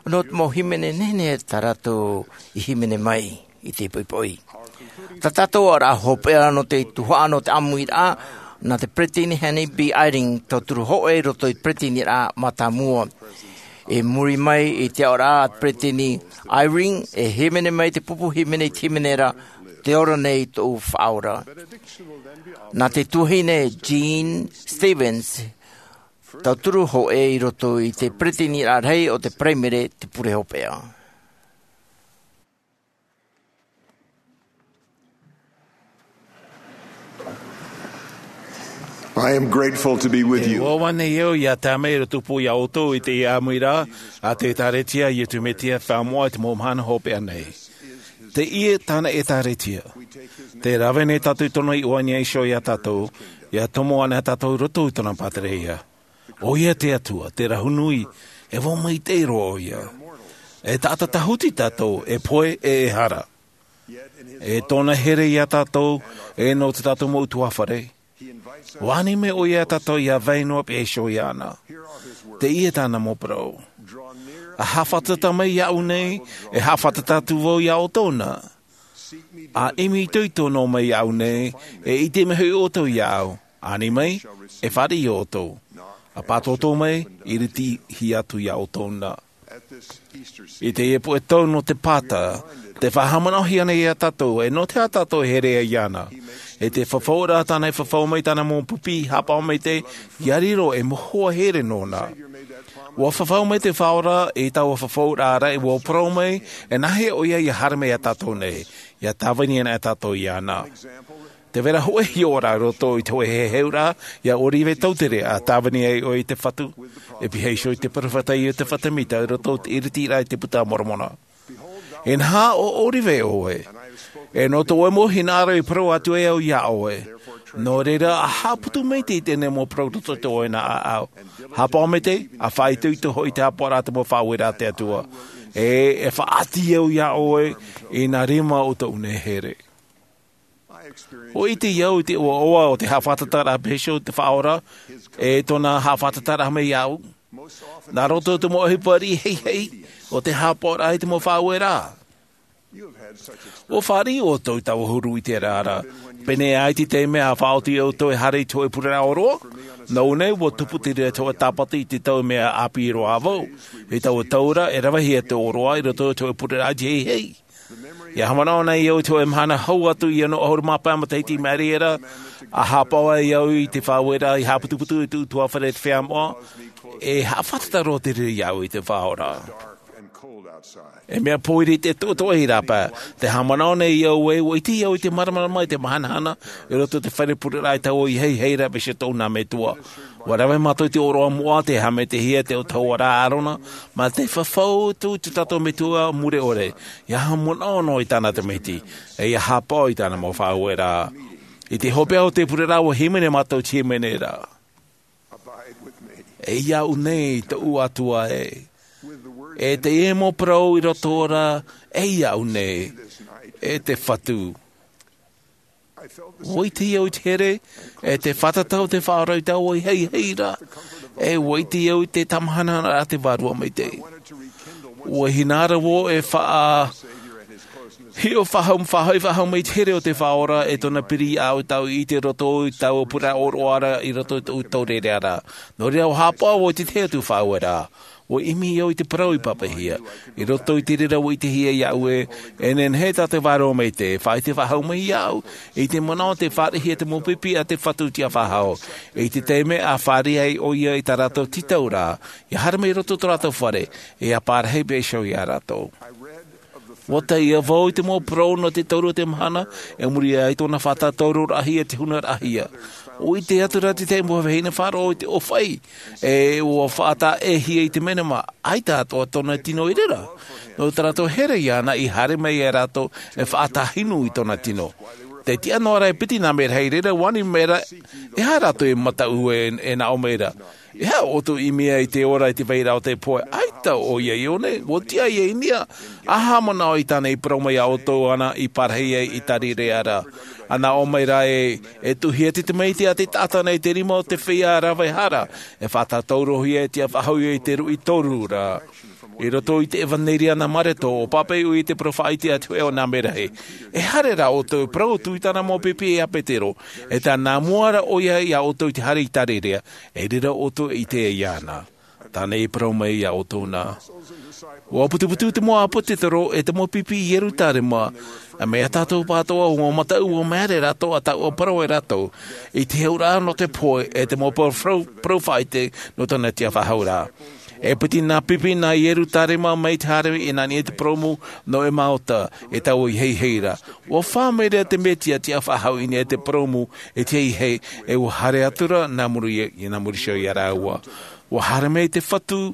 nō te mau hīmene nehenehe tā rātou i hīmene mai i te poʻipoʻi. Tā tātou aʻoraʻa hopeʻa nō te tuhaʻa nō te ʻāmuiraʻa, nā te peresideni Henry B. Eyring, tauturu hōʻē i roto i te peresideniraʻa mātāmua. I muri mai i te aʻoraʻa a te peresideni Eyring, e hīmene mai te pupu hīmene i te hīmene ra, Te ora nei tōʻu Faʻaora. Nā te tuahine Jean Stevens, tauturu hōʻē i roto i te peresideniraʻa rahi o te Paraimere te pure hopeʻa. I am grateful to be with you. Ua ʻoaʻoa nei au ia tae mai i roto pū ia ʻoutou i teie ʻāmuiraʻa a te Ēkālesia a Iesu Mesia Faamoʻa i te mau mahana hopeʻa nei. Teie tāna Ēkālesia. Tē rave nei tātou i tōna iʻoa i niʻa iho ia tātou, ia tomo ana ia tātou i roto i tōna pātireia. ʻOia te Atua, te Rahu Nui, e vau maitaʻi roa ʻoia. E taʻata tāhuti tātou, e pohe, e ehara. E tōna here ia tātou, e nō tā tātou mau ʻutuāfare. ʻUa ani mai ʻoia ia tātou ia vai noa pihaʻi iho iāna. Teie tāna mau parau. ʻA haʻafātata mai iāʻu nei, e haʻafātata atu vau ia ʻoutou na. ʻA ʻimi itoito noa mai iāʻu nei, e ʻite mai hoʻi ʻoutou iāʻu. Ani mai, e fāriʻi ʻoutou. ʻA pātōtō mai, e iriti atu ia ʻoutou na. I teie poʻe tau nō te Pāta, tē faʻahaʻamanaʻohia nei ia tātou, e nō te aha tātou e here ai iāna. I te fafauraʻa tāna i fafau mai i tāna mau pipi, haʻapaʻo maitaʻi, ʻia riro ei mau hoa here nōna. ʻUa fafau mai te Faʻaora i taua fafauraʻa ra, ʻua parau mai, e nāhea ʻoia ia haere mai ia tātou nei, ʻia tāvini ana ia tātou iāna. Tē vai ra hōʻē hiʻoraʻa i roto i te hōʻē heheuraʻa ia ʻŌrive Tautere, ʻa tāvini ai ʻoia i te Fatu, e pihaʻi iho i te peropheta Iosepha Semita i roto i te iritiraʻa i te Buka a Moromona. Inaha, ʻo ʻŌrive ʻoe, e nō tō ʻoe mau hinaʻaro i parau atu ai au ia ʻoe. Nō reira, ʻa haʻaputu maitaʻi i teie nei mau parau i roto i tō ʻoe nā ʻāʻau. Haʻapaʻo maitaʻi, ʻa faʻaitoito hoʻi i te haʻapaʻoraʻa a te mau faʻaueraʻa a te Atua. E, e faʻaʻati au ia ʻoe i nā rima o tōʻu nei here. ʻUa ʻite au i te ʻoaʻoa o te haʻafātataraʻa pihaʻi iho o te Faʻaora, e tōna haʻafātataraʻa mai iāʻu. Nā roto i te mau ʻohipa riʻi heihei, ʻo te haʻapaʻoraʻa i te mau faʻaueraʻa. ʻUa fāriʻi ʻoutou i taua huru ʻiteraʻa ra. Pēnei aʻe i te taime ʻa faʻaoti ʻoutou e haere i te hōʻē pureraʻa ʻōroʻa. Nōʻu nei, ʻua tupu te reira i te hōʻē tāpati i te tau mea ʻāpī roa vau. I taua tau ra, e ravehia te ʻōroʻa i roto i te hōʻē pureraʻa iti heihei. ʻIa haʻamanaʻo nei au i te hōʻē mahana hau atu ʻia noa ʻahuru mā pae matahiti i maʻiri aʻera, ʻa haʻapaʻo ai au i te faʻaueraʻa i haʻaputuputu i te ʻutuāfare i te feiā moʻa, e haʻafātata roa te reira iāʻu i te Faʻaora. E mea pōiri te toʻotoʻo i rāpae, tē haʻamanaʻo nei au ē, ʻua ʻite au i te māramarama i te mahanahana, i roto i te fare pureraʻa i taua ʻī heihei ra, peʻe tōʻu nā metua. ʻUa rave mātou i te ʻōroʻa moʻa, tē haʻamaitaʻihia te autahuʻaraʻa a Arona, mā te fafau atu i tō tātou Metua mure ʻore, ʻia haʻamanaʻo noa i tāna tamaiti, e ʻia haʻapaʻo i tāna mau faʻaueraʻa. I te hopeʻa o te pureraʻa ʻua hīmene mātou i te hīmene ra. E iāʻu nei tōʻu Atua ē. E teie mau parau i roto ra, e iāʻu nei, e te Fatu. ʻUa ʻite au i te here, e te fātata o te Faʻaora i taua ʻī heihei ra, e ʻua ʻite au i te tāmahanahana a te Vārua Maitaʻi. ʻUa hinaʻaro vau e faʻa-, hiʻo faʻahou, faʻahoʻi faʻahou mai i te here o te Faʻaora, e tōna piri iāʻu tāʻu i ʻite i roto i taua pureraʻa ʻōroʻa ra, i roto i tōʻu taureʻareʻa ra. Nō reira, ʻua haʻapaʻo vau i te tahi atu faʻaueraʻa. ʻUa ʻimi au i te parau i pāpaʻihia. I roto i te reira ʻua ʻitehia iāʻu ē, e nehenehe tā te Vārua Maitaʻi e faʻaʻite faʻahou mai iāʻu, i te manaʻo tē fāriʻihia te mau pipi a te Fatu i te ʻāfa faʻahou. I te taime ʻa fāriʻi ai ʻoia i tā rātou tītauraʻa, ʻia haere mai i roto i tō rātou fare, e ʻia parahi pihaʻi iho ia rātou. ʻUa tae vau i te mau parau nō te toru o te mahana, e muri aʻe i tōna faʻatātauro raʻahia i te huna raʻahia. ʻUa ʻite atu ra te tahi mau vahine faʻaroʻo i te ʻōfaʻi, e ʻua faʻataʻehia i te mea mā, ʻaita atoʻa tōna tino i reira. Nō tā rātou here iāna i haere mai ia rātou e faʻatāhinu i tōna tino. Tē tiʻa noa ra e piti nā mea rahi i reira, ʻua ani mai ra, e aha rātou e mataʻu e, e nā ʻō mai ra. E aha ʻoutou i ʻimi ai i te ora i te vairaʻa o te pohe, ʻaita ʻoia i ʻō nei, ʻua tiʻa ia i niʻa, ʻa haʻamanaʻo i tāna i parau mai ia ʻoutou ana i parahi ai i te reira ra. Ana o mai rā e e tuʻuhia te tamaiti a te taʻata nei te rima o te feiā rave hara e faʻatātaurohia e tiʻa faʻahou i te ruʻi toru rā. I roto i te evanelia nā mareto o pāpaʻi ʻoia i te parau faʻaite a te hoʻe o nā merahi, e haere rā ʻoutou e parau atu i tāna mau pipi e a petero, e tā nā mua ra ʻoia i a ʻoutou i te haere i tarirea, e riro ʻoutou i te iāna. Tāna i parau mai i a ʻoutou nā. Ua putuputu te mau ʻāpōsetolo e te mau pipi i ierutarema, a mea tātou pātoa ua mataʻu ua mea rā rātou a taua parau e rātou i te heuraʻa nō te pohe e te mau parau faʻaite nō tōna tiʻa faʻahou rā. E piti nā pipi nā ierutarema mai te haere i nā niʻa i te purōmu nō emaota, e taua i heihei ra. Ua fā mai rā te mesia tiʻa faʻahou i niʻa i te purōmu i te heihei, e ua haere atu ra nā muri i nā muri iho i a rāua. Ua haere mai te fatu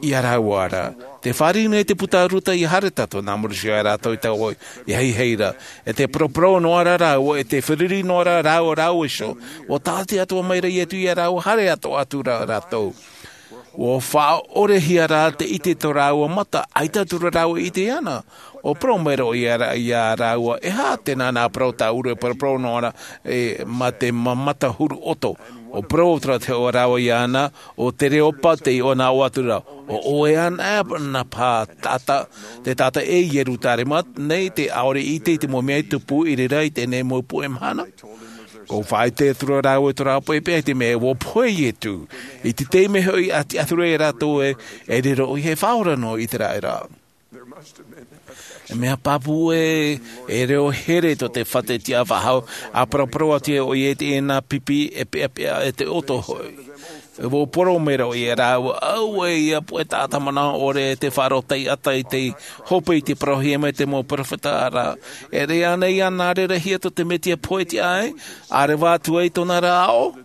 i a rāua ra. Te fāriʻi nei te puta a ruta i haere tātou nā muri iho i a rātou i taua i heihei ra. E te paraparau noa ra rāua e te fāriʻi noa ra rāua rāua iho. Ua tāʻati atu mai ra iesu i a rāua haere atu atu ra rātou. Ua faʻaʻorehia rā te ʻite tō rāua mata, ʻaita atu ra rāua i ʻite ana. Ua parau mai ra ʻoia i a rāua, e aha te nā nā parau tāʻuru e paraparau noa ra e mā te mata huru ʻoto? Ua parau atu ra te hoʻe rāua i ana, o te reopa te iʻoa nā ʻō atu ra, o ʻoe ana e nā pā taʻata, te taʻata e ierutarema nei te ʻaore i ʻite i te mau mea i tupu i reira i teie nei mau puʻe mahana. Ua faʻaʻite atu ra rāua i tō rāua pohe pea i te mea ua pohe iesu. I te taime hoʻi a tiʻa atu ra i a rātou e e riro ʻoia e faʻaora nō iseraela. E mea pāpū e e reo here tō te fatu tiʻa faʻahou, a paraparau atu ʻoia i te ʻenā pipi e peʻapeʻa e te ʻoto hoʻi. Ua parau mai ra ʻoia i a rāua, auē ia puʻe taʻata manaʻo ʻore e te faʻaroʻo taʻata i te hope i te parauhia mai te mau peropheta ra. E riro ana ia nā reira hia tō te mesia pohe tiʻa ai, a reva atu ai tōna ra aʻo.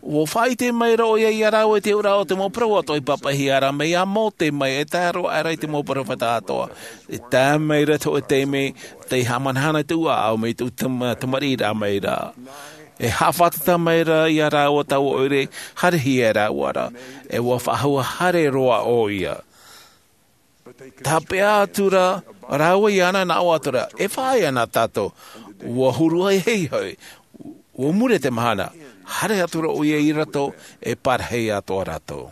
Ua faʻaʻite mai ra ʻoia i a rāua i te ʻōroʻa o te mau parau atoʻa i pāpaʻihia ra mai a mose mai e tae roa aʻera i te mau peropheta atoʻa. E tae mai ra te hoʻe taime tei haʻamanahana i te ʻuaʻau mai te tamariʻi rā mai ra. E haʻafātata mai ra i a rāua taua ʻoire haerehia e rāua ra. E ua faʻahou haere roa ʻoia. Tāpeʻa atu ra rāua i ana nā ʻō atu ra, e faʻaea na tātou. Ua huru ai hei hoʻi. Ua mure te mahana. Haere atu ra ʻoia i roto e parahi atoʻa rātou.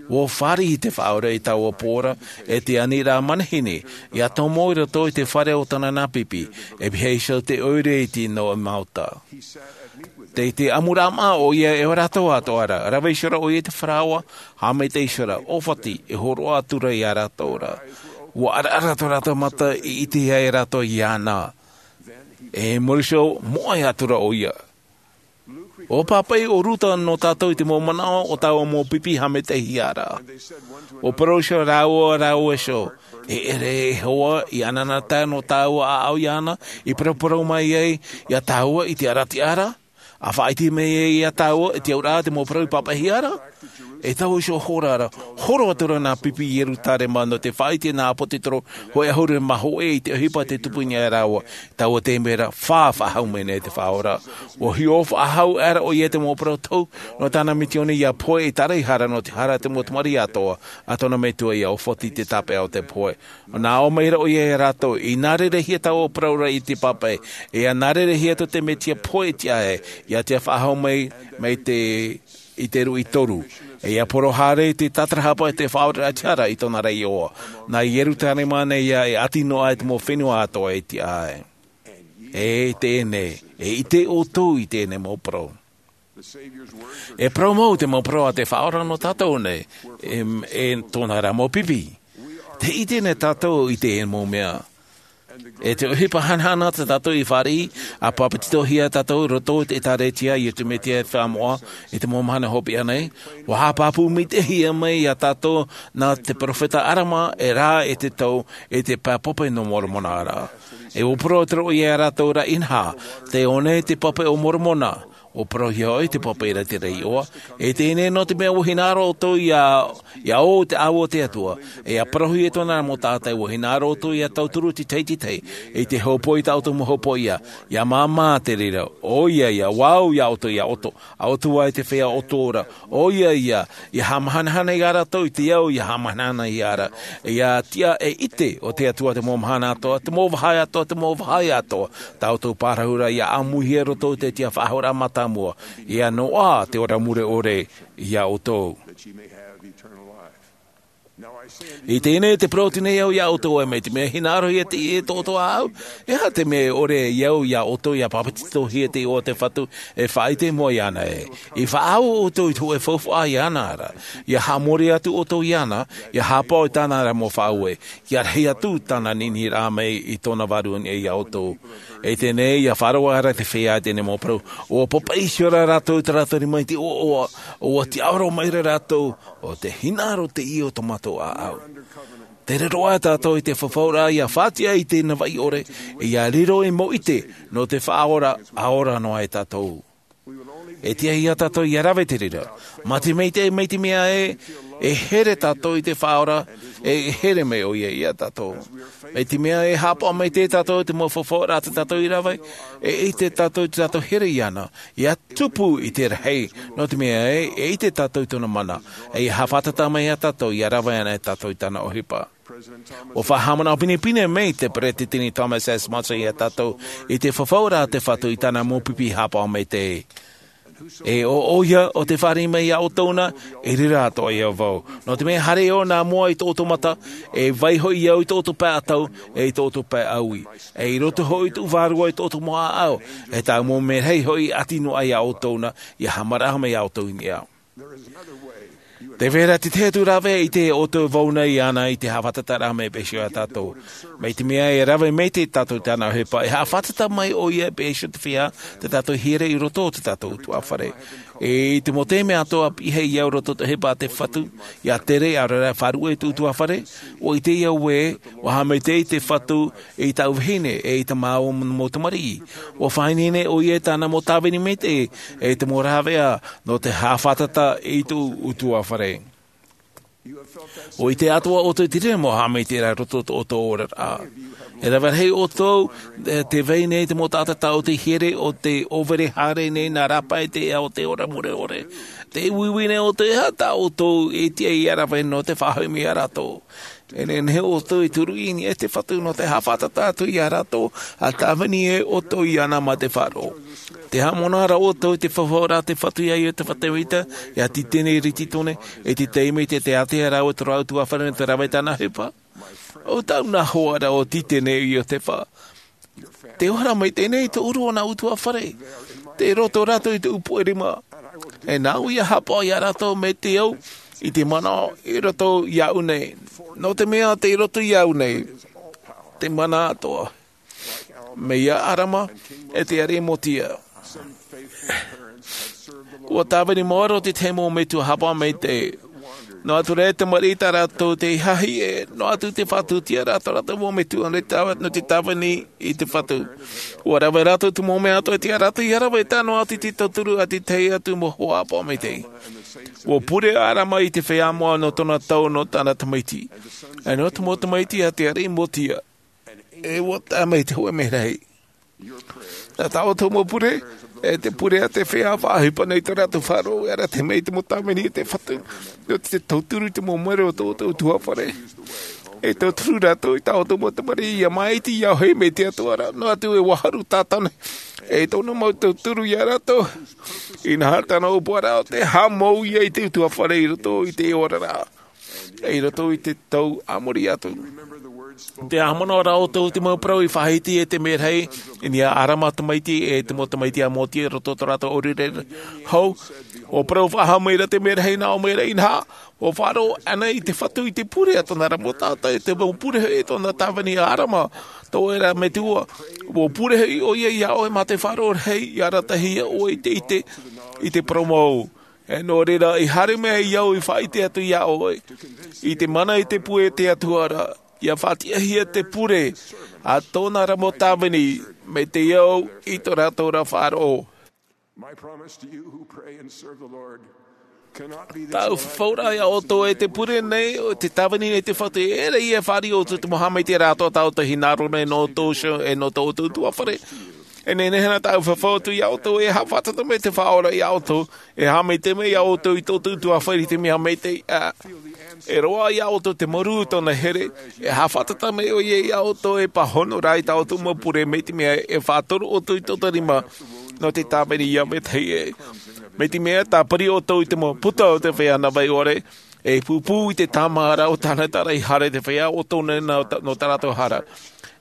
Ua fāriʻi te faʻaora i taua pō ra e te aniraʻa manihini, ia tomo i roto i te fare o tāna nā pipi, e pīhaʻi iho te ʻoire iti nō emaota. Tei te ʻamuraʻa maʻa ʻoia e ʻo rātou atoʻa ra, rave iho ra ʻoia i te faraoa, haʻamaitaʻi iho ra, ʻōfati e hōroʻa atu ra i a rātou ra. Ua ʻaraʻara tō rātou mata i ʻite ai rātou i ana. E muri iho moʻe atu ra ʻoia. Ua pāpaʻi o ruta nō tātou i te mau manaʻo o taua mau pipi haʻamaitaʻihia ra. Ua parau iho rāua rāua iho, e ʻere e hoa i anaanatae nō taua ʻaʻau i ana i paraparau mai ai i a tāua i te arataʻi ra, a faʻaʻite mai ai i a tāua i te auraʻa te mau parau i pāpaʻihia ra. E taua iho hora ra, horo atu ra nā pipi i ierutarema nō te faʻaʻite nā ʻāpōsetolo hoʻe ʻahuru mā hōʻē i te ʻohipa tei tupu i niʻa ia rāua. Taua taime ra, fā faʻahou mai nei te faʻaora. Ua hiʻo faʻahou aʻera ʻoia i te mau parau tohu nō tāna misioni ia pohe i taraʻehara nō te hara te mau tamariʻi atoʻa a tōna metua ia ʻōfati i te tāpeʻa o te pohe. Nā ʻō mai ra ʻoia i a rātou, i nā reira hia taua parau ra i te pāpaʻi, e ia nā reira hia tō te mesia pohe tiʻa ai, ia tiʻa faʻahou mai mai te i te ruʻi toru. E ia poro haere i te tātarahapa i te faʻaoraraʻa i tōna ra iʻoa. Nā ierutarema nei ia e ʻati noa ai te mau fenua atoʻa e tiʻa ai. E teie nei, e ʻite ʻoutou i teie nei mau parau. E parau mau te mau parau a te faʻaora nō tātou nei, e tōna ra mau pipi. Te ʻite nei tātou i teie mau mea. E te ʻohipa hanahana tā tātou i fāriʻi, a papetitohia tātou i roto i te ʻēkālesia a iesu mesia e faʻamoʻa i te mau mahana hopeʻa nei. Ua haʻapāpū maitaʻihia mai i a tātou nā te peropheta alama e rā e te tau e te pae pape nō moromona ra. E ua parau atu ra ʻoia i a rātou ra, inaha, tei ʻō nei te pape o moromona. ʻUa parauhia hoʻi te pāpaʻi ra te reira. E teie nei, nō te mea ʻua hinaʻaro ʻoutou ia, ia ʻō te ʻāua o te Atua, e ia parauhia tōna mau taʻata, ʻua hinaʻaro ʻoutou ia tauturu te tahi i te tahi, i te hōpoi tā ʻoutou mau hōpoiʻa, ia māmā te reira. ʻOia ia, ʻua au ia ʻoutou ia ʻoto, ʻa ʻoutou ā e te feiā ʻoto ra. ʻOia ia, ia haʻamahanahana ia rātou i te au ia haʻamahanahana ia ra. Ia tiʻa e ʻite o te Atua te mau mahana atoʻa, te mau vāhi atoʻa, te mau vāhi atoʻa. Tā ʻoutou parau ra ia ʻāmuihia i roto i te tiʻa faʻahoʻiraʻa mātāmua, ia noaʻa te ora mure ʻore ia ʻoutou. I teie nei te parau atu nei au ia ʻoutou ē, mai te mea hinaʻarohia teie e tō ʻoutou ʻāʻau, e aha te mea e ʻore ai au ia ʻoutou ia pāpetitohia te iʻoa o te Fatu, e faʻaʻite mua iāna ē? I faʻaau ʻoutou i te hōʻē faufaʻa iāna ra, ia haʻamori atu ʻoutou iāna, ia haʻapaʻo i tāna ra mau faʻaue, ia rahi atu tāna niniraʻa mai i tōna vārua nei ia ʻoutou. I teie nei ia faʻaroʻo ra te feiā i teie nei mau parau, ʻua pāpaʻi iho ra rātou i tā rātou rima i te ʻoaʻoa, ʻua tiʻaoro maira rātou, ʻo te hinaʻaro teie o tō mātou ʻāʻau. Tē riro ā tātou i te fafauraʻa ia faʻatiʻa i te navaʻi ʻore, ia riro ei mau ʻite nō te Faʻaora, ʻa ora noa e tātou. E tiʻa ia tātou ia rave te reira. Mai te mea, mai te mea ē, e here tātou i te Faʻaora, e here mai ʻoia ia tātou. Mai te mea e haʻapaʻo maitaʻi tātou i te mau fafauraʻa tā tātou i rave, e ʻite tātou i tā tātou here iāna, ia tupu i te rahi, nō te mea ē, e ʻite tātou i tōna mana, e ia haʻafātata mai ia tātou, ia rave ana e tātou i tāna ʻohipa. ʻUa faʻahaʻamanaʻo pinepine mai te Peresideni Thomas S. Monson ia tātou i te fafauraʻa a te Fatu i tāna mau pipi haʻapaʻo maitaʻi. E ʻo, ʻoia ʻo tē fāriʻi mai ia ʻoutou na, e reira atoʻa ia vau. Nō te mea haere ʻō nā mua i tō ʻoutou mata, e vai hoʻi au i tō ʻoutou pae ʻatau, e i tō ʻoutou pae ʻaui. E i roto hoʻi tōʻu vārua i tō ʻoutou mau ʻāʻau, e tāʻu mau merahi hoʻi ʻati noa ia ʻoutou na, ia haʻamaraʻa mai ia ʻoutou i niʻa. Tē vai ra te tahi atu rave i te ʻoutou e vau nei iāna i te haʻafātataraʻa mai e peʻe iho ia tātou. Mai te mea e rave maitaʻi tātou i tāna ʻohipa, e haʻafātata mai ʻoia e peʻe iho te feiā tā tātou i hiere i roto o tā tātou ʻutuāfare. E i te mau taime atoʻa, pihaʻi au i roto i te ʻohipa a te Fatu, ia tere, ʻaore rā e faʻaruʻe i tōʻu ʻutuāfare, ʻua ʻite au ē, ʻua haʻamaitaʻi te Fatu i tāʻu vahine, e i tā māua mau tamariʻi. ʻUa faʻaineine ʻoia i tāna mau tāvini maitaʻi, e te mau rāveʻa, nō te haʻafātata i tōʻu ʻutuāfare. ʻUa ʻite atoʻa ʻoutou i te reira mau haʻamaitaʻiraʻa i roto i tō ʻoutou oraraʻa. E rave rahi ʻoutou, e, tē vai nei te mau taʻata tā ʻoutou i hiere ʻo tē ʻōvere haere nei nā rāpae i te ao o te ora mure ʻore. Tē uiui nei ʻoutou, e aha tā ʻoutou e tiʻa ia rave nō te faʻahoʻi mai ia rātou. E nehenehe ʻoutou e turu i niʻa i te Fatu nō te haʻafātata atu ia rātou, ʻa tāvini ē ʻoutou iāna mā te faʻaroʻo. Tē haʻamanaʻo ra ʻoutou i te fafauraʻa a te Fatu ia Iotefa Tēvita, ia Tītene Rititone, e te taime tē ātea ra vau i tō rāua ʻutuāfare nō te rave i tāna ʻohipa. ʻO tāʻu nā hoa ra ʻo Tītene Iotefa. Tē ora mai teie nei i tōʻu ʻōrua nā ʻutuāfare. Tei roto rātou i tōʻu puʻe rima. E nāʻu ia haʻapaʻo ia rātou mai te au, i te manaʻo, i roto iāʻu nei. Nō te mea tei roto iāʻu nei te mana atoʻa. Mai ia ʻArama, e te ariʻi Motia. ʻUa tāvini maoro te tahi mau metua haʻapaʻo maitaʻi. Noa atu rā e tamariʻi tā rātou tei hahi ē, noa atu te faʻatūtia ra tō rātou mau metua nō te tāv-, nō te tāvini i te Fatu. ʻUa rave rātou te mau mea atoʻa e tiʻa rātou ia rave, tae noa atu i te tauturu a te tahi atu mau hoa haʻapaʻo maitaʻi. ʻUa pure ʻo ʻArama i te feiā moʻa nō tōna tau nō tāna tamaiti. E nō te mau tamaiti a te ariʻi Motia. E ʻua tae mai te hōʻē merahi. Nā tā ʻoutou mau pure, e te pure a te feiā faʻaʻohipa nei tō rātou faʻaroʻo, e arataʻi mai te mau tāvini a te Fatu, nō te tauturu i te mau mero o tō ʻoutou ʻutuāfare. E tauturu rātou i tā ʻoutou mau tamariʻi, ia māʻiti, ia hoʻi mai te Atua ra, noa atu e ʻua haru tātane. E tōna mau tauturu ia rātou. Inaha tāna ʻōpuaraʻa ʻo tē haʻamou ia i te ʻutuāfare i roto i te oraraʻa. I roto i te tau a muri atu. Tē haʻamanaʻo ra ʻoutou i te mau parau i faʻahiti e te merahi i niʻa iā ʻArama tamaiti e te mau tamaiti a Motia i roto i tō rātou ʻōrereraʻa hou. ʻUa parau faʻahou mai ra te merahi, nā ʻō mai ra, inaha, ʻua faʻaroʻo ʻoia i te Fatu i te pure a tōna ra mau taʻata, e te mau pure hoʻi tōna tāvini a ʻArama, tō ʻoe ra metua. ʻUa pure hoʻi ʻoia iā ʻoe mā te faʻaroʻo rahi, ʻia arataʻihia ʻoe i te ʻite i te parau mau. E nō reira, i haere mai au i faʻaʻite atu iā ʻoe, i te mana i te pure a te Atua ra, ʻia faʻatiʻahia te pure a tōna ra mau tāvini, mai te au i tō rātou ra faʻaroʻo. My promise to you who pray and serve the Lord cannot be this. Tāʻu fafauraʻa ia ʻoutou e te pure nei, o te tāvini nei te Fatu, e ʻere ia e fāriʻi ʻoutou i te mau haʻamaitaʻiraʻa atoʻa tā ʻoutou e hinaʻaro nei nō ʻoutou iho, e nō tō ʻoutou ʻutuāfare. E nehenehe na tāʻu e fafau atu ia ʻoutou, e haʻafātata mai te Faʻaora ia ʻoutou, e haʻamaitaʻi mai ia ʻoutou i tō ʻoutou ʻutuāfare i te mea maitaʻi, ā, e roaʻa ia ʻoutou te mārū i tōna here, e haʻafātata mai ʻoia ia ʻoutou e pāhono rā i tā ʻoutou mau pure, mai te mea e faʻatoro ʻoutou i tōna rima nō te tāvini ia vetahi ē. Mai te mea e tāpiri ʻoutou i te mau puta o te feiā navai ʻore, e pūpū i te tāmāʻaraʻa o tāna taʻata i haere i te feiā ʻo tōna nā, nō tā rātou hara.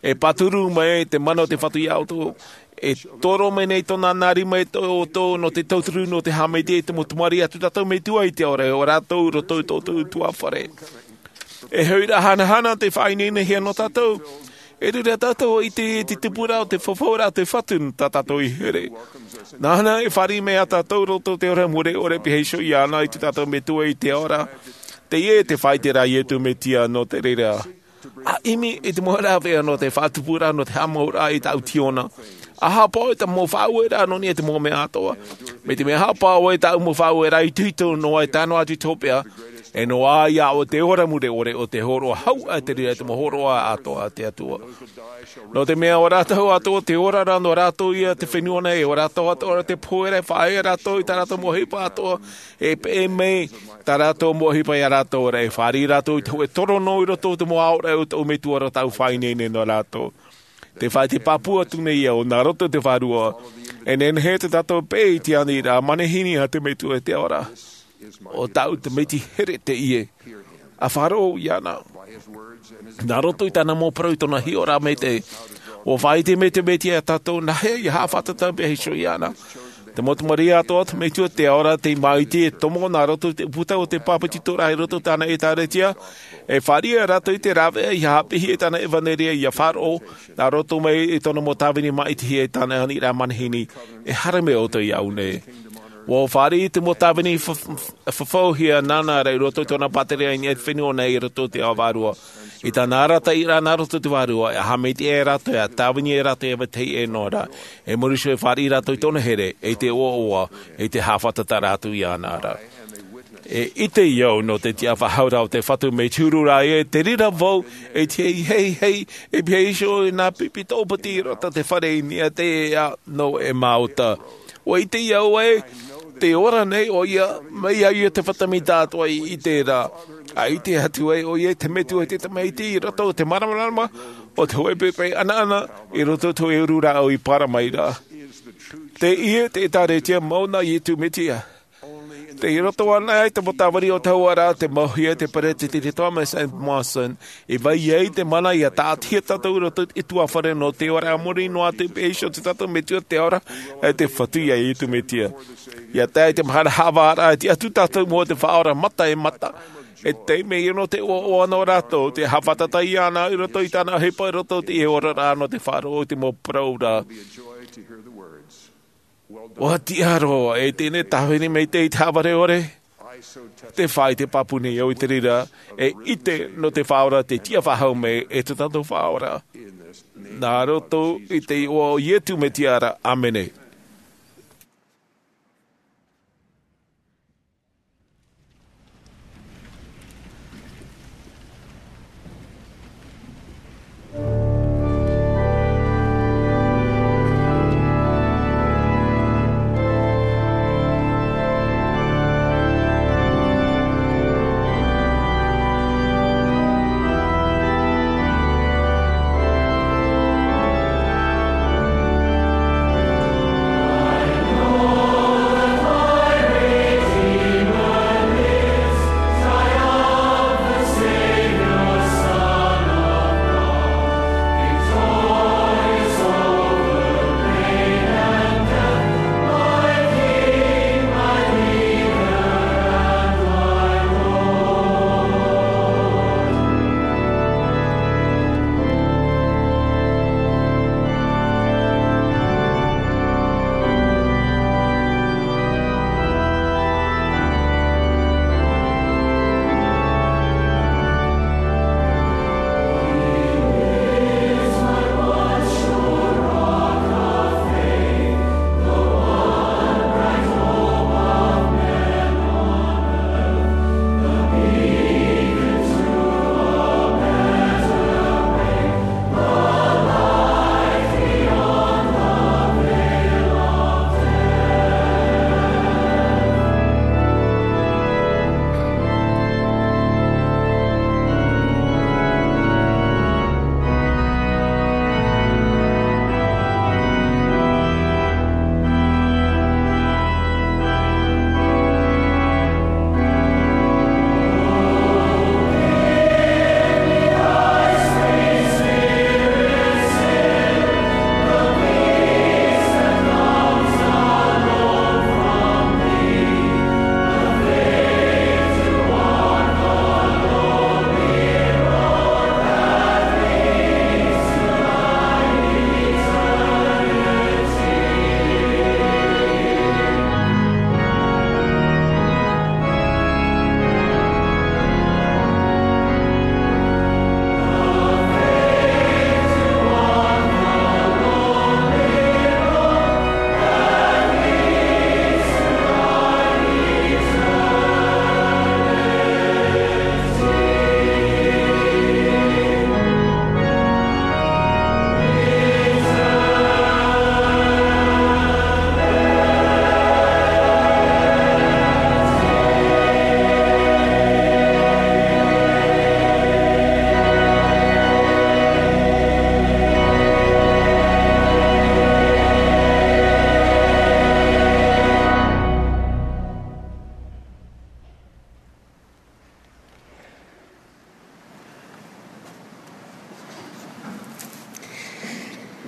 E pāturu mai te mana o te Fatu ia ʻoutou, e toro mai nei tōna nā rima i tō ʻoutou nō te tauturu, nō te haʻamaitaʻi i te mau tamariʻi a tō tātou Metua i te ao ra, ʻo rātou i roto i tō ʻoutou ʻutuāfare. E hoʻi rā, hanahana te faʻaineinehia nō tātou. E riro tātou i te, te tupuraʻa o te fafauraʻa o te Fatu nō tā tātou i here. Nāna e fāriʻi mai ia tātou i roto i te ora mure ʻore, e pihaʻi iho iāna i tō tātou Metua i te ao ra. Teie te faʻaite ra a Iesu Mesia nō te reira. ʻA ʻimi i te mau rāveʻa nō te faʻatupu ra, nō te haʻamauraʻa i tāʻu tiona. ʻA haʻapaʻo i te mau faʻaueraʻa nō niʻa i te mau mea atoʻa. Mai te mea haʻapaʻo i tāʻu mau faʻaueraʻa itoito noa, e tae noa atu i te hopeʻa, e noaʻa ia ʻoe te ora mure ʻore, ʻo te hōroʻa hau ā te reira, te mau hōroʻa atoʻa a te Atua. Nō te mea ʻo rātou atoʻa te ora ra, nō rātou ia te fenua nei, ʻo rātou atoʻa te pohe ra, e faʻaea rātou i tā rātou mau ʻohipa atoʻa, e peʻe mai tā rātou mau ʻohipa ia rātou ra, e fāriʻi rātou i te hōʻē toro noa i roto i te mau aʻoraʻa o tōʻu Metua ra, tāʻu faʻaineine nō rātou. Te faʻaite pāpū atu nei au, nā roto i te Vārua, e nehenehe tō tātou peʻe i te aniraʻa manihini a te Metua i te ao ra. ʻO tāʻu tamaiti here teie. ʻA faʻaroʻo iāna. Nā roto i tāna mau parau, i tōna hiʻoraʻa maitaʻi, ʻua faʻaite mai te Mesia ia tātou nāhea ia haʻafātata e pihaʻi iho iāna. Te mau tamariʻi atoʻa a te Metua i te ao ra, tei māʻiti e tomo nā roto i te puta o te bāpetizoraʻa i roto i tāna ʻĒtārētia, e fāriʻi ia rātou i te rāveʻa ia haʻapiʻi i tāna ʻevanelia, ia faʻaroʻo nā roto mai i tōna mau tāvini māʻitihia i tāna aniraʻa manihini, e haere mai ʻoutou iāʻu nei. ʻUa fāriʻi te mau tāvini fa-, fa-, fafauhia nāna ra i roto i tōna pātireia i niʻa i te fenua nei, i roto i te ao vārua. I tāna arataʻiraʻa nā roto i te Vārua, e haʻamaitaʻi ia rātou, e tāvini ia rātou e vetahi ʻē noa ra. E muri iho e fāriʻi rātou i tōna here, i te ʻoaʻoa, i te haʻafātataraʻa atu iāna ra. E ʻite au nō te tiʻafaʻahouraʻa o te Fatu, mai te huru ra ē, te reira vau, e te hei, hei, hei, e pihaʻi iho i nā pipi tōpiti i roto i te fare i niʻa i te ea nō Emauta. ʻUa ʻite au ē, tē ora nei ʻoia, mai ia te fatu mai tātou i ʻite ra. ʻA ʻite atu ai ʻoia i te Metua i te Tamaiti i roto i te māramarama o te hōʻē poʻipoʻi ʻanaʻana, i roto i te hōʻē uru rāʻau i para mai ra. Teie te ʻĒtārētia mau nā Iesu Mesia. Tei roto anaʻe i te mau tāvini o te hau ra, tei mauhia e te Peresideni Thomas S. Monson, i vai ai te mana ia tāʻatihia tātou i roto i te ʻutuāfare nō te ora a muri noa atu, e pihaʻi iho tō tātou Metua i te ao ra, e te Fatu ia Iesu Mesia. ʻIa tae i te mahana haʻavāraʻa, e tiʻa atu tātou i mua i te Faʻaora mata e mata. E tae mai nō te ʻoaʻoa nō rātou, te haʻafātata iāna i roto i tāna ʻohipa, i roto i te oraraʻa nō te faʻaroʻo i te mau parau ra. ʻUa tiʻa roa, e teie tāvini maitaʻi i te haʻavare ʻore. Tē faʻaite pāpū nei au i te reira, e ʻite nō te Faʻaora tē tiʻafaʻahou mai, e tō tātou Faʻaora. Nā roto i te iʻoa o Iesu Mesia ra, ʻāmene.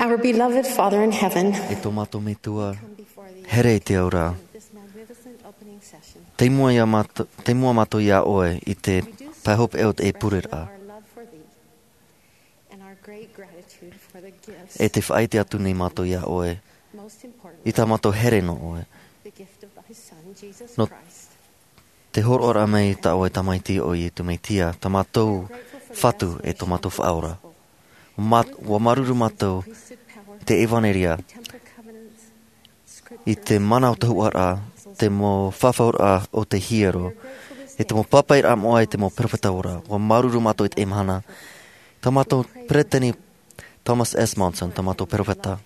Our beloved Father in heaven, e tō mātou Metua, here i te ao ra. Te mua ia mātou, te mua mātou ia ʻoe i te pae hopeʻa o te pureraʻa. E te faʻaʻite atu nei mātou ia ʻoe i tā mātou here nō ʻoe. Nō te hōroʻaraʻa mai tā ʻoe tamaiti ʻo Iesu Mesia, tā mātou Fatu e tō mātou Faʻaora. Ua mā-, ua māuruuru mātou i te ʻevanelia, i te mana o te hōroʻaraʻa, te mau fafauraʻa o te hiero, e te mau pāpaʻiraʻa moʻa, e te mau peropheta ora. Ua māuruuru mātou i teie mahana, tā mātou peresideni Thomas S. Monson, tā mātou peropheta.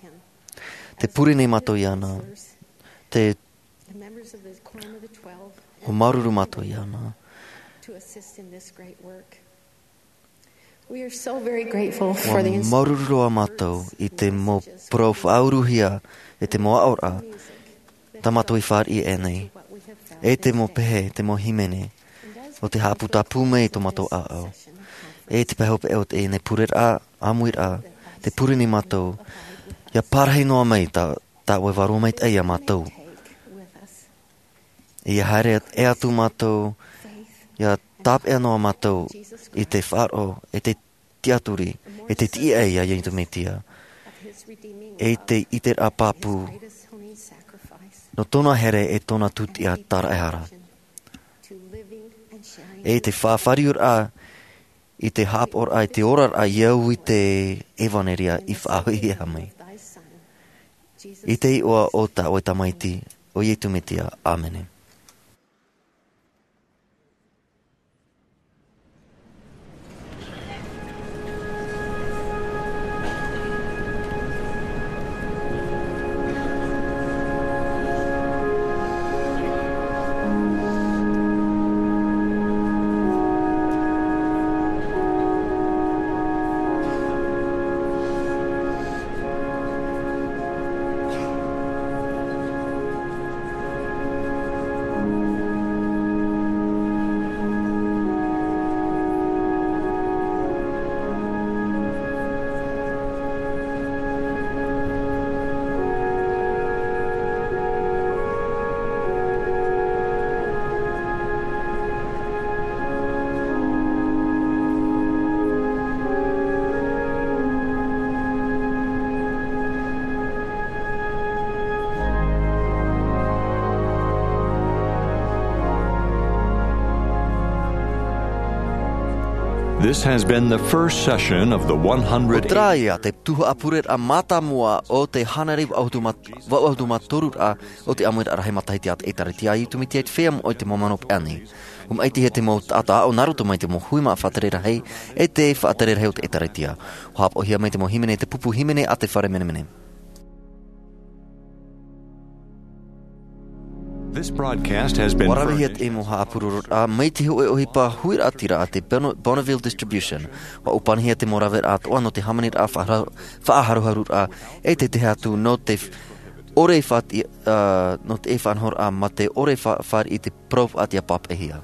Te pure nei mātou iāna, te Ua māuruuru mātou iāna. Ua māuruuru roa mātou i te mau parau faʻauruhia, e te mau aʻoraʻa tā mātou i fāriʻi aʻenei, e te mau pehe, te mau hīmene, ʻo tē haʻaputapū mai i tō mātou ʻāʻau. E te pae hopeʻa o teie nei pureraʻa, ʻāmuiraʻa, te pure nei mātou, ʻia parahi noa mai tā, tā ʻoe e vārua maitaʻi ia mātou. ʻIa haere atu mātou, ʻia tāpeʻa noa mātou i te faʻaroʻo, e te tiʻaturi, e te tiʻa ia Iesu Mesia, e te ʻiteraʻa pāpū nō tōna here, e tōna tūtiʻa tāraʻehara. E te faʻafāriuraʻa i te haʻapaʻoraʻa, i te oraraʻa, ʻia au i te ʻevanelia i faʻahoʻihia mai. I te iʻoa o tā ʻoe tamaiti, ʻo Iesu Mesia. ʻĀmene. This has been the first session of the one hundred. ʻO terā ia te tuhaʻa pureraʻa mātāmua o te hānere vaʻu ʻahuru mā-, vaʻu ʻahuru mā toru ra o te ʻāmuiraʻa rahi matahiti a te ʻĒtārētia a Iesu Mesia i te feiā moʻa i te mau mano peʻa nei. ʻUa maʻitihia te mau taʻata aʻo nā roto mai i te mau hui māʻa faʻatere rahi, e te faʻatere rahi o te ʻĒtārētia. ʻUa haʻapaʻohia mai te mau hīmene, te pupu hīmene a te fare menemene. This broadcast has been furnished. ʻUa ravehia te mau haʻapurororaʻa mai te hōʻē ʻohipa huiraʻatira a te Bon-, Bonneville Distribution. ʻUa ʻōpanihia te mau raveraʻa atoʻa nō te hāmaniraʻa faʻaharo-, faʻaharuharuraʻa, e te tahi atu nō te f-, ʻore faʻati-, ā, nō te faʻanahoraʻa mā te ʻore fa-, fāriʻi i te parau faʻatiʻa pāpaʻihia.